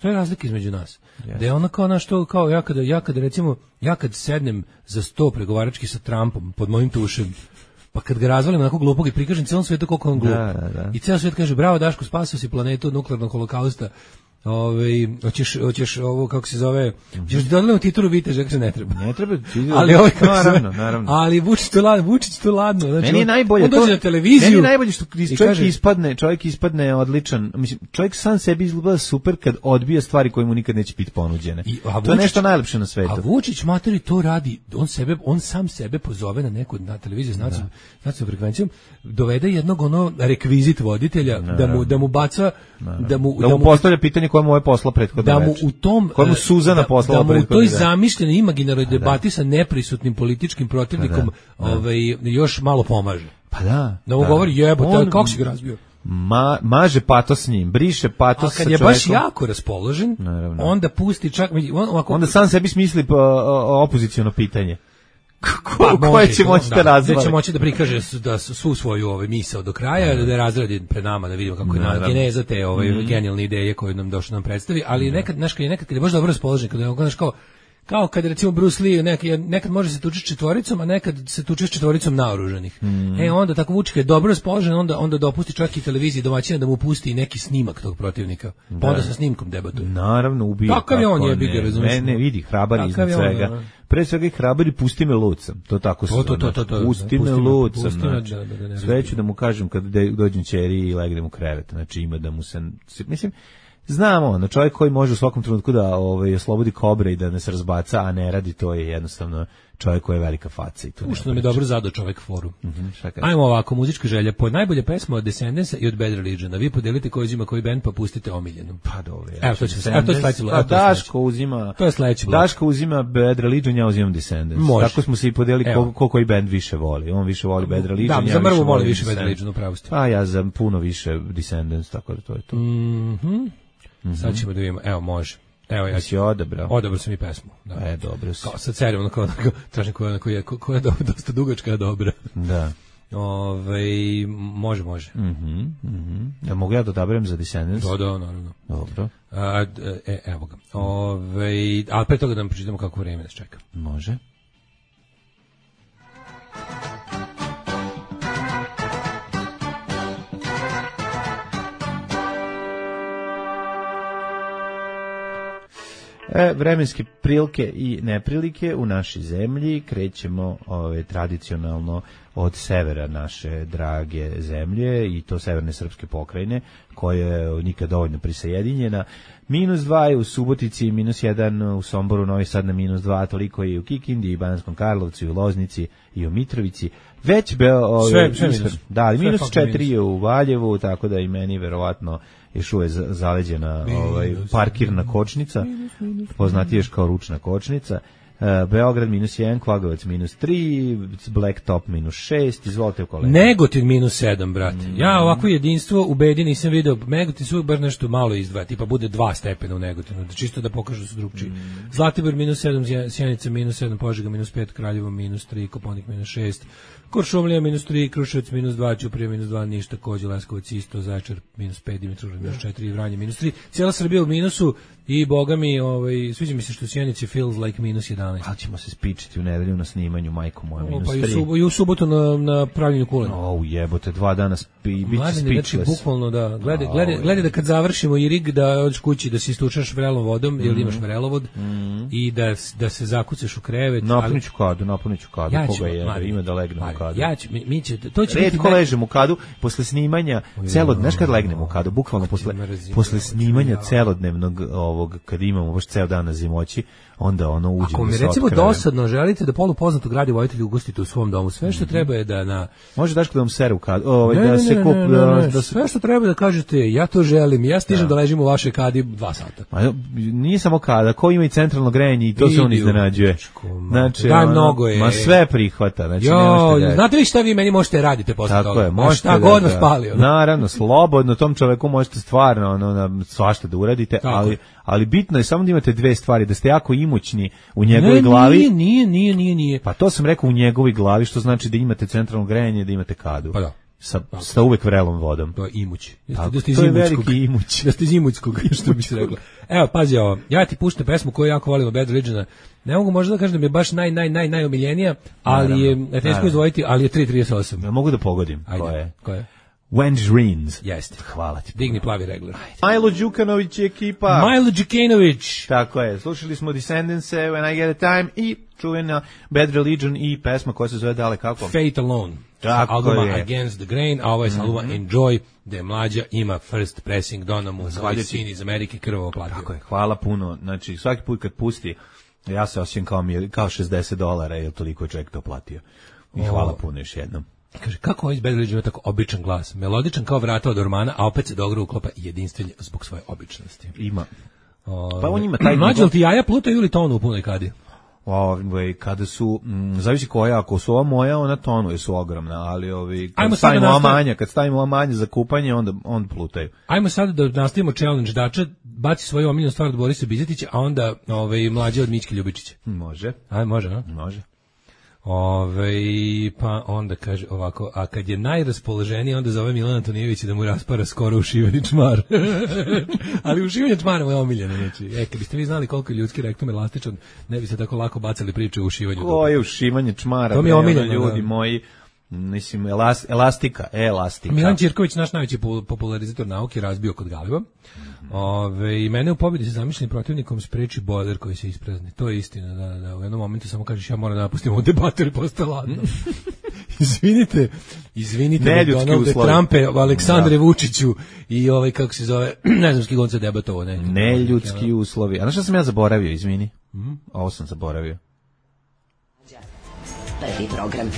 To je razlika između nas. Da je ono kao na što, kao ja kada, ja kada recimo, ja kad sednem za sto pregovarački sa Trumpom pod mojim tušem, pa kad ga razvalim onako glupog i prikažem celom svetu koliko on glup. Da, da, da. I ceo svet kaže, bravo Daško, spasio si planetu od nuklearnog holokausta. Ovaj hoćeš hoćeš ovo kako se zove, ćeš dodati titulu viteža, kako se ne treba. Ne treba, ali ovaj naravno, naravno. Ali Vučić to ladno, Vučić to ladno, znači. Meni je najbolje on dođe na televiziju. Meni je najbolje što čovjek kaže, ispadne, čovjek ispadne odličan. Mislim, čovjek sam sebi izgleda super kad odbija stvari koje mu nikad neće biti ponuđene. I, to Vučić, je nešto najlepše na svetu. A Vučić materi to radi, on sebe, on sam sebe pozove na neku na televiziju, znači, znači frekvencijom, dovede jednog ono rekvizit voditelja da, da mu da mu baca da mu da mu, da mu postavlja pitanje koje mu je posla prethodno da mu u tom koje mu Suzana poslala da mu u toj zamišljenoj imaginarnoj debati sa neprisutnim političkim protivnikom da, da. ovaj još malo pomaže. Pa da. Da mu govori jebote, kako si ga razbio. Ma, maže patos s njim, briše patos sa čovjekom. A kad je baš jako raspoložen, naravno. Onda pusti čak on, ovako, onda sam sebi smisli opoziciono pitanje. Ko, pa, koje će moći da, da razvali. Da će moći da prikaže da svu svoju ovaj misao do kraja, da, da razradi pred nama, da vidimo kako je na geneza te ovaj, mm. genijalne ideje koje nam došlo nam predstavi, ali nekad, znaš, kad je nekad kad je baš dobro raspoložen, kad je znaš kao, kao kad recimo Bruce Lee nekad, nekad može se tući četvoricom, a nekad se tuči s četvoricom naoružanih. Mm. E onda tako Vučić je dobro raspoložen, onda onda dopusti čak i televiziji domaćina da mu pusti neki snimak tog protivnika. Pa onda sa snimkom debatuje. Naravno, ubija. Kakav je on je biga, razumiješ? Ne, ne, vidi, hrabar iznad svega. Pre svega i hrabar i pusti me lucam. To tako se. To, to, to, to, to, pusti me lucam. Znači, da, da, da, sve ću da mu kažem kad dođem ćeri i legnem u krevet. Znači ima da mu se, mislim, znamo, ono, čovjek koji može u svakom trenutku da ovaj, oslobodi kobre i da ne se razbaca, a ne radi, to je jednostavno čovjek koji je velika faca. I to što nam je dobro zadao čovjek foru. Mm-hmm, ajmo ovako, muzička želja. Po najbolje pesma od Descendansa i od Bad Religiona. Vi podelite ko uzima koji band, pa pustite omiljenu. Pa dobro. Evo, to će se. Evo, to je sledeći blok. Daško uzima. To je sledeći blok. Daško uzima Bad Religion, ja uzimam Descendants. Može. Tako smo se i podelili ko, ko koji band više voli. On više voli Bad Religion, da, ja za mrvu voli više Bad Religion, upravo ste. Pa ja za puno više Descendants, tako da to je to. Mhm. Mm sad ćemo da vidimo. Evo, može. Evo, ja si odabrao. Odabrao sam i pesmu. Da. E, dobro si. Kao sa cerijom, kao, kao, tražim koja, koja, koja je dosta dugačka, dobra. Da. Ove, može, može. Mhm, mhm. Ja mogu ja da odaberem za Descendants? Da, da, naravno. Dobro. A, e, evo ga. Ove, ali pre toga da nam pročitamo kako vreme nas čeka. Može. E, vremenske prilike i neprilike u našoj zemlji krećemo ove, tradicionalno od severa naše drage zemlje i to severne srpske pokrajine koja je nikad dovoljno prisajedinjena. Minus dva je u Subotici, minus jedan u Somboru, Novi Sad na minus dva, toliko je i u Kikindi, i Banskom Karlovcu, i u Loznici, i u Mitrovici. Već beo... Ove, sve, sve minus. Da, ali minus četiri je u Valjevu, tako da i meni verovatno još uvek zaleđena ovaj, parkirna kočnica, poznatiješ kao ručna kočnica. Beograd minus jedan, Kvagovac minus tri, Blacktop minus šest, izvolite u kolega. Negotin minus sedam, brate. Mm. Ja ovako jedinstvo u bedi nisam video, Negotin su bar nešto malo izdvaja, tipa bude dva stepena u Negotinu, da čisto da pokažu su drugčiji. Mm. Zlatibor minus sedam, Sjenica minus sedam, Požega minus pet, Kraljevo minus tri, Koponik minus šest, Kuršumlija minus tri, Kruševac minus dva, Ćuprija minus dva, Niš takođe, Leskovac isto, Zaječar minus pet, Dimitrovgrad minus četiri, Vranje minus tri, cijela Srbija u minusu i boga mi, ovaj, sviđa mi se što u Sjenici feels like minus jedanaest. Ali ćemo se spičiti u nedelju na snimanju, majko moja, minus pa tri. Pa i, sub, i u subotu na, na pravljenju kulena. O, jebote, dva dana spi, bit će speechless. Znači, bukvalno da, gledaj, gledaj, gledaj da kad završimo i rig, da odeš kući, da se istučaš vrelom vodom, mm. jer imaš vrelovod, mm. i da, da se zakucaš u krevet. Napuniću kadu, napuniću kadu, ja koga je, da ima da legne u kadu. Ja ću, mi, mi će, to će Redko biti... ležem u kadu, posle snimanja, celod, znaš kad legnem u kadu, bukvalno posle, posle snimanja celodnevnog ovog, kad imamo baš ceo dan na zimoći, onda ono uđe. Ako mi recimo dosadno želite da polupoznatog radiovoditelja ugostite u svom domu, sve što treba je da na... Može Daško da vam sere u kadu, ovaj, ne, da ne, se ne, kup... ne, ne, ne, da se... Sve što treba da kažete, ja to želim, ja stižem da, da ležim u vašoj kadi dva sata. Ma, nije samo kada, ko ima i centralno grejanje i to Idi se on iznenađuje. Znači, da, ono, mnogo je. Ma sve prihvata. Znači, jo, znate vi šta vi meni možete radite posle tako toga? Je, možete šta da, god vas pali. Ono. Naravno, slobodno, tom čoveku možete stvarno ono, svašta da uradite, ali, ali bitno je samo da imate dve stvari, da ste jako imućni u njegovoj ne, glavi. Nije, nije, nije, nije, nije. Pa to sam rekao u njegovoj glavi, što znači da imate centralno grejanje, da imate kadu. Pa da. Sa, sa uvek vrelom vodom. To je imuć. Tako, da ste iz to je veliki imuć. Da ste iz imućskog, što bi se rekla. Evo, pazi ovo, ja ti puštam pesmu koju jako volim od Bad Religiona. Ne mogu možda da kažem da mi je baš naj, naj, naj, najomiljenija, ali naravno, je teško izdvojiti, ali je tri trideset osam. Ja mogu da pogodim. Ajde, ko je? Ko je? Wangerines. Jeste. Hvala ti. Digni plavi regler. Milo Đukanović i ekipa. Milo Đukanović. Tako je. Slušali smo Descendants, When I Get a Time i čuvena Bad Religion i pesma koja se zove dale kako? Fate Alone. Tako albuma je. Against the Grain, a ovo je s albuma mm-hmm. Enjoy, da je mlađa ima first pressing, dona mu svoj sin iz Amerike krvavo platio. Tako je, hvala puno. Znači, svaki put kad pusti, ja se osjećam kao, kao šezdeset dolara, jer toliko je čovjek to platio. I hvala puno još jednom. Kaže, kako ovaj iz Bad Religion ima tako običan glas? Melodičan kao vrata od ormana, a opet se dobro uklopa jedinstven zbog svoje običnosti. Ima. O, pa on ima taj... Mlađe, li ti jaja plutaju ili tonu u punoj kadi? Ove, kada su, m, zavisi koja, ako su ova moja, ona tonu, jer su ogromna, ali ovi, kad stavimo ova manja, kad stavimo ova manja za kupanje, onda, onda plutaju. Ajmo sad da nastavimo challenge Dača, baci svoju omiljenu stvar od Borisa Bizetića, a onda ove, mlađe od Mićke Ljubičića. Može. Aj, može, no? Može. Ove, pa onda kaže ovako, a kad je najraspoloženiji, onda zove Milan Antonijević da mu raspara skoro ušiveni čmar. Ali ušivanje čmara mu je omiljeno. Znači, e, kad biste vi znali koliko je ljudski rektum elastičan, ne biste tako lako bacali priče o ušivanju. Ko je ušivanje čmara? To mi je omiljeno. Ljudi da. moji, mislim, elas, elastika, elastika. Milan Ćirković, naš najveći popularizator nauke, razbio kod Galiba. Ove, i mene u pobjedi sa zamišljenim protivnikom spreči bojler koji se isprazni. To je istina, da, da, u jednom momentu samo kažeš ja moram da napustim ovu debatu jer postaje ladno. izvinite, izvinite Donalde Trumpe, Aleksandre da. Vučiću i ovaj, kako se zove, ne znam s kigom se debatovo. Neljudski ne, uslovi. A znaš šta sam ja zaboravio, izvini? Mm-hmm. Ovo sam zaboravio. Prvi program.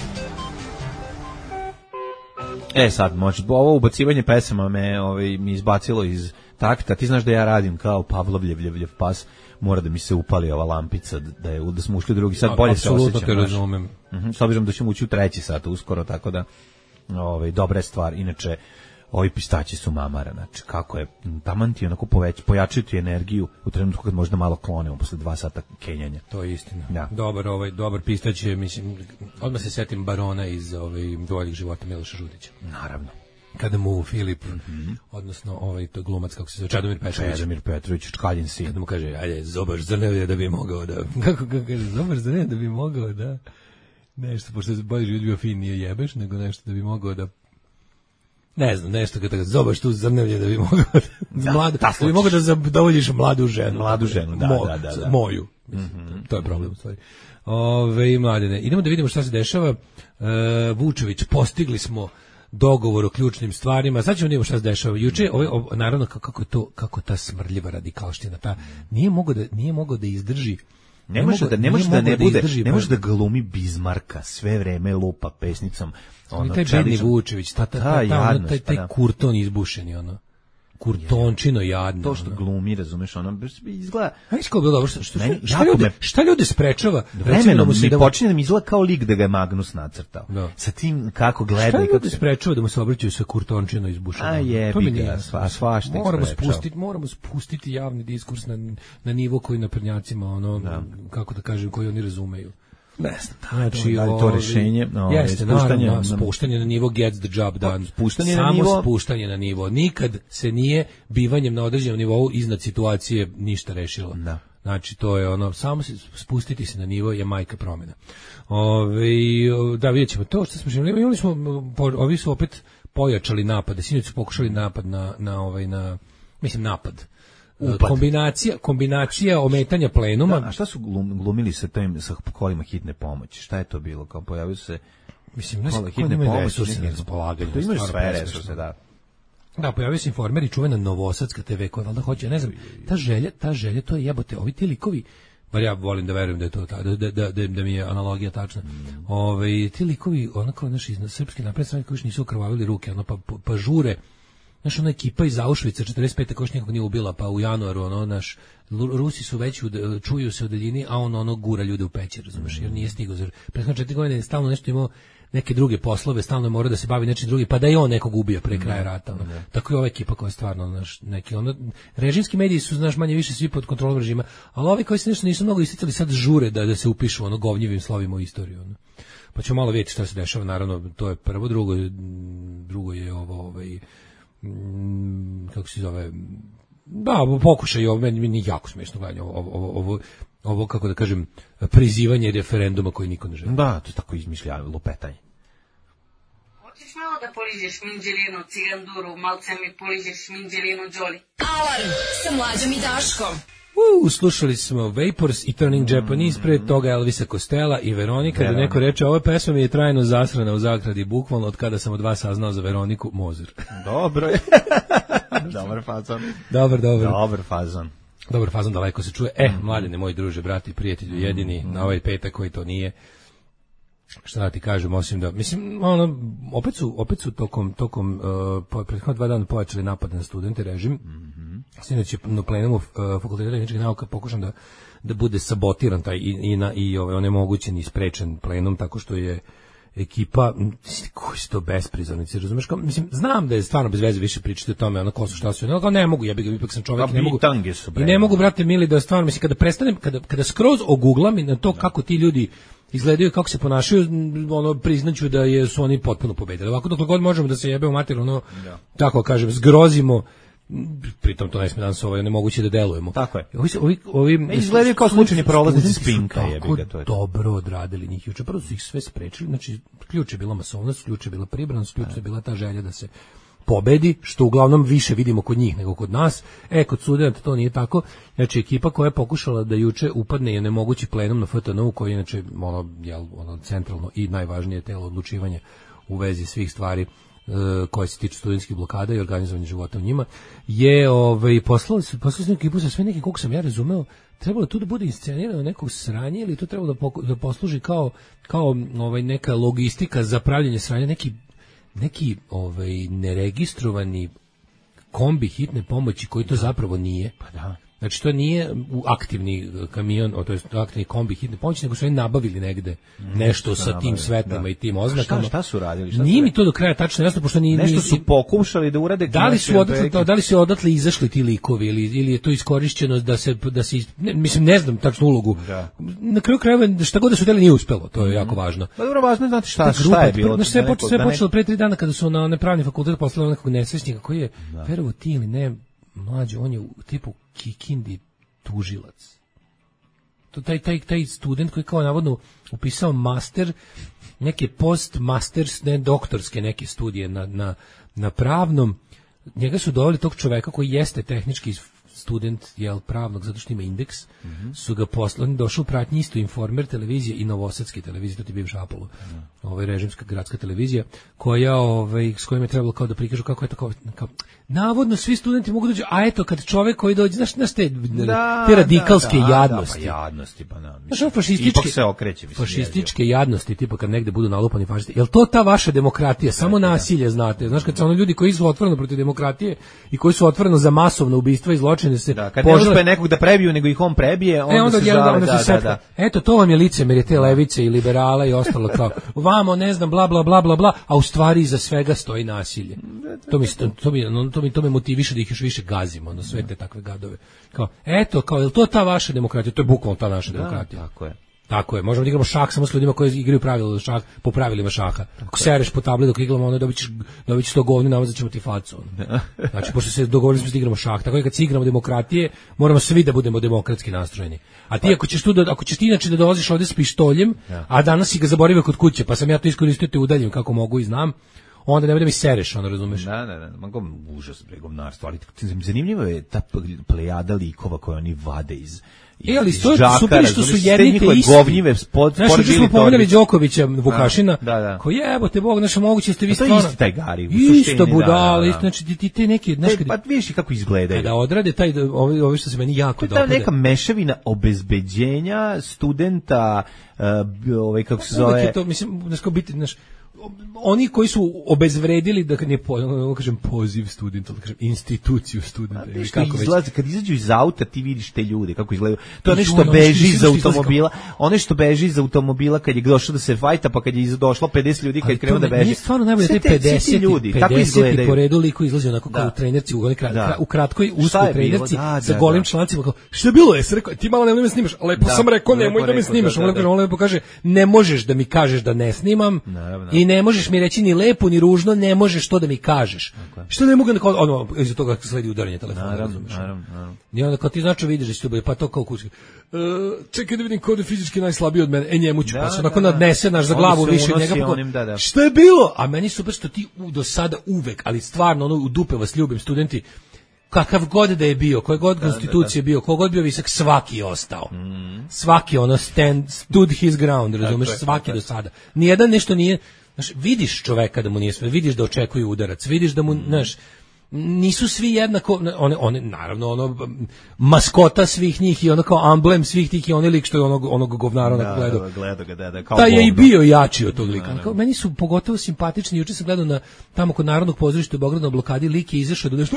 E sad, može, ovo ubacivanje pesama me ovaj, mi izbacilo iz takta. Ti znaš da ja radim kao Pavlovljev ljevljev pas, mora da mi se upali ova lampica, da, je, da smo ušli u drugi sat, bolje se osjećam. Apsolutno te razumem. Uh-huh, s obzirom da ćemo ući u treći sat uskoro, tako da ovaj, dobra je stvar. Inače, ovi pistaći su mamara, znači kako je, taman ti onako poveć, pojačaju ti energiju u trenutku kad možda malo klonemo posle dva sata kenjanja. To je istina. Ja. Dobar, ovaj, dobar pistać je, mislim, odmah se setim Barona iz ovaj, Boljih života Miloša Žutića. Naravno. Kada mu Filip, mm-hmm. odnosno ovaj to glumac kako se zove Čedomir Petrović, Čedomir Petrović, Čkaljin sin, kada mu kaže ajde zobar zrnevlje da bi mogao da kako kako kaže zobar zrnevlje da bi mogao da nešto pošto se bolje život bio fin nije jebeš nego nešto da bi mogao da ne znam nešto kada zobaš tu zrnevlje da bi mogao da, mladu, da, da bi mogao da zadovoljiš mladu ženu mladu ženu da Mo, da da, da. moju mm-hmm. to je problem u stvari. Ove mladene idemo da vidimo šta se dešava. uh, Vučević postigli smo dogovor o ključnim stvarima. Sad ćemo vidjeti šta se dešava. Juče, ovaj, ovaj, naravno, kako je to, kako ta smrdljiva radikalština, ta, nije mogao da, nije mogao da izdrži. Ne, ne može da ne može da ne bude, izdrži, ne može da glumi Bizmarka, sve vreme lupa pesnicom. Ono, taj bedni Vučević, ta, ta, ta, ta, ta, ono, taj, taj kurton izbušeni, ono. Kurtončino jadno. To što glumi, razumeš, ono izgleda. Ajde kako bilo dobro, što što šta ljude, šta ljude sprečava? Vremenom mi da počinje da mi izgleda kao lik da ga je Magnus nacrtao. No. Sa tim kako gleda i kako se sprečava da mu se obraćaju sa kurtončino izbušeno. A je, ga, sva, svašta moramo spustiti, moramo spustiti javni diskurs na na nivo koji naprednjacima ono da. Kako da kažem koji oni razumeju. Ne znam, znači da to rešenje, no, jeste, spuštanje, naravno, spuštanje na nivo gets the job done. Spuštanje Samo na nivo, spuštanje na nivo. Nikad se nije bivanjem na određenom nivou iznad situacije ništa rešilo. Da. Znači to je ono, samo se spustiti se na nivo je majka promjena. Ove, da vidjet ćemo to što smo želeli. Imali smo, ovi su opet pojačali napade. Sinoć su pokušali napad na, na ovaj, na, mislim napad. Upad. Kombinacija, kombinacija ometanja plenuma. Da, a šta su glum, glumili sa tim sa kolima hitne pomoći? Šta je to bilo? Kao pojavio se mislim, kola hitne pomoći na raspolaganju. To imaju sve resurse, da. Da, pojavio se informer i čuvena Novosadska te ve koja valjda hoće, ne znam, ta želja, ta želja, to je jebote, ovi ti likovi, bar ja volim da verujem da je to ta, da, da, da, da mi je analogija tačna. Mm. Ove, ti likovi, onako naši iz srpske napredne stranke koji nisu okrvavili ruke, ono pa, pa žure. Znaš, ona ekipa iz Auschwitza četrdeset pete koš nikog nije ubila, pa u januaru, ono, naš, Rusi su već, čuju se u daljini, a on, ono, gura ljude u pećer, razumeš, jer nije stigao. Prethodno četiri godine je stalno nešto imao neke druge poslove, stalno je morao da se bavi nečim drugim, pa da i on nekog ubija pre kraja rata. Ono. Ne. Tako je ova ekipa koja je stvarno, naš, neki, ono, režimski mediji su, znaš, manje više svi pod kontrolom režima, ali ovi koji se nešto nisu mnogo isticali sad žure da, da se upišu, ono, govnjivim slovima u istoriju, ono. Pa ćemo malo vidjeti šta se dešava, naravno, to je prvo, drugo, drugo je ovo, ovaj, kako se zove, da, pokušaj, ovo meni, meni jako smiješno gledanje, ovo, ovo, ovo, ovo, kako da kažem, prizivanje referenduma koji niko ne želi. Da, to je tako izmišljavanje, lupetanje. Hoćeš malo da poližeš minđelinu, ciganduru, malce mi poližeš minđelinu, Đoli. Alarm sa Mlađom i Daškom. Uh, slušali smo Vapors i Turning Japanese, pre toga Elvisa Costello i Veronika, da neko reče, ova pesma mi je trajno zasrana u zagradi, bukvalno od kada sam od vas saznao za Veroniku Mozer. Dobro je. Dobar fazon. Dobar, dobar. Dobar fazon. Dobar fazon, daleko se čuje. E, mladine, moji druže, brati i prijatelju, jedini na ovaj petak koji to nije. Šta da ti kažem, osim da, mislim, ono, opet su, opet su tokom, tokom, uh, prethodno dva dana pojačali napad na studente, režim. Mm-hmm. Sinoć je na plenumu uh, Fakulteta tehničkih nauka pokušan da, da bude sabotiran taj i, i, na, i ovaj, onemogućen i sprečen plenum, tako što je ekipa, koji su to besprizornici, razumeš, kao, mislim, znam da je stvarno bez veze više pričati o tome, ono, ko su, šta su, ono, ne mogu, ja bih ga, ipak sam čovjek, i ne mogu, i ne mogu, brate, mili, da stvarno, mislim, kada prestanem, kada, kada skroz oguglam i na to kako ti ljudi izgledaju, kako se ponašaju, ono, priznaću da je, su oni potpuno pobedili. Ovako, dok god možemo da se jebe u mater, ono, ja. Tako kažem, zgrozimo, pritom to ne smije danas ovaj, nemoguće da delujemo. Tako je. Ovi, ovi, ovi izgledaju kao slučajni prolaznici Spinka, jebi ga, to je. Dobro odradili njih juče. Prvo su ih sve sprečili, znači ključ je bila masovnost, ključ je bila pribranost, ključ je bila ta želja da se pobedi, što uglavnom više vidimo kod njih nego kod nas. E, kod studenata to nije tako. Znači, ekipa koja je pokušala da juče upadne je nemogući plenum na F T N U, koji je inače ono, jel, ono centralno i najvažnije telo odlučivanja u vezi svih stvari koje se tiču studentskih blokada i organizovanja života u njima, je ovaj, poslali su, poslali su ekipu sa sve neki, koliko sam ja razumeo, trebalo tu da bude inscenirano nekog sranja ili to trebalo da, poku, da posluži kao, kao ovaj, neka logistika za pravljanje sranja, neki, neki ovaj, neregistrovani kombi hitne pomoći koji to zapravo nije. Pa da. Znači, to nije u aktivni kamion, to jest aktivni kombi hitne pomoći, nego su oni nabavili negde nešto mm, sa tim nabavili, svetlima da. I tim oznakama. Šta, šta su radili? Šta nije su mi to do kraja tačno jasno, pošto nije... Nešto su pokušali da urade... Da li su odatle, to, da li su odatle izašli ti likovi ili, ili je to iskorišćeno da se... Da se ne, mislim, ne znam tačnu ulogu. Da. Na kraju krajeva, šta god da su deli nije uspelo, to je mm. jako važno. Pa dobro, važno je znati šta, šta, šta je bilo. Znači, sve, počelo, sve počelo pre tri dana kada su na nepravni fakultet poslali nekog nesrećnika koji je, verovo ti ili ne, mlađe, on je u tipu Kikindi tužilac. To taj taj taj student koji kao navodno upisao master, neke post masters, ne doktorske neke studije na na na pravnom, njega su doveli tog čoveka koji jeste tehnički student jel pravnog zato što ima indeks, mm-hmm. su ga poslali, došao u pratnji isto Informer televizije i Novosadske televizije, to ti bivša Apollo, mm. ovaj režimska gradska televizija, koja ovaj s kojim je trebalo kao da prikažu kako je to kao, kao navodno svi studenti mogu doći, a eto kad čovjek koji dođe, znaš, znaš te, da, te radikalske da, da, jadnosti. Da, pa jadnosti, pa na. Znaš, fašističke, se okreće, mislim, fašističke jadnosti, tipa kad negde budu nalupani fašisti. Jel to ta vaša demokratija? Samo nasilje, znate. Znaš, kad su ono ljudi koji su otvoreno protiv demokratije i koji su otvoreno za masovno ubistva i zločine se da, kad požele... ne uspe nekog da prebiju, nego ih on prebije, onda, e, onda se žale, onda da, da, da. Eto, to vam je licemerje te levice i liberala i ostalo kao, vamo, ne znam, bla, bla, bla, bla, bla, a u stvari iza svega stoji nasilje. To mi, to, to mi, no, to mi, to me motiviše da ih još više gazimo, ono, sve te takve gadove. Kao, eto, kao, je li to ta vaša demokratija? To je bukvalno ta naša da, demokratija. Tako je. Tako je, možemo da igramo šah samo s ljudima koji igraju pravila šah, po pravilima šaha. Ako sereš po tabli dok igramo, ono dobićeš dobićeš sto govni, namazat ćemo ti facu. Ono. Znači, pošto se dogovorili smo da igramo šah, tako je kad se igramo demokratije, moramo svi da budemo demokratski nastrojeni. A ti ako ćeš tu da, ako ćeš ti inače da dolaziš ovde s pištoljem, a danas si ga zaboravio kod kuće, pa sam ja to iskoristio te udaljim kako mogu i znam, onda ne bude mi sereš, ono, razumeš? Da, da, da, mogu užas, bre, govnarstvo, ali zanimljivo je ta plejada likova koje oni vade iz E, ali to je super što su jedni te isti. Govnjive spod, znaš, što smo pomenuli Đokovića, Vukašina, da, da. koji jebo te Bog, znaš, moguće ste vi stvarno... To je isti taj Gari, u suštini, isto budala, da, da. Znači, ti, ti te neki... Znaš, pa vidiš kako izgledaju. Da odrade taj, ovi, ovi što se meni jako dopada. To je neka mešavina obezbeđenja studenta, uh, ovaj, kako se zove... Je to, mislim, znaš, kao biti, znaš, oni koji su obezvredili, da ne po, kažem poziv studenta, da kažem instituciju studenta. Ili kako izlaze, kad izađu iz auta ti vidiš te ljude kako izgledaju. To je nešto beži iz automobila, ono što beži iz automobila kad je došao da se fajta, pa kad je došlo pedeset ljudi kad je krenuo da beži. Nije stvarno najbolje te pedeset ljudi, tako izgledaju. Po redu liko izlazi onako kao u trenerci, u u kratkoj uskoj trenerci sa golim člancima, kao šta je bilo? Jesi rekao ti malo nemoj da me snimaš, lepo sam rekao nemoj da me snimaš, on lepo kaže ne možeš da mi kažeš da ne snimam. I ne možeš mi reći ni lepo ni ružno, ne možeš to da mi kažeš. Okay. Što ne mogu ono iza toga sledi udaranje telefona, naravno, naravno, naravno. I onda kad ti znači vidiš da će to bude, pa to kao kući. Uh, čekaj da vidim ko je fizički najslabiji od mene. E, njemu ću, da, pa se da, onako da. nadnese naš za glavu više njega. Pa, onim, da, da. šta je bilo? A meni super što ti u, do sada uvek, ali stvarno ono u dupe vas ljubim studenti, kakav god da je bio, koje god konstitucije bio, kogod bio visok, svaki je ostao. Mm. Svaki ono stand, stood his ground, razumeš, dakle, svaki dakle. Do sada. Nijedan nešto nije, znaš, vidiš čoveka da mu nije sve, vidiš da očekuje udarac, vidiš da mu, mm. znaš, nisu svi jednako, one, one, naravno, ono, maskota svih njih i ono kao emblem svih tih i onaj lik što je onog, onog govnara da, gledao. Gleda ga, da, da, kao da je i bio jači od tog lika. Kao, meni su pogotovo simpatični, juče sam gledao na, tamo kod Narodnog pozorišta u Beogradu na blokadi, lik je izašao da nešto,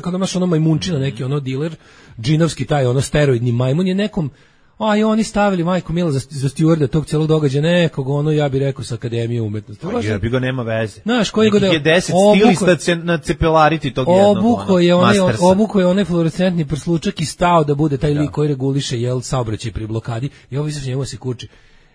kao da imaš ono majmunčina, neki ono diler, džinovski taj, ono steroidni majmun je nekom, a i oni stavili majku Mila za, za stjuarda tog celog događaja, nekog ono, ja bih rekao, sa Akademije umetnosti. Pa ja bi ga nema veze. Znaš, koji god je deset stilista na cepelariti tog jednog. Obuko je onaj, obuko je onaj fluorescentni prslučak i stao da bude taj lik koji reguliše jel saobraćaj pri blokadi i ovo izaš njemu se kuči.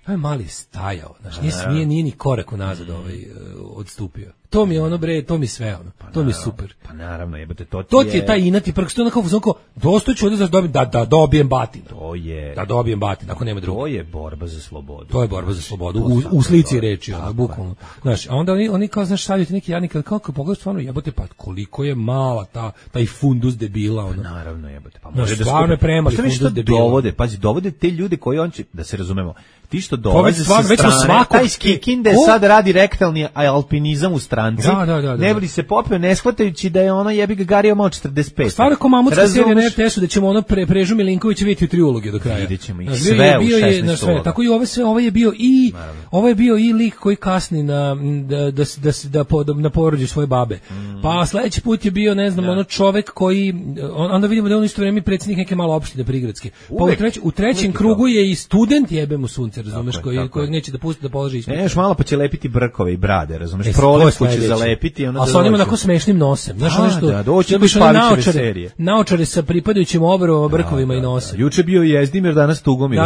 Ovaj mali stajao, znači nije smije, nije ni korak unazad ovaj uh, odstupio. To mi je ono bre, to mi sve ono. Pa to mi je super. Pa naravno, jebote, to ti to ti je taj inati prk, što onako onako dostojeću da dobijem da da dobijem batin. To je. Da dobijem batin, ako nema drugo. To je borba za slobodu. To je borba za slobodu. U, u slici reči, ono, bukvalno. Znaš, a onda oni oni kao znaš stavljaju neki jadnik kako pogledaš stvarno jebote pa koliko je mala ta taj fundus debila ono. Pa naravno jebote, pa može da stvarno premali fundus debila. Dovode, pazi, dovode te ljude koji on će da se razumemo. Ti što dolaze sa strane, taj Kikinde sad radi rektalni alpinizam u stranci. Da, da, da, da. Ne bi se popeo ne shvatajući da je ono jebi ga Gario malo četrdeset pet. Stvarno ko mamutska serija na er te esu da ćemo ono pre, Prežu Milinkovića vidjeti u tri uloge do kraja. Vidjet ćemo ih sve u šesnaest uloga. Tako i ove sve, ovo je bio i ovo je bio i lik koji kasni na da da da da, da, da na porođaju svoje babe. Mm. Pa sledeći put je bio ne znam ja. ono čovek koji onda vidimo da on isto vreme predsjednik neke malo opštine prigradske. Pa u, treć, u trećem krugu je i student jebe mu sunce, razumeš, koji kojeg neće da pusti da položi ispit. Ne, još malo pa će lepiti brkove i brade, razumeš? Prolipku će zalepiti, ono. A sa onim onako smešnim nosem. Znaš ono što? Da, doći do Pavićeve serije. Naočare sa pripadajućim obrvama, brkovima i nosem. Juče bio Jezdimir, danas Tugomir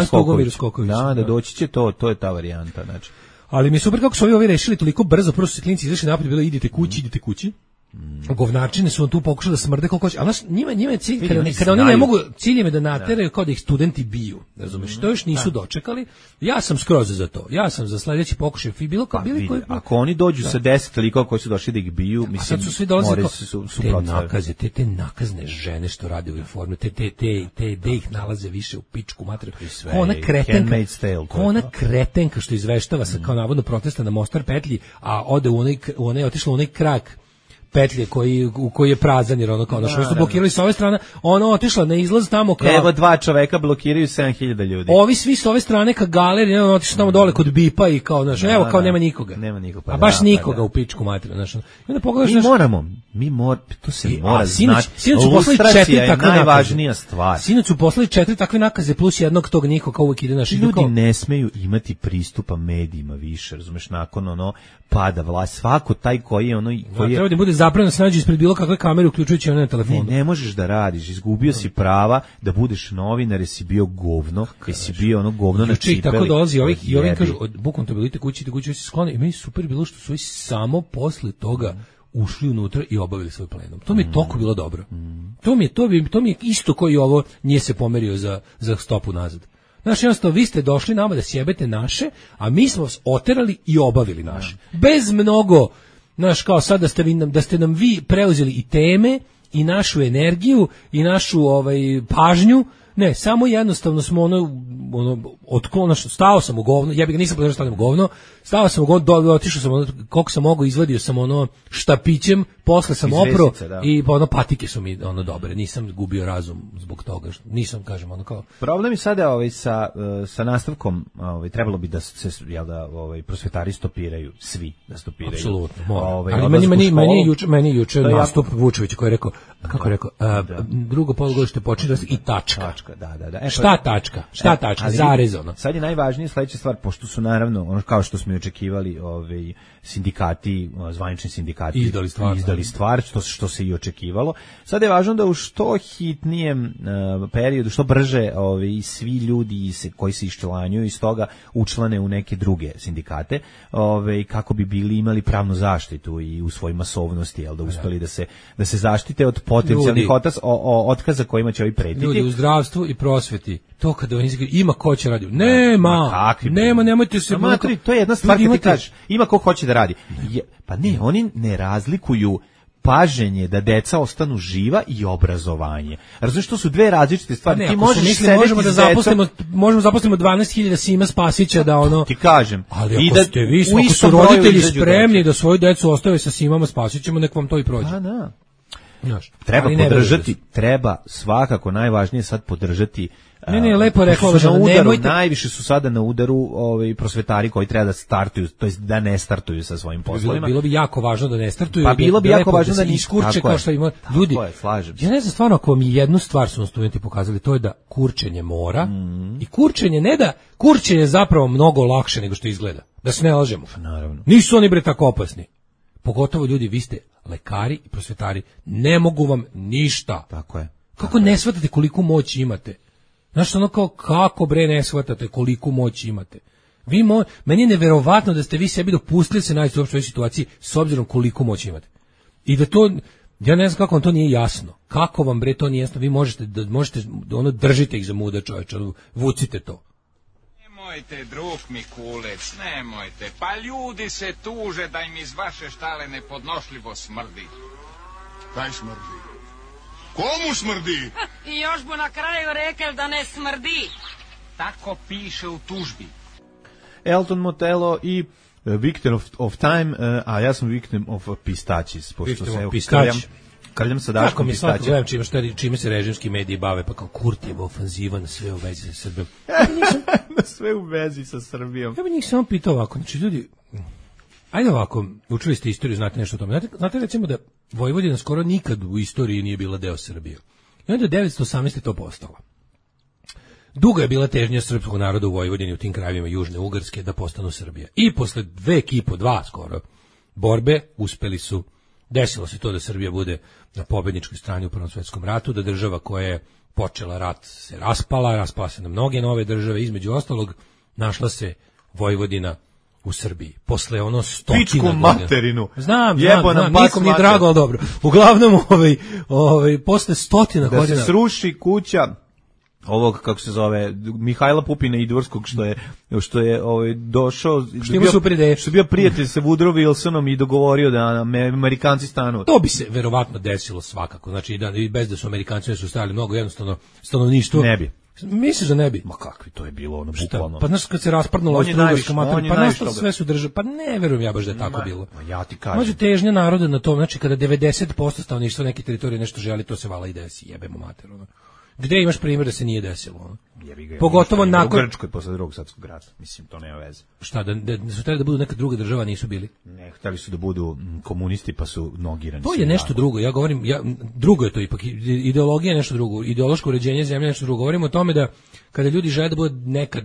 Skoković. Da, da doći će to, to je ta varijanta, znači. Ali mi super kako su ovi ovi rešili toliko brzo, prvo su se klinci izašli napolje, bilo idite kući, idite kući. Mm. Govnačine su on tu pokušali da smrde koliko hoće, ali znaš, njima, njima je cilj, kada, kada oni ne mogu, cilj im je da nateraju kao da ih studenti biju, razumeš, mm. to još nisu da. dočekali, ja sam skroz za to, ja sam za sledeći pokušaj, bilo kao, bili koji... Ako oni dođu da. sa deset likova koji su došli da ih biju, mislim, sad su svi dolazili kao, su, su te nakaze, te, te nakazne žene što rade u uniformu, te, te, te, te, te ih nalaze više u pičku materiju, ko ona kretenka, ko ona kretenka što izveštava sa kao navodno protesta na Mostar petlji, a ode u onaj, u onaj, otišla u onaj krak petlje koji u koji je prazan jer ono kao da, što su blokirali sa ove strane, ono otišla na izlaz tamo kao evo dva čoveka blokiraju sedam hiljada ljudi. Ovi svi s ove strane ka galeriji, ono otišla tamo dole kod Bipa i kao znači evo kao nema nikoga. Nema nikoga. Pa, a baš da, nikoga pa, da. u pičku materiju, znači. I onda pogledaš mi naš... moramo, mi mor to se I, mora znati. Sinoć su poslali četiri takve najvažnija stvar. Sinoć su poslali četiri takve nakaze plus jednog tog niko kao uvijek ide naš ljudi kao... ne smeju imati pristupa medijima više, razumeš, nakon ono pada vlast, svako taj koji je ono koji treba da bude zabranjeno snađi ispred bilo kakve kamere uključujući one na telefonu. Ne, ne možeš da radiš, izgubio si prava da budeš novinar, jesi bio govno, jesi bio ono govno na čipeli. Tako dolazi ovih i ovim kažu, bukvalno to bilite kući, te kući se sklone i meni super bilo što su i samo posle toga ušli unutra i obavili svoj plenum. To mi je toliko bilo dobro. To mi je to bi to mi je isto koji ovo nije se pomerio za za stopu nazad. Znaš, jednostavno, vi ste došli nama da sjebete naše, a mi smo vas oterali i obavili naše. Bez mnogo, znaš, kao sad da ste, vi, da ste nam vi preuzeli i teme, i našu energiju, i našu ovaj, pažnju, ne, samo jednostavno smo ono, ono otklon, stao sam u govno, ja bih ga nisam podržao stavljam u govno, stao sam u govno, do, otišao sam, ono, koliko sam mogao, izvadio sam ono štapićem, posle sam opro i pa ono patike su mi ono dobre, nisam gubio razum zbog toga, nisam, kažem, ono kao... Problem je sada ovaj, sa, sa nastavkom, ovaj, trebalo bi da se, jel da, ovaj, prosvetari stopiraju, svi da stopiraju. Apsolutno, mora. Ovaj, ali meni, meni, meni, juče, meni juče nastup jako... Vučevića koji je rekao, kako je rekao, a, da. drugo polugodište počinje i tačka. tačka da, da, da. E, šta tačka? Šta e, tačka? Zarez ono. Sad je najvažnija sledeća stvar, pošto su naravno, ono kao što smo i očekivali, ovaj, sindikati, zvanični sindikati izdali stvar, izdali stvar što, što se i očekivalo. Sad je važno da u što hitnijem uh, periodu, što brže ovaj, svi ljudi se, koji se iščlanjuju iz toga učlane u neke druge sindikate, ovaj, kako bi bili imali pravnu zaštitu i u svojoj masovnosti, jel, da uspeli da se, da se zaštite od potencijalnih otas, o, o, otkaza kojima će ovi pretiti. Ljudi u zdravstvu zdravstvu i prosveti, to kada oni ima ko će radi. Nema, kakvi, nema, nemojte se... Ma, matri, to je jedna stvar kad ti kažeš, ima ko hoće da radi. Je, pa ne, oni ne razlikuju paženje da deca ostanu živa i obrazovanje. Razumiješ, što su dve različite stvari. Ne, ti možeš mislim, možemo da zaposlimo, možemo zaposlimo dvanaest hiljada Sima Spasića da ono... Ti kažem. Ali ako, I da, ste vi, ako su roditelji spremni da svoju decu ostave sa Simama Spasićima, nek vam to i prođe. Pa da. Znaš, treba podržati, treba svakako najvažnije sad podržati. Ne, ne, lepo rekao da na udaru, nemojte... najviše su sada na udaru ovaj prosvetari koji treba da startuju, to jest da ne startuju sa svojim poslovima. Bilo, bilo bi jako važno da ne startuju. Pa bilo bi da, jako važno da, da iskurče kao što ima ljudi. Je, slažem se. Ja ne znam stvarno ako mi jednu stvar su studenti pokazali, to je da kurčenje mora mm. i kurčenje ne da kurčenje je zapravo mnogo lakše nego što izgleda. Da se ne lažemo. Naravno. Nisu oni bre tako opasni. Pogotovo ljudi, vi ste lekari i prosvetari, ne mogu vam ništa. Tako je. Kako ne shvatate koliko moći imate? Znaš, ono kao, kako bre ne shvatate koliko moći imate? Vi mo, meni je neverovatno da ste vi sebi dopustili se naći u ovoj situaciji s obzirom koliko moći imate. I da to, ja ne znam kako vam to nije jasno. Kako vam bre to nije jasno? Vi možete, da, možete ono, držite ih za muda čovječa, vucite to. Nemojte, drug Mikulec, nemojte. Pa ljudi se tuže da im iz vaše štale nepodnošljivo smrdi. Kaj smrdi? Komu smrdi? I još bu na kraju rekel da ne smrdi. Tako piše u tužbi. Elton Motello i Victim of, of Time, a ja sam Victim of Pistačis. Victim of Pistač. Krljam sa Daškom Pistačem. Kako mi gledam čime, šta, čime se režimski mediji bave, pa kao Kurtijeva ofanziva na sve u vezi sa Srbijom. Na sve u vezi sa Srbijom. Ja bih njih samo pitao ovako, znači ljudi, ajde ovako, učili ste istoriju, znate nešto o tome. Znate, znate recimo da Vojvodina skoro nikad u istoriji nije bila deo Srbije. I onda devetsto osamnaeste to postala. Dugo je bila težnja srpskog naroda u Vojvodini, u tim krajevima Južne Ugarske, da postanu Srbija. I posle dve kipo, dva skoro, borbe, uspeli su. Desilo se to da Srbija bude na pobedničkoj strani u Prvom svetskom ratu, da država koja je počela rat se raspala, raspala se na mnoge nove države, između ostalog našla se Vojvodina u Srbiji. Posle ono stotina Pičku godina. materinu. Znam, znam, znam, nikom nije drago, ali dobro. Uglavnom, ovaj, ovaj, posle stotina da godina... Da se sruši kuća ovog, kako se zove, Mihajla Pupina Idvorskog, što je, što je ovaj, došao, što je, bio, što je bio prijatelj sa Woodrow Wilsonom i dogovorio da Amerikanci stanu. To bi se verovatno desilo svakako, znači da, bez da su Amerikanci su stavili mnogo jednostavno stanovništvo. Ne bi. Misliš da ne bi? Ma kakvi, to je bilo ono bukvalno. Pa znaš kad se rasprnulo Austro-Ugarska materina, pa nešto sve su države, pa ne verujem ja baš da je tako Ma, bilo. Ma ja ti kažem. Može težnja naroda na to, znači kada devedeset posto stanovništva neke teritorije nešto želi, to se vala i desi, jebemo mater, ono. Gde imaš primjer da se nije desilo, ono? Ga, pogotovo nakon u Grčkoj posle Drugog svjetskog rata, mislim, to nema veze. Šta, da, da, da su trebali da budu neka druga država, nisu bili? Ne, hteli su da budu komunisti, pa su nogirani. To je nešto tako. Drugo, ja govorim, ja, drugo je to ipak, ideologija je nešto drugo, ideološko uređenje zemlje je nešto drugo. Govorimo o tome da kada ljudi žele da bude neka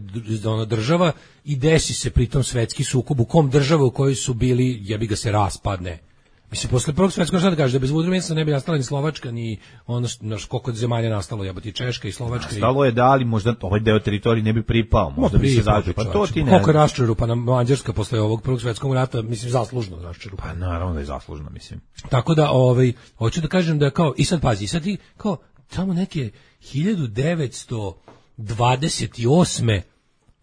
ona država i desi se pritom svetski sukob u kom država u kojoj su bili, jebi ga se raspadne. Mislim, posle Prvog svjetskog rata kaže da bez Woodrow Wilsona ne bi nastala ni Slovačka, ni ono što koliko zemalja nastalo, jebote, Češka i Slovačka. Nastalo je da, ali možda ovaj deo teritorije ne bi pripao, možda bi se zažio. Pa to ti ne. Koliko je raščerupana Mađarska posle ovog Prvog svjetskog rata, mislim, zaslužno raščerupana. Pa naravno da je zaslužno, mislim. Tako da, ovaj, hoću da kažem da kao, i sad pazi, sad ti, kao, tamo neke hiljadu devetsto dvadeset osme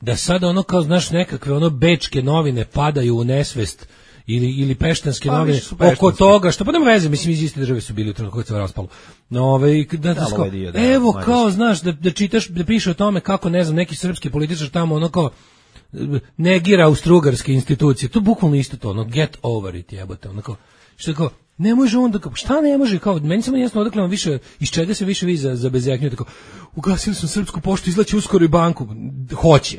da sad ono kao, znaš, nekakve ono bečke novine padaju u nesvest, ili ili peštanske pa, novine oko toga što pa nema veze, mislim iz iste države su bili u trenutku kad se raspalo. No, ovaj da, da, kao, dio, da evo da, kao znaš da, da čitaš da piše o tome kako ne znam neki srpski političar tamo ono kao negira austrougarske institucije. To bukvalno isto to, ono get over it, jebote, ono kao što kao ne može on da kao šta ne može kao meni samo jasno odakle vam više iz čega se više vi za za bezeknju tako ugasili smo srpsku poštu, izlači uskoro i banku. Hoće.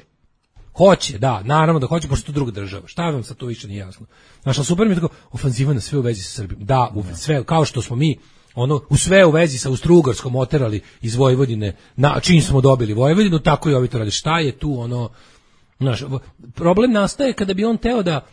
Hoće, da, naravno da hoće, pošto to druga država. Šta vam sad to više nije jasno? Znaš, ali super mi je tako, ofanziva na sve u vezi sa Srbijom. Da, u sve, kao što smo mi, ono, u sve u vezi sa Austro-Ugarskom oterali iz Vojvodine, na čim smo dobili Vojvodinu, tako i ovi to radi. Šta je tu, ono, znaš, problem nastaje kada bi on teo da,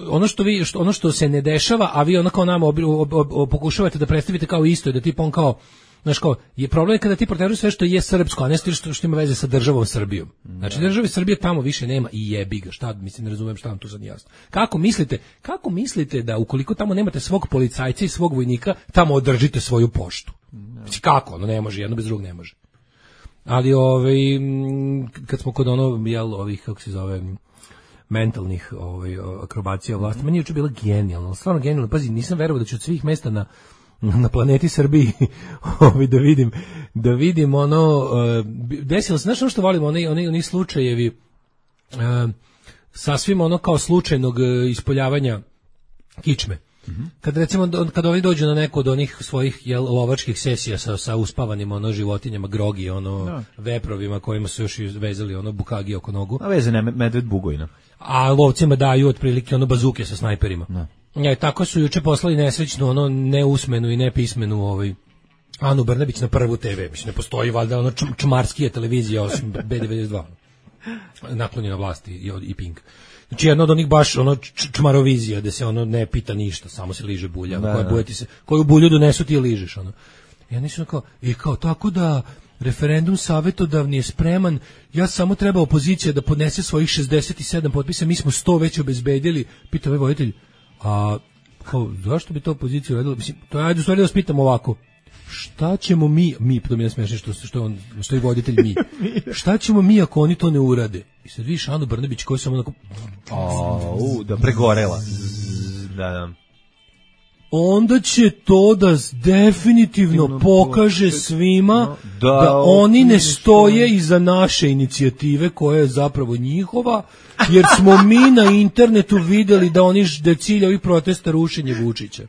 ono što vi, ono što se ne dešava, a vi onako nama ob, ob, ob, ob, pokušavate da predstavite kao isto, da tip on kao, znaš kao, je problem kada ti proteruješ sve što je srpsko, a ne što, što ima veze sa državom Srbijom. Znači, države Srbije tamo više nema i jebi ga, šta, mislim, ne razumijem šta vam tu sad jasno. Kako mislite, kako mislite da ukoliko tamo nemate svog policajca i svog vojnika, tamo održite svoju poštu? Znači, kako? Ono ne može, jedno bez drugog ne može. Ali ovaj kad smo kod ono jel ovih kako se zove mentalnih ovaj akrobacija vlasti, meni je juče bila genijalno, stvarno genijalno. Pazi, nisam verovao da ću od svih mesta na na planeti Srbiji ovaj da vidim da vidim ono desilo se, znaš ono što volimo, oni oni oni slučajevi uh, sasvim ono kao slučajnog ispoljavanja kičme. Mm-hmm. Kad recimo kad oni dođu na neku od onih svojih jel, lovačkih sesija sa, sa uspavanim ono životinjama, grogi, ono no. veprovima kojima su još vezali ono bukagi oko nogu. A vezane medved bugojna. A lovcima daju otprilike ono bazuke sa snajperima. No. Ja, tako su juče poslali nesrećnu ono neusmenu i nepismenu ovaj Anu Brnabić na Prvu te ve. Mislim ne postoji valjda ono čmarskija televizija osim be devedeset dva. Naklonjena vlasti i, i Pink. Znači jedno od onih baš ono čmarovizija gde se ono ne pita ništa, samo se liže bulja, da, koja bulja ti se, koju bulju donesu ti je ližeš ono. Ja nisam kao, i kao tako da referendum savjetodavni je spreman, ja samo treba opozicija da podnese svojih šezdeset sedam potpisa, mi smo sto već obezbedili, pita ovaj voditelj, a kao, zašto bi to opozicija uradila? Mislim, to ajde u stvari da vas pitam ovako, šta ćemo mi, mi, to mi je smešno što, što, on, što je voditelj mi, šta ćemo mi ako oni to ne urade? I sad vidiš Anu Brnabić koji sam onako... O, u, da pregorela. Da, da. Onda će to da definitivno pokaže svima da, da oni ne stoje iza naše inicijative koja je zapravo njihova, jer smo mi na internetu videli da oni da je cilj ovih protesta rušenje Vučića.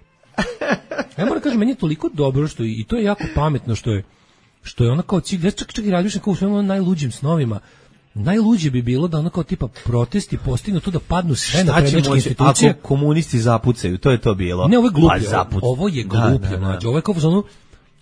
Ja moram kažem, meni je toliko dobro što i to je jako pametno što je što je ona kao cilj, čak čak i radiš kao u svojim najluđim snovima. Najluđe bi bilo da ono kao tipa protesti postignu to da padnu sve na prednjačke institucije. Ako komunisti zapucaju, to je to bilo. Ne, ovo je gluplje, ovo je gluplje, mlađe. Ovo je kao ono,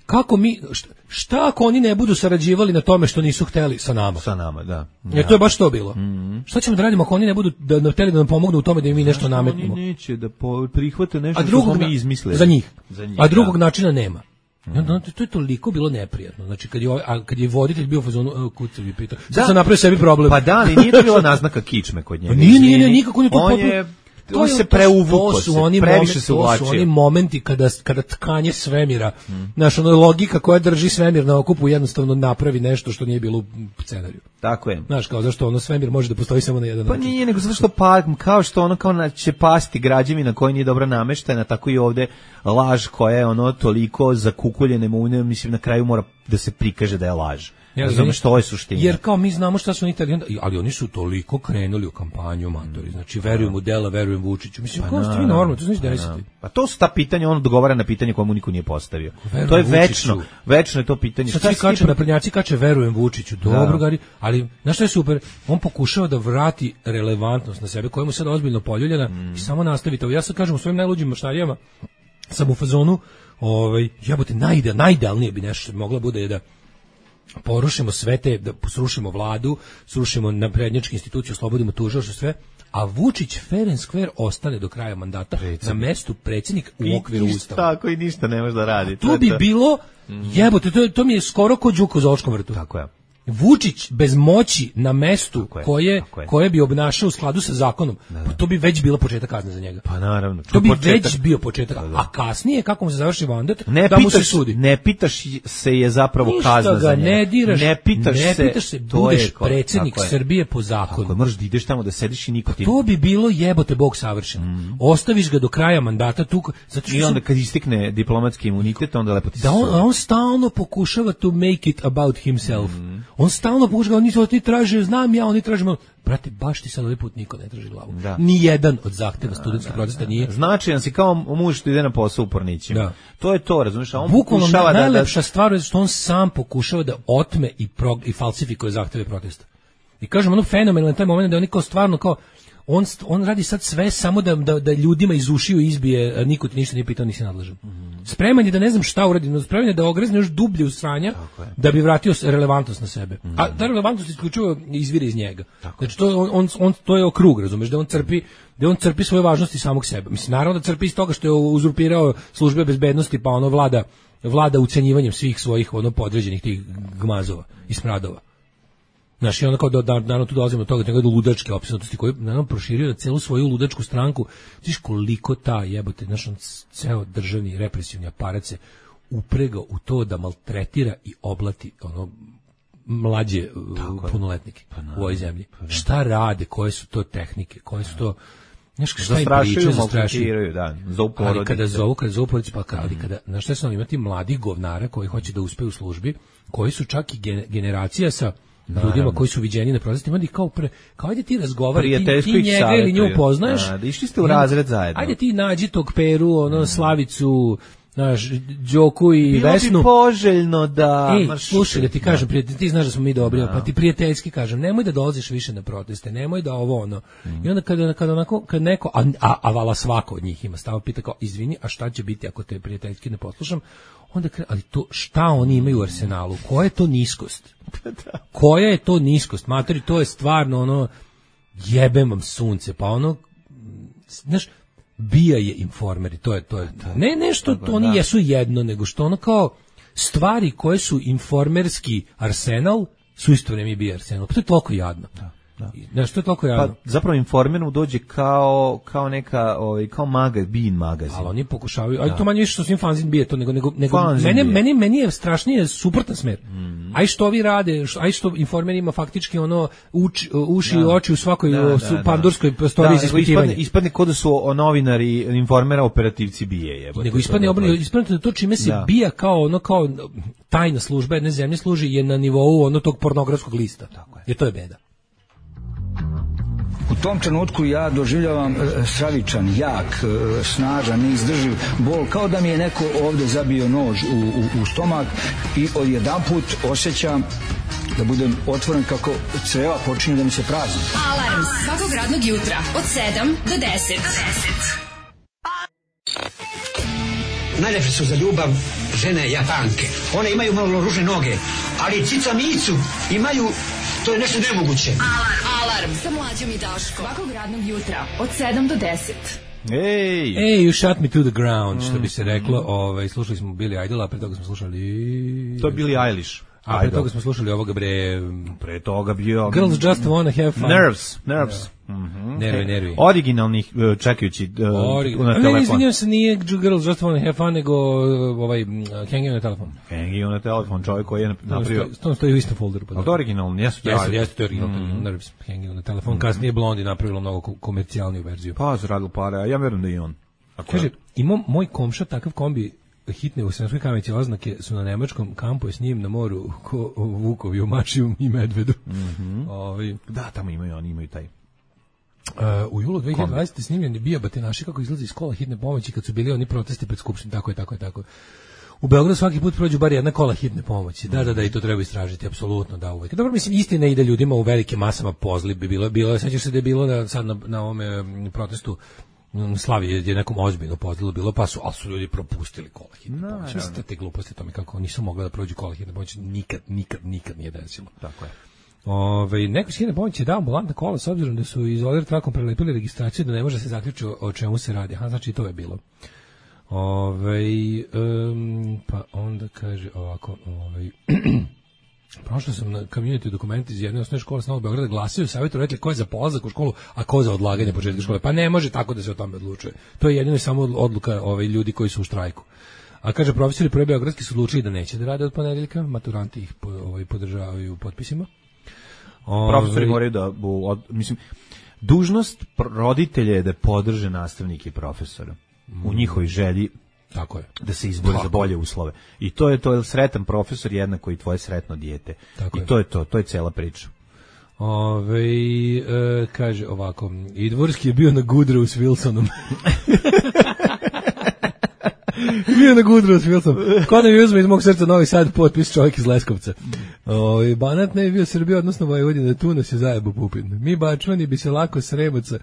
kako mi, šta, šta ako oni ne budu sarađivali na tome što nisu hteli sa nama? Sa nama, da. Jer to je baš to bilo. Mm-hmm. Šta ćemo da radimo ako oni ne budu da, da hteli da nam pomognu u tome da im mi nešto nametnemo? Oni neće da po, prihvate nešto što smo mi izmislili. Za njih. Za njih a drugog da. načina nema. Mm. To je toliko bilo neprijatno. Znači kad je a kad je voditelj bio u fazonu kucavi pitao. Sad se napravio sebi problem. Pa da, ali nije to bila naznaka kičme kod njega. Nije, nije, nije, nikako nije to on potpuno. Je, to se preuvuko, se, oni previše se uvlačio. To su oni momenti kada, kada tkanje svemira, mm. naša ono logika koja drži svemir na okupu jednostavno napravi nešto što nije bilo u scenariju. Tako je. Znaš, kao zašto ono svemir može da postoji samo na jedan pa način. Pa nije, nego zato što pa, kao što ono kao na, će pasti građevina koja nije dobro nameštena, tako i ovde laž koja je ono toliko zakukuljene mune, mislim na kraju mora da se prikaže da je laž. Ja znam što je suština. Jer kao mi znamo šta su oni Italijani, ali oni su toliko krenuli u kampanju matori. Znači verujem u dela, verujem Vučiću. Mislim, pa kao ste vi normalno, to znači desiti. Pa to su ta pitanja, on odgovara na pitanje koje mu niko nije postavio. Verujem to je večno, Vučiću. Večno je to pitanje. Šta svi kače na prednjaci kače verujem Vučiću. Dobro, gari, ali znaš šta je super? On pokušava da vrati relevantnost na sebe, koja mu sad ozbiljno poljuljena mm. i samo nastavi to. Ja sad kažem u svojim najluđim maštarijama sam u fazonu, ovaj, jebote, najde, najdelnije bi nešto mogla bude da porušimo sve te, da srušimo vladu, srušimo naprednjačke institucije, oslobodimo tužilaštvo, sve, a Vučić fair and square ostane do kraja mandata predsjednik. Na mestu predsjednik u okviru ustava. Tako i ništa ne može da radi. To, to bi to. bilo, jebote, to, to mi je skoro ko đuka u zoološkom vrtu. Tako je. Vučić bez moći na mestu je, koje, koje bi obnašao u skladu sa zakonom, da, da. Pa to bi već bila početak kazne za njega. Pa naravno. To bi početak. Već bio početak. Da, da. A kasnije, kako mu se završi mandat, ne da pitaš, mu se sudi. Ne pitaš se je zapravo ništa kazna za njega. Ne diraš, ne pitaš ne se, pitaš se budeš predsjednik Srbije po zakonu. Tako, možeš da ideš tamo da sediš i niko ti... To bi bilo jebote Bog savršeno. Mm. Ostaviš ga do kraja mandata tu... Zato što i onda kad istekne diplomatski imunitet, onda lepo ti se... Da on, on stalno pokušava to make it about himself. Mm. On stalno pokušava, oni oni traže, znam ja, oni traže malo. Brate, baš ti sad ovaj put niko ne traži glavu. Da. Ni jedan od zahteva studentskog protesta nije. Značajan si kao muž što ide na posao u Pornićima. Da. To je to, razumiješ? A on bukvalno pokušava da... najlepša stvar je što on sam pokušava da otme i, prog, i falsifikuje zahteve protesta. I kažem, ono fenomenalno taj moment da oni kao stvarno kao on, on radi sad sve samo da, da, da ljudima iz ušiju izbije, niko ti ništa nije pitao, nisi nadležan. Mm. Spreman je da ne znam šta uradi, no spreman je da ogrezne još dublje u sranja da bi vratio relevantnost na sebe. Mm. A ta relevantnost isključivo izvire iz njega. Tako. Znači to, on, on, on, to je okrug, razumeš, da on crpi da on crpi svoje važnosti samog sebe. Mislim, naravno da crpi iz toga što je uzurpirao službe bezbednosti, pa ono vlada, vlada ucenjivanjem svih svojih ono podređenih tih gmazova i smradova. Znaš, i onda kao da, da, naravno tu dolazimo do toga, do ludačke opsjednutosti koju naravno proširio na celu svoju ludačku stranku. Znaš koliko ta jebote, znaš, on ceo državni represivni aparat se upregao u to da maltretira i oblati ono mlađe punoletnike pa u ovoj zemlji. Pa šta rade, koje su to tehnike, koje su to... Znaš, šta im zastrašuju, priče, zastrašuju. Da, zovu porodice. Ali kada zovu, kada zovu porodice, pa ali kada, znaš šta su oni, imati mladih govnara koji hoće da uspeju u službi, koji su čak i generacija sa ljudima koji su viđeni na protestima, onda ih kao pre, kao ajde ti razgovari, ti, ti njega ili nju poznaješ. Da, išli ste u razred zajedno. Ajde ti nađi tog Peru, ono, Slavicu, znaš, Đoku i bilo Vesnu. Bilo bi poželjno da... Ej, slušaj, da ti kažem, prijatelj, ti znaš da smo mi dobri, no. Pa ti prijateljski kažem, nemoj da dolaziš više na proteste, nemoj da ovo ono. Mm. I onda kada, kada, onako, kada neko, a, a, a vala svako od njih ima stava, pita kao, izvini, a šta će biti ako te prijateljski ne poslušam? Onda kre, ali to, šta oni imaju u arsenalu? Koja je to niskost? Koja je to niskost? Matori, to je stvarno ono, jebem vam sunce, pa ono, znaš, bija je informeri, to je to je ne nešto to oni jesu jedno, nego što ono kao stvari koje su informerski arsenal su isto vreme bija arsenal. Pa to je toliko jadno. Da. Da. Da, što je toliko jadno? Pa zapravo informeru dođe kao kao neka ovaj kao magazin, bin magazin. Ali oni pokušavaju, ali to manje više što svim fanzin bije to nego nego nego meni meni meni je strašnije suprotan smer. Mm. Aj što vi rade, aj što informer ima faktički ono uči, uši i oči u svakoj da, da, da. pandurskoj prostoriji za ispitivanje. Ispadne, ispadne kod da su novinari informera operativci bije, jebote. Nego ispadne obrnuto, ispadne to čime se da. bija kao ono kao tajna služba jedne zemlje služi je na nivou ono tog pornografskog lista. Tako je. Jer to je beda. U tom trenutku ja doživljavam stravičan, jak, snažan, neizdrživ bol, kao da mi je neko ovde zabio nož u, u, u stomak i odjedanput osjećam da budem otvoren kako creva počinju da mi se prazni. Alarm svakog radnog jutra od sedam do deset. Najlepše su za ljubav žene Japanke. One imaju malo ružne noge, ali cica micu imaju, to je nešto nemoguće. Alarm, alarm sa Mlađom i Daškom. Svakog radnog jutra od sedam do deset. Ej, Ej, you shot me to the ground, što bi se reklo. Ovaj, slušali smo Billy Idol, a pre toga smo slušali... To je Billie Eilish. A pre toga smo slušali ovoga bre... Pre toga bio... Girls Just Wanna Have Fun. Nerves, Nerves. Yeah. Mm-hmm. Nervi, nervi. Originalnih, čekajući uh, Orig... na telefon. Ne, izvinjam se, nije Girls Just Wanna Have Fun, nego ovaj, Hanging on a Telephone. Hanging on a Telephone, čovjek koji je napravio... To stoji u istom folderu. Ali to je originalno, jesu to jeste, jeste, to je originalno. Mm. Nerves, Hanging on a Telephone. Mm. Kasnije Blondie napravilo mnogo komercijalniju verziju. Pa, su radili pare, a ja verujem da i on. Ako kaže, imam moj komša takav kombi hitne u Sremskoj Kamenici oznake su na nemačkom kampu s njim na moru ko vukovi u Mačiju i Medvedu. Mm-hmm. Ovi, da, tamo imaju, oni imaju taj. Uh, u julu dve hiljade dvadesete snimljen je bio Batenaši kako izlazi iz kola hitne pomoći kad su bili oni protesti pred skupštinom, tako je, tako je, tako. U Beogradu svaki put prođu bar jedna kola hitne pomoći. Da, da, da, i to treba istražiti, apsolutno, da, uvek. Dobro, mislim, istina je da ljudima u velike masama pozli bi bilo, bilo, sećaš se da je bilo na, sad na, na ovome protestu Slavi je nekom ozbiljno pozlilo bilo, pa su, ali su ljudi propustili kola hitne no, pomoći. Mislim, te, te gluposti, to mi kako nisu mogli da prođu kola hitne pomoći, nikad, nikad, nikad nije desilo. Tako je. Ove, neko s hitne pomoći je dao ambulantna kola s obzirom da su izolir trakom prelepili registraciju da ne može se zaključiti o, o čemu se radi. Aha, znači to je bilo. Ove, um, pa onda kaže ovako, ovaj... Prošao sam na community dokumenti iz jedne osnovne škole s Novog Beograda, glasaju, savjetu rekli ko je za polazak u školu, a ko za odlaganje početka škole. Pa ne može tako da se o tome odlučuje. To je jedino samo odluka ovaj, ljudi koji su u štrajku. A kaže, profesori prve beogradski su odlučili da neće da rade od ponedeljka, maturanti ih po, ovaj, podržavaju potpisima. Profesori moraju da, od, mislim, dužnost roditelja je da podrže nastavnike i profesora mm. u njihovoj želji tako je. Da se izbori za bolje uslove. I to je to, sretan profesor jednako i tvoje sretno dijete. Tako I je. to je to, to je cela priča. Ove, e, kaže ovako, i Dvorski je bio na Goodrow s Wilsonom. Bio na Goodrow s Wilsonom. Ko da mi uzme iz mog srca Novi Sad potpis čovjek iz Leskovca. Ove, Banat ne je bio Srbija, odnosno Vojvodina, tu nas je zajebo Pupin. Mi Bačvani bi se lako Sremaca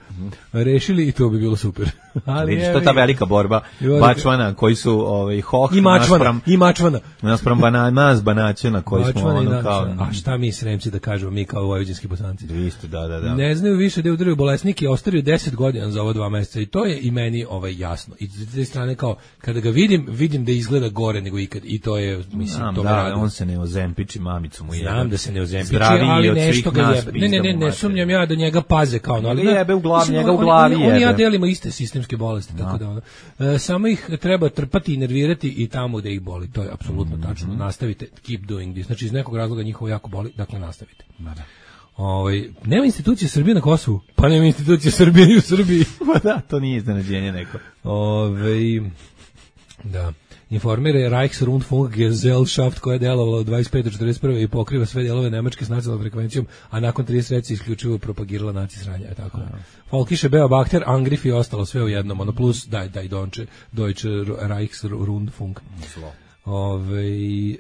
rešili i to bi bilo super. Ali vidiš, to je ta velika borba Bačvana koji su ovaj, hoh i Mačvana, naspram, i Mačvana. Naspram bana, nas Banaćana koji Bačvana smo ono kao... A šta mi Sremci da kažemo, mi kao vojvođanski bosanci? Isto, da, da, da. Ne znaju više da udaraju bolesniki, ostavio deset godina za ovo dva meseca i to je i meni ovaj, jasno. I s te strane kao, kada ga vidim, vidim da izgleda gore nego ikad i to je, mislim, Znam, to da, me raduje. On se ne ozempiči, mamicu mu je. Znam da se ne ozempiči, ali nešto ga jebe. Ne, ne, ne, ne sumnjam ja da njega paze kao, no, ali jebe u glavi, njega u glavi jebe. On i ja delimo iste sistem. sistemske bolesti, no. tako da ono, e, samo ih treba trpati i nervirati i tamo gde ih boli, to je apsolutno mm-hmm. tačno, nastavite, keep doing this, znači iz nekog razloga njihovo jako boli, dakle nastavite. Da, da. Ovaj, nema institucije Srbije na Kosovu, pa nema institucije Srbije i u Srbiji. Pa da, to nije iznenađenje neko. Ovaj, da. Informira je Reichsrundfunkgesellschaft koja je delovala od dvadeset pete do četrdeset prve i pokriva sve delove Nemačke s nacionalnom frekvencijom, a nakon trideset reci isključivo propagirala naci sranja. Tako. Folkische Beobachter, Angriff i ostalo sve u jednom, ono plus daj, daj Donče, Deutsche Reichsrundfunk. Zlo. Ove, e,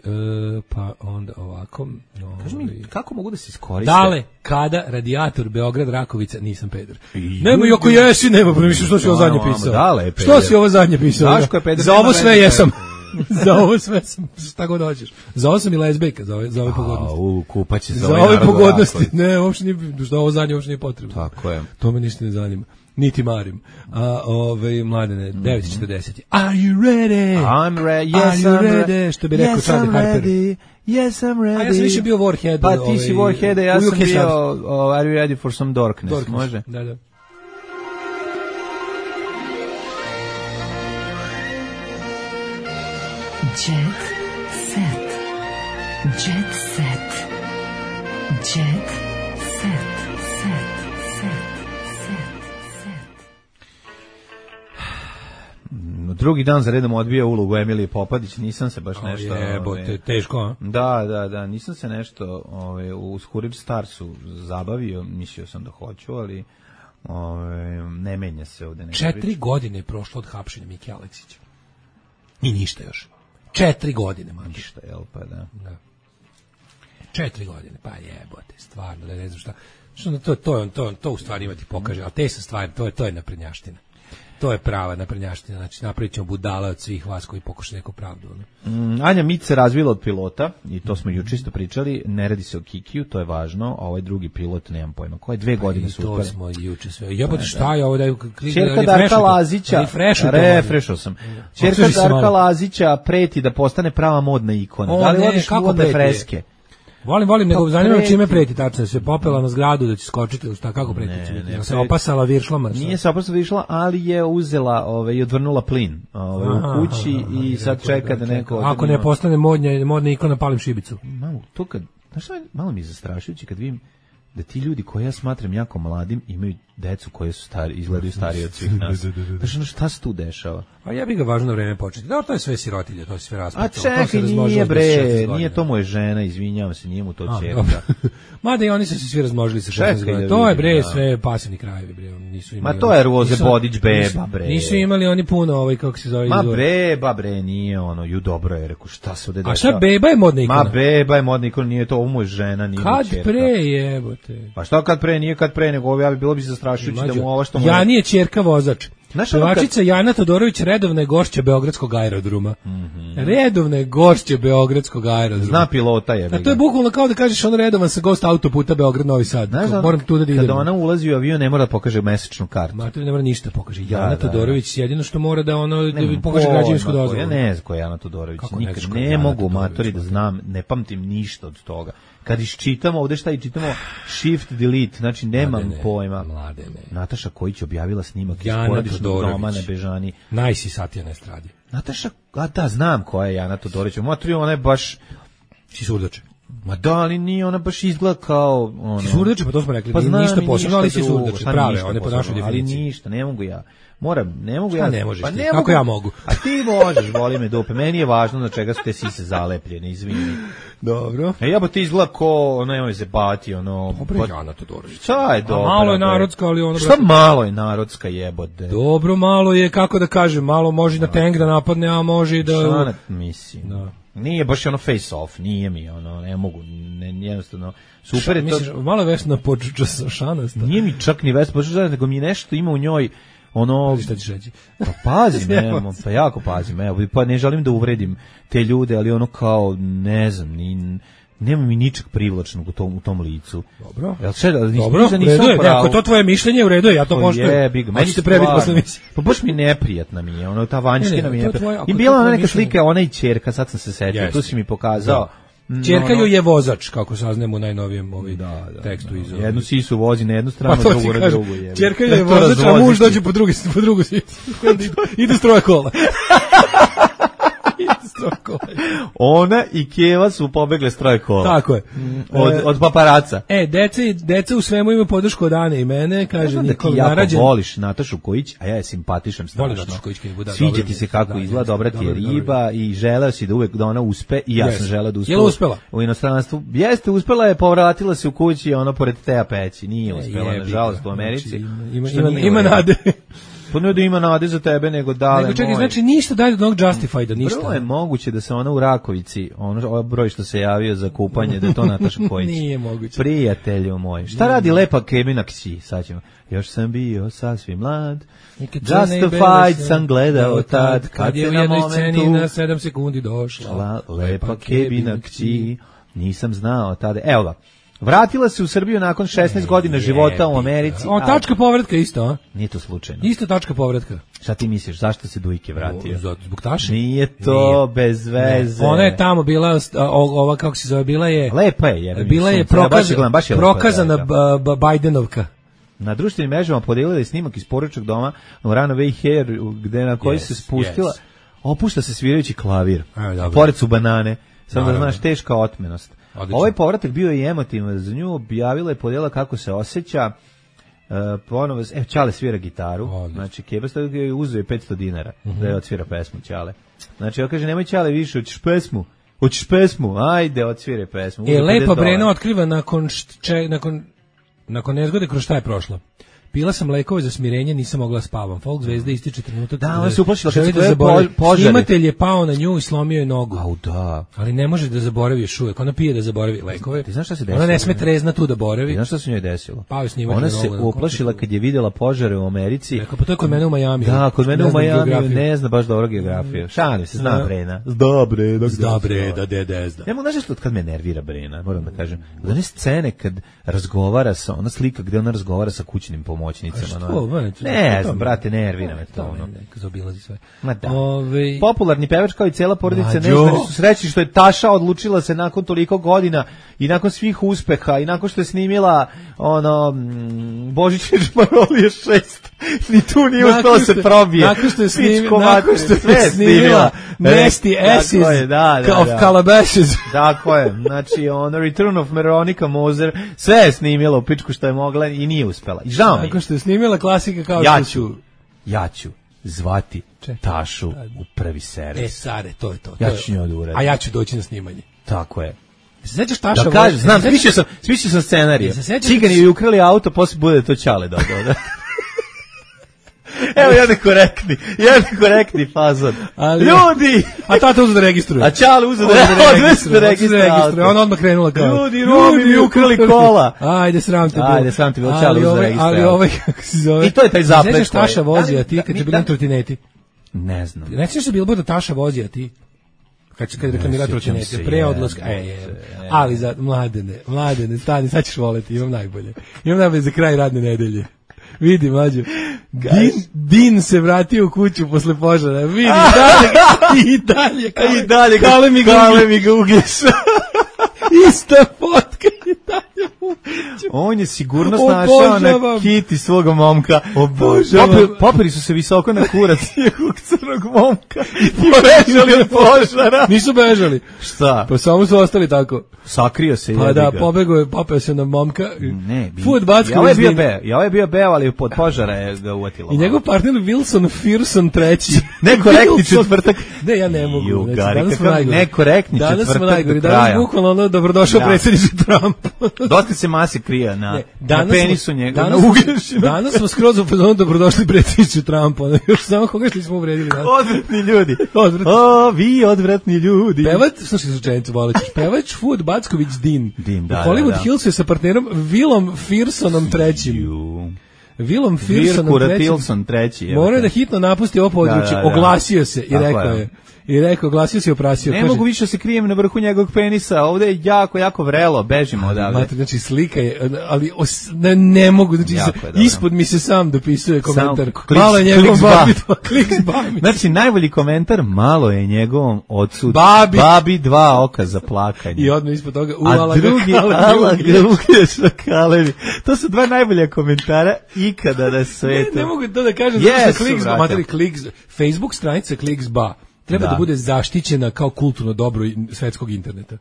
pa onda ovako. Ove, kaži mi, kako mogu da se iskoriste? Dale, kada radijator Beograd Rakovica, nisam peder. Nema i ako jesi, nema, pa mislim što si ovo zadnje pisao. Dale je peder. Što si ovo zadnje pisao? Daško je peder. Za ovo sve jesam. Za ovo sve sam, šta god hoćeš. Za ovo sam i lezbejka, za ove, za ove pogodnosti. U, kupaće za, za ove pogodnosti. Ne, uopšte nije, što ovo zadnje uopšte nije potrebno. Tako je. To me ništa ne zanima. Niti marim. A ove mladene, devet četrdeset. Are you ready? I'm ready. Yes, Are you I'm ready? Što bi rekao yes, Charlie Harper. Ready. Yes, I'm ready. A ja sam više bio Warhead. Pa ti si Warhead, ja sam bio uh, Are you ready for some darkness? darkness. Može? Da, da. Jet set. Jet set. Jet set. Drugi dan za redom odbija ulogu Emilije Popadić, nisam se baš o, nešto... Jebote, ove, teško, a? Da, da, da, nisam se nešto ove, u Hurried Starsu zabavio, mislio sam da hoću, ali ove, ne menja se ovde. Četiri priča. godine je prošlo od hapšenja Mike Aleksića. I ništa još. Četiri godine, man. Ništa, jel pa da. da. Četiri godine, pa jebote, stvarno, da ne znam šta. Što to, to, to, to u stvari ima ti pokaže, ali te su stvari, to je, to je naprednjaština. To je prava naprednjaština, znači napravit ćemo budala od svih vas koji pokušaju neku pravdu. Ne? Mm, Anja Mić se razvila od pilota, i to smo juče isto pričali, ne radi se o Kikiju, to je važno, a ovaj drugi pilot, nemam pojma, koje dve pa godine su uspeli. To smo juče sve. Jebote, šta je ovo da je... Čerka Darka Lazića, refrešao sam, Čerka Darka Lazića preti da postane prava modna ikona. O, da li ne, odeš kako modne freske? Volim, volim, nego pa zanima me čime preti, tačno se popela na zgradu da će skočiti, šta, kako preti će biti? Ne, se opasala viršlama? Nije se opasala viršlama, ali je uzela ove, i odvrnula plin ove, aha, u kući aha, aha, i sad čeka da neko... Ako ne postane modnja, modna ikona, palim šibicu. Malo, to kad, znaš šta, malo mi je zastrašujući kad vidim da ti ljudi koje ja smatram jako mladim imaju decu koje su stari, izgledaju stariji od svih nas. Znaš, šta se tu dešava? A ja bih ga važno vreme početi. Da, to je sve sirotilje, to je sve raspravljeno. A čekaj, nije bre, nije to moje žena, izvinjavam se, nije mu to čerka. Mada i oni su se svi razmnožili sa šesnaest godina. To je bre, sve pasivni krajevi, bre, nisu imali. Ma to je Roze Bodić beba, bre. Nisu imali oni puno, ovaj kako se zove. Ma beba, bre, nije ono, ju dobro je, rekao, šta se ovde dešava? A šta beba je modna ikona? Ma beba je modna ikona, nije to, ovo mu je žena, nije mu čerka. Kad pre jebote? Pa šta kad pre, nije kad pre, nego ja bi bilo bi zastrašujuće da mu ovo što mu... Ja nije ćerka vozač. Pevačica Jana Todorović redovna je gošća Beogradskog aerodroma. Mm-hmm. Redovna je gošća Beogradskog aerodroma. Zna pilota je. A to je bukvalno kao da kažeš on redovan sa gost autoputa Beograd Novi Sad. Znaš, moram tu da idem. Kada ona ulazi u avion ne mora da pokaže mesečnu kartu. Ma to ne mora ništa pokaže. Jana da, Todorović da, jedino što mora da ono ne, da pokaže građevinsku dozvolu. Ja ne znam ko je Jana Todorović. Nikad ne, ne mogu matori da znam, ne pamtim ništa od toga. Kad iščitamo ovde šta i čitamo shift delete, znači nemam mladene, pojma. Mladene. Nataša Kojić objavila snimak iz porodičnog doma na Bežani. Najsi satija na estradi. Nataša, a da, znam koja je Jana Todorović. Matri, ona je baš... Si surdače. Ma da, ali nije, ona baš izgleda kao... Ono... Si surdače, pa to smo rekli, pa nije ništa posebno, ali si surdače, prave, one po našoj definiciji. Ali ništa, ne mogu ja. Moram, ne mogu šta ja. ne možeš pa ti? Ne Kako mogu, ja mogu? A ti možeš, voli me dupe. Meni je važno na čega su te sise zalepljene, izvini. Dobro. E ja ba ti izgleda ko, ono, nemoj se bati, ono... Dobro, pa, Jana Todorović. Šta je dobro? Malo je narodska, ali ono... Šta malo je narodska jebote? Dobro, malo je, kako da kažem, malo može da tank da napadne, a može i da... Šta ne mislim? Da. Nije baš ono face off, nije mi ono, ne mogu, ne, jednostavno, super Ša, je to... Misliš, malo Vesna Počuča sa šanasta? Nije mi čak ni Vesna Počuča, nego mi nešto ima u njoj, ono... Šta ćeš reći? Pa pazim, evo, pa jako pazim, evo, pa ne želim da uvredim te ljude, ali ono kao, ne znam, ni... Nema mi ničeg privlačnog u tom, u tom licu. Dobro. Jel še, da, dobro, u redu je, ako to tvoje mišljenje, u redu je, ja to poštujem. Meni se prebiti posle misije. Pa baš mi neprijatna mi je, ono, ta vanjština mi je neprijatna. I bila ona neka slika, ona i ćerka, sad sam se setio, yes. Tu si mi pokazao. Ćerka joj je vozač, kako saznemo u najnovijem ovaj da, da, tekstu iz. Jednu sisu vozi na jednu stranu, pa drugu na drugu. Ćerka joj je vozač, a muž dođe po drugu, po drugu sisu. Ide s troje kola. Ona i Keva su pobegle s troje kola. Tako je. Od, od paparaca. E, deca, deca u svemu ima podršku od Ane i mene, kaže ja Nikola. Ti jako narađen. Voliš Natašu Kojić, a ja je simpatišan strašno. Voliš Natašu Kojić, da, sviđa ti se kako da, izgleda, dobra ti je riba dobro. I želeo si da uvek da ona uspe i ja yes. sam želeo da uspe. Je li uspela? U inostranstvu. Jeste, uspela je, povratila se u kući, ono pored Teja peći. Nije uspela, nažalost, u Americi. Znači, ima, ima, ima, ima nade. Pa ne da ima nade za tebe, nego dale nego čekaj, moj. Znači ništa dalje od onog Justified-a, ništa. Prvo je moguće da se ona u Rakovici, ono broj što se javio za kupanje, da je to Nataša Kojić. Nije moguće. Prijatelju moj. Šta Nije. radi lepa Kemina kći? Sad ćemo. Još sam bio sasvim mlad. Justified sam gledao tad, kad, kad je u jednoj sceni na sedam sekundi došla. La, lepa Kemina kći. Nisam znao tada. Evo ga. Vratila se u Srbiju nakon šesnaest godina života u Americi. O, tačka povratka isto, a? Nije to slučajno. Isto tačka povratka. Šta ti misliš, zašto se Dujke vratio? O, zbog Taše? Nije to Nije. bez veze. Ne. Ona je tamo bila, ova kako se zove, bila je... Lepa je. Jer bila je prokaz, ja, baš je prokazana lepa, Bajdenovka. Na društvenim mrežama podijelila je snimak iz porodičnog doma u Runaway Hair, gde na koji yes, se spustila, yes. opušta se svirajući klavir. A, pored su banane. Samo da znaš, teška otmenost. Odlično. Ovaj povratak bio i emotivan za nju, objavila je, podijela kako se osjeća, uh, ponovo, evo, Ćale svira gitaru, odlično. Znači, Kebasta je uzeo petsto dinara, uh-huh. da je odsvira pesmu Ćale. Znači, on kaže, nemoj Ćale više, hoćeš pesmu, hoćeš pesmu, ajde, odsvire pesmu. E, lepa Brena otkriva nakon, šče, nakon, nakon nezgode kroz šta je prošla. Pila sam lekove za smirenje, nisam mogla spavam. Folk zvezda ističe trenutak. Da, ona se uplašila kad se da požari. Snimatelj je pao na nju i slomio je nogu. Au da. Ali ne može da zaboravi još uvek. Ona pije da zaboravi lekove. Ti znaš šta se desilo? Ona ne sme trezna tu da boravi. Ti znaš šta se njoj desilo? Pao je snimatelj. Ona se uplašila kad je videla požare u Americi. Rekao, pa to je kod mene u Majamiju. Da, kod mene u Majamiju ne zna baš dobro geografiju. Šalim se, zna Brena. Zda Brena. Zda Brena, dede zda. Ja mogu znaš što kad me nervira Brena, moram da kažem. One scene kad razgovara sa, ona slika gde ona razgovara sa kućnim pomoćnicama. Ne, znam, brate, nervira me to. Ono. Neka zaobilazi sve. Ove... Popularni pevač kao i cela porodica Neždari su srećni što je Taša odlučila se nakon toliko godina i nakon svih uspeha i nakon što je snimila ono Božićne žmarolije šest. Ni tu nije uspela se probije. Nakon što je, snim, nakon što je snimila Nasty Asses da, da, of da. Calabashes. Tako je. Znači, ono Return of Veronica Moser sve je snimila u pičku što je mogla i nije uspela. I žao mi. Nakon što je snimila klasika kao ja ću, ja ću zvati Čekaj. Tašu u prvi servis. E, Sare, to je to. Ja to ću njoj da uradim. A ja ću doći na snimanje. Tako je. Se sećaš Taša? Da kažem, znam, smislio sam, smislio sam scenarij. Cigani joj ukrali auto, posle bude to Ćale dodao, da. Evo jedan korektni, jedan korektni fazon. Ali, ljudi! A tata uzeo da registruje. A Ćale uzeo da registruje. registruje. Ona odmah krenula kao. Ljudi, Romi mi ukrali kola. Ajde, sram te bilo. Ajde, sram te bilo, Ćale uzeo da registruje. Ali ovaj, kako se zove. I to je taj zaplet. Sećaš Taša vozi, a ti kad je bilo na trotineti? Ne znam. Ne sećaš se bilo da Taša vozi, a ti? Kad se kad reklamira trotinete, pre odlaska. E, je. Ali za mladene, mladene, stani, sad ćeš voleti, imam najbolje. Imam najbolje za kraj radne nedelje. Vidi, mlađo. Din, Din se vratio u kuću posle požara. Vidi, dalje, i dalje. Kale, I dalje, kale mi ga, kale mi ga uglješ. Ista fotka i dalje u kuću. On je sigurno snašao na kiti svoga momka. Poperi, poperi su se visoko na kurac njegovog crnog momka. I bežali od požara. Nisu bežali. Šta? Pa samo su ostali tako. Sakrio se. Pa da, pobegao je, popeo se na momka. Ne, bi. Food Backović. Ja ovaj bio be, ja ovaj bio be, ali pod požara je ga uvatilo. I njegov partner Wilson Fearson treći. Nekorektni četvrtak. Ne, ja ne mogu. Ju, gari, kakav nekorektni četvrtak. Danas smo najgori. Danas bukvalno ono dobrodošao predsjedniče Trump. Dosta se mase krije na, ne, na penisu njega, danas, na uglješinu. Danas smo skroz u fazonu dobrodošli predsjedniče Trumpa. Još samo koga što smo uvredili. Odvratni ljudi. Odvratni. O, vi odvratni ljudi. Pevač, slušaj slučajnicu, volećeš. Pevač Food Backović Din. Din, da, u Hollywood da, da. Hills je sa partnerom Willom Fearsonom trećim. Willom Fearsonom trećim. treći. Morao je da hitno napusti ovo područje. Da, da, da. Oglasio se i tako rekao je. I rekao, glasio si oprasio. Ne kaže, mogu više se krijem na vrhu njegovog penisa, ovde je jako, jako vrelo, bežimo odavde. Mate, znači slika je, ali os, ne, ne mogu, znači se, ispod mi se sam dopisuje komentar. Sam, kliks, malo je njegovom babi dva, kliks babi. Znači, najbolji komentar, malo je njegovom odsud, babi. babi dva oka za plakanje. I odmah ispod toga, u, a ala drugi, ala gruge šakalevi. To su dva najbolja komentara ikada na svetu. Ne, ne mogu to da kažem, yes, zato kliks, materi, kliks, Facebook stranica kliks ba. Treba da. da bude zaštićena kao kulturno dobro svetskog interneta.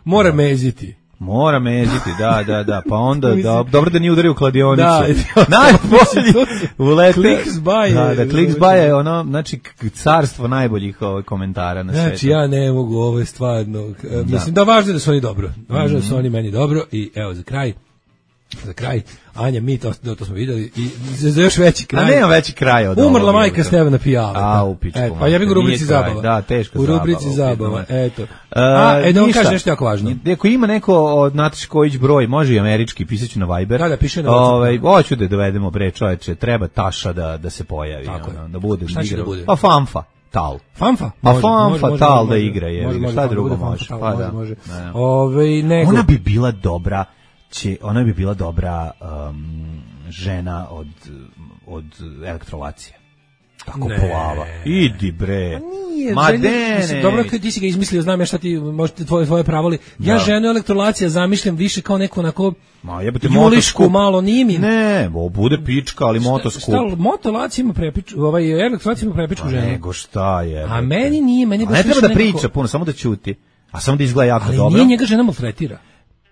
Mora da. meziti. Mora meziti, da, da, da. Pa onda, da, dobro da nije udario u kladionicu. Da, najbolji ulete. Kliksba je. Da, da, Kliksba je ono, znači, carstvo najboljih ovaj, komentara na znači, svetu. Znači, ja ne mogu, ovo je stvarno, da. mislim da važno je da su oni dobro. Važno je da su oni meni dobro i evo za kraj. Za kraj, Anja, mi to, to smo vidjeli i za još veći kraj. A nema veći kraj od Umrla ovog, majka Stevana Pijave. A, u pičku. E, pa ja bih u rubrici zabava. Da, teško u zabava. U rubrici zabava, eto. Uh, A, e, da on kaže nešto jako važno. Ako ima neko od Nataše Kojić broj, može i američki, pisaću na Viber. Da, da, piše na Ovaj, hoću da dovedemo, bre, čoveče, treba Taša da, da se pojavi. Tako ono, da bude. Šta će da bude? Pa Famfa. Tal. Famfa? A Famfa Tal da igra, je. Šta drugo može? Pa da. Ove, nego. Ona bi bila dobra. Će, ona bi bila dobra um, žena od, od elektrolacije. Tako ne. Plava. Idi bre. Pa nije. Ma ženi, ne, mislim, ne. Dobro, ti si ga izmislio, znam ja šta ti, možete tvoje, tvoje pravoli. Ja da. ženu elektrolacija zamišljam više kao neko onako Ma jebote julišku, malo nije mi. Ne, bo bude pička, ali motoskup. Šta, motolacija ima prepičku, ovaj elektrolacija ima prepičku ženu. Nego šta je. A meni nije, meni baš ne treba da nekako... priča puno, samo da ćuti. A samo da izgleda jako ali dobro. Ali nije njega žena maltretira.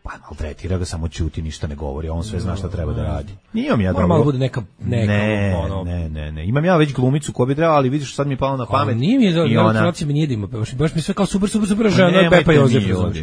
Pa maltretira ga, samo ćuti, ništa ne govori, on sve zna šta treba da radi. Imam ja dobro. Malo bude neka, neka ne, ono... ne, ne, ne. Imam ja već glumicu koja bi trebala, ali vidiš sad mi je palo na pamet. A nije mi je da elektrolacija mi nije da ima, baš, baš mi sve kao super, super, super žena, je Bepa Jozef.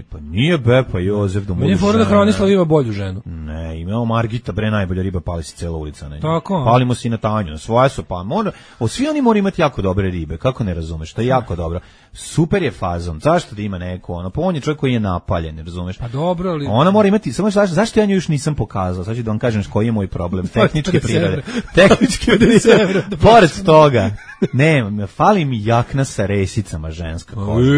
Pa nije Bepa Jozef da mu je fora da Hronislav ima bolju ženu. Ne, imamo Margita, bre, najbolja riba, pali si cela ulica na nju. Tako. Palimo si na Tanju, na svoje su pa. Mora, o, svi oni moraju imati jako dobre ribe, kako ne razumeš, to je jako dobro. Super je fazon, zašto da ima neko, ono, pa on je čovjek koji je napaljen, razumeš? Pa dobro, ali... Ona mora imati, samo zašto, zašto ja nju još nisam pokazao, sad ću da vam kažem koji je moj problem, tehničke prirode. Tehničke prirode. Pored toga, nema, fali mi jakna sa resicama ženska koža.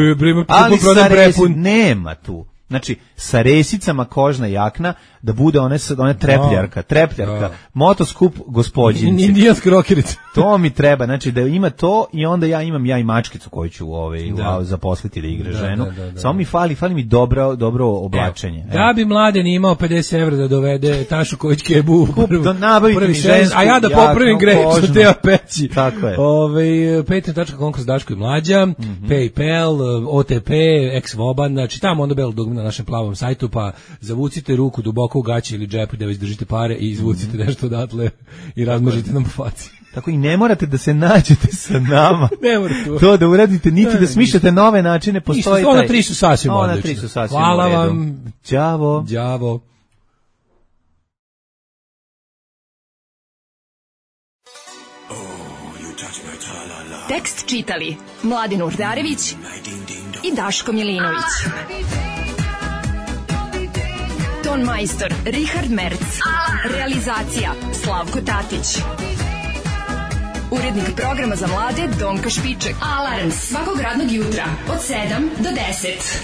Ali sa resicama, nema tu. Znači, sa resicama kožna jakna, da bude one, one trepljarka, trepljarka, motoskup gospođinci. Indijanska rokerica. To mi treba, znači da ima to i onda ja imam ja i mačkicu koju ću ovaj, da. zaposliti da igra da, ženu. Da, da, da, Samo mi fali, fali mi dobro, dobro oblačenje. Evo, da bi Mladen imao pedeset evra da dovede Tašu Kojić Kebu. Da nabavite mi žensku. A ja da popravim grecu Teja Peći. Tako je. Ove, patreon tačka com kroz Daško i Mlađa, mm -hmm. PayPal, O T P, ex-voban, znači tamo onda belo dugme na našem plavom sajtu, pa zavucite ruku duboko u gaći ili džepu da već držite pare i izvucite mm -hmm. nešto odatle i razmažite nam po faci. Tako i ne morate da se nađete sa nama. Ne morate. To da uradite, niti ne, da smišljate nove načine, postoji taj. Ona tri su sasvim odlične. Ona tri su sasvim Hvala vam. Ćavo. Ćavo. Tekst čitali Mladin Urdarević i Daško Milinović. Ton majstor Richard Merc. Realizacija Slavko Tatić. Urednik programa za mlade Donka Špiček. Alarms svakog radnog jutra od sedam do deset.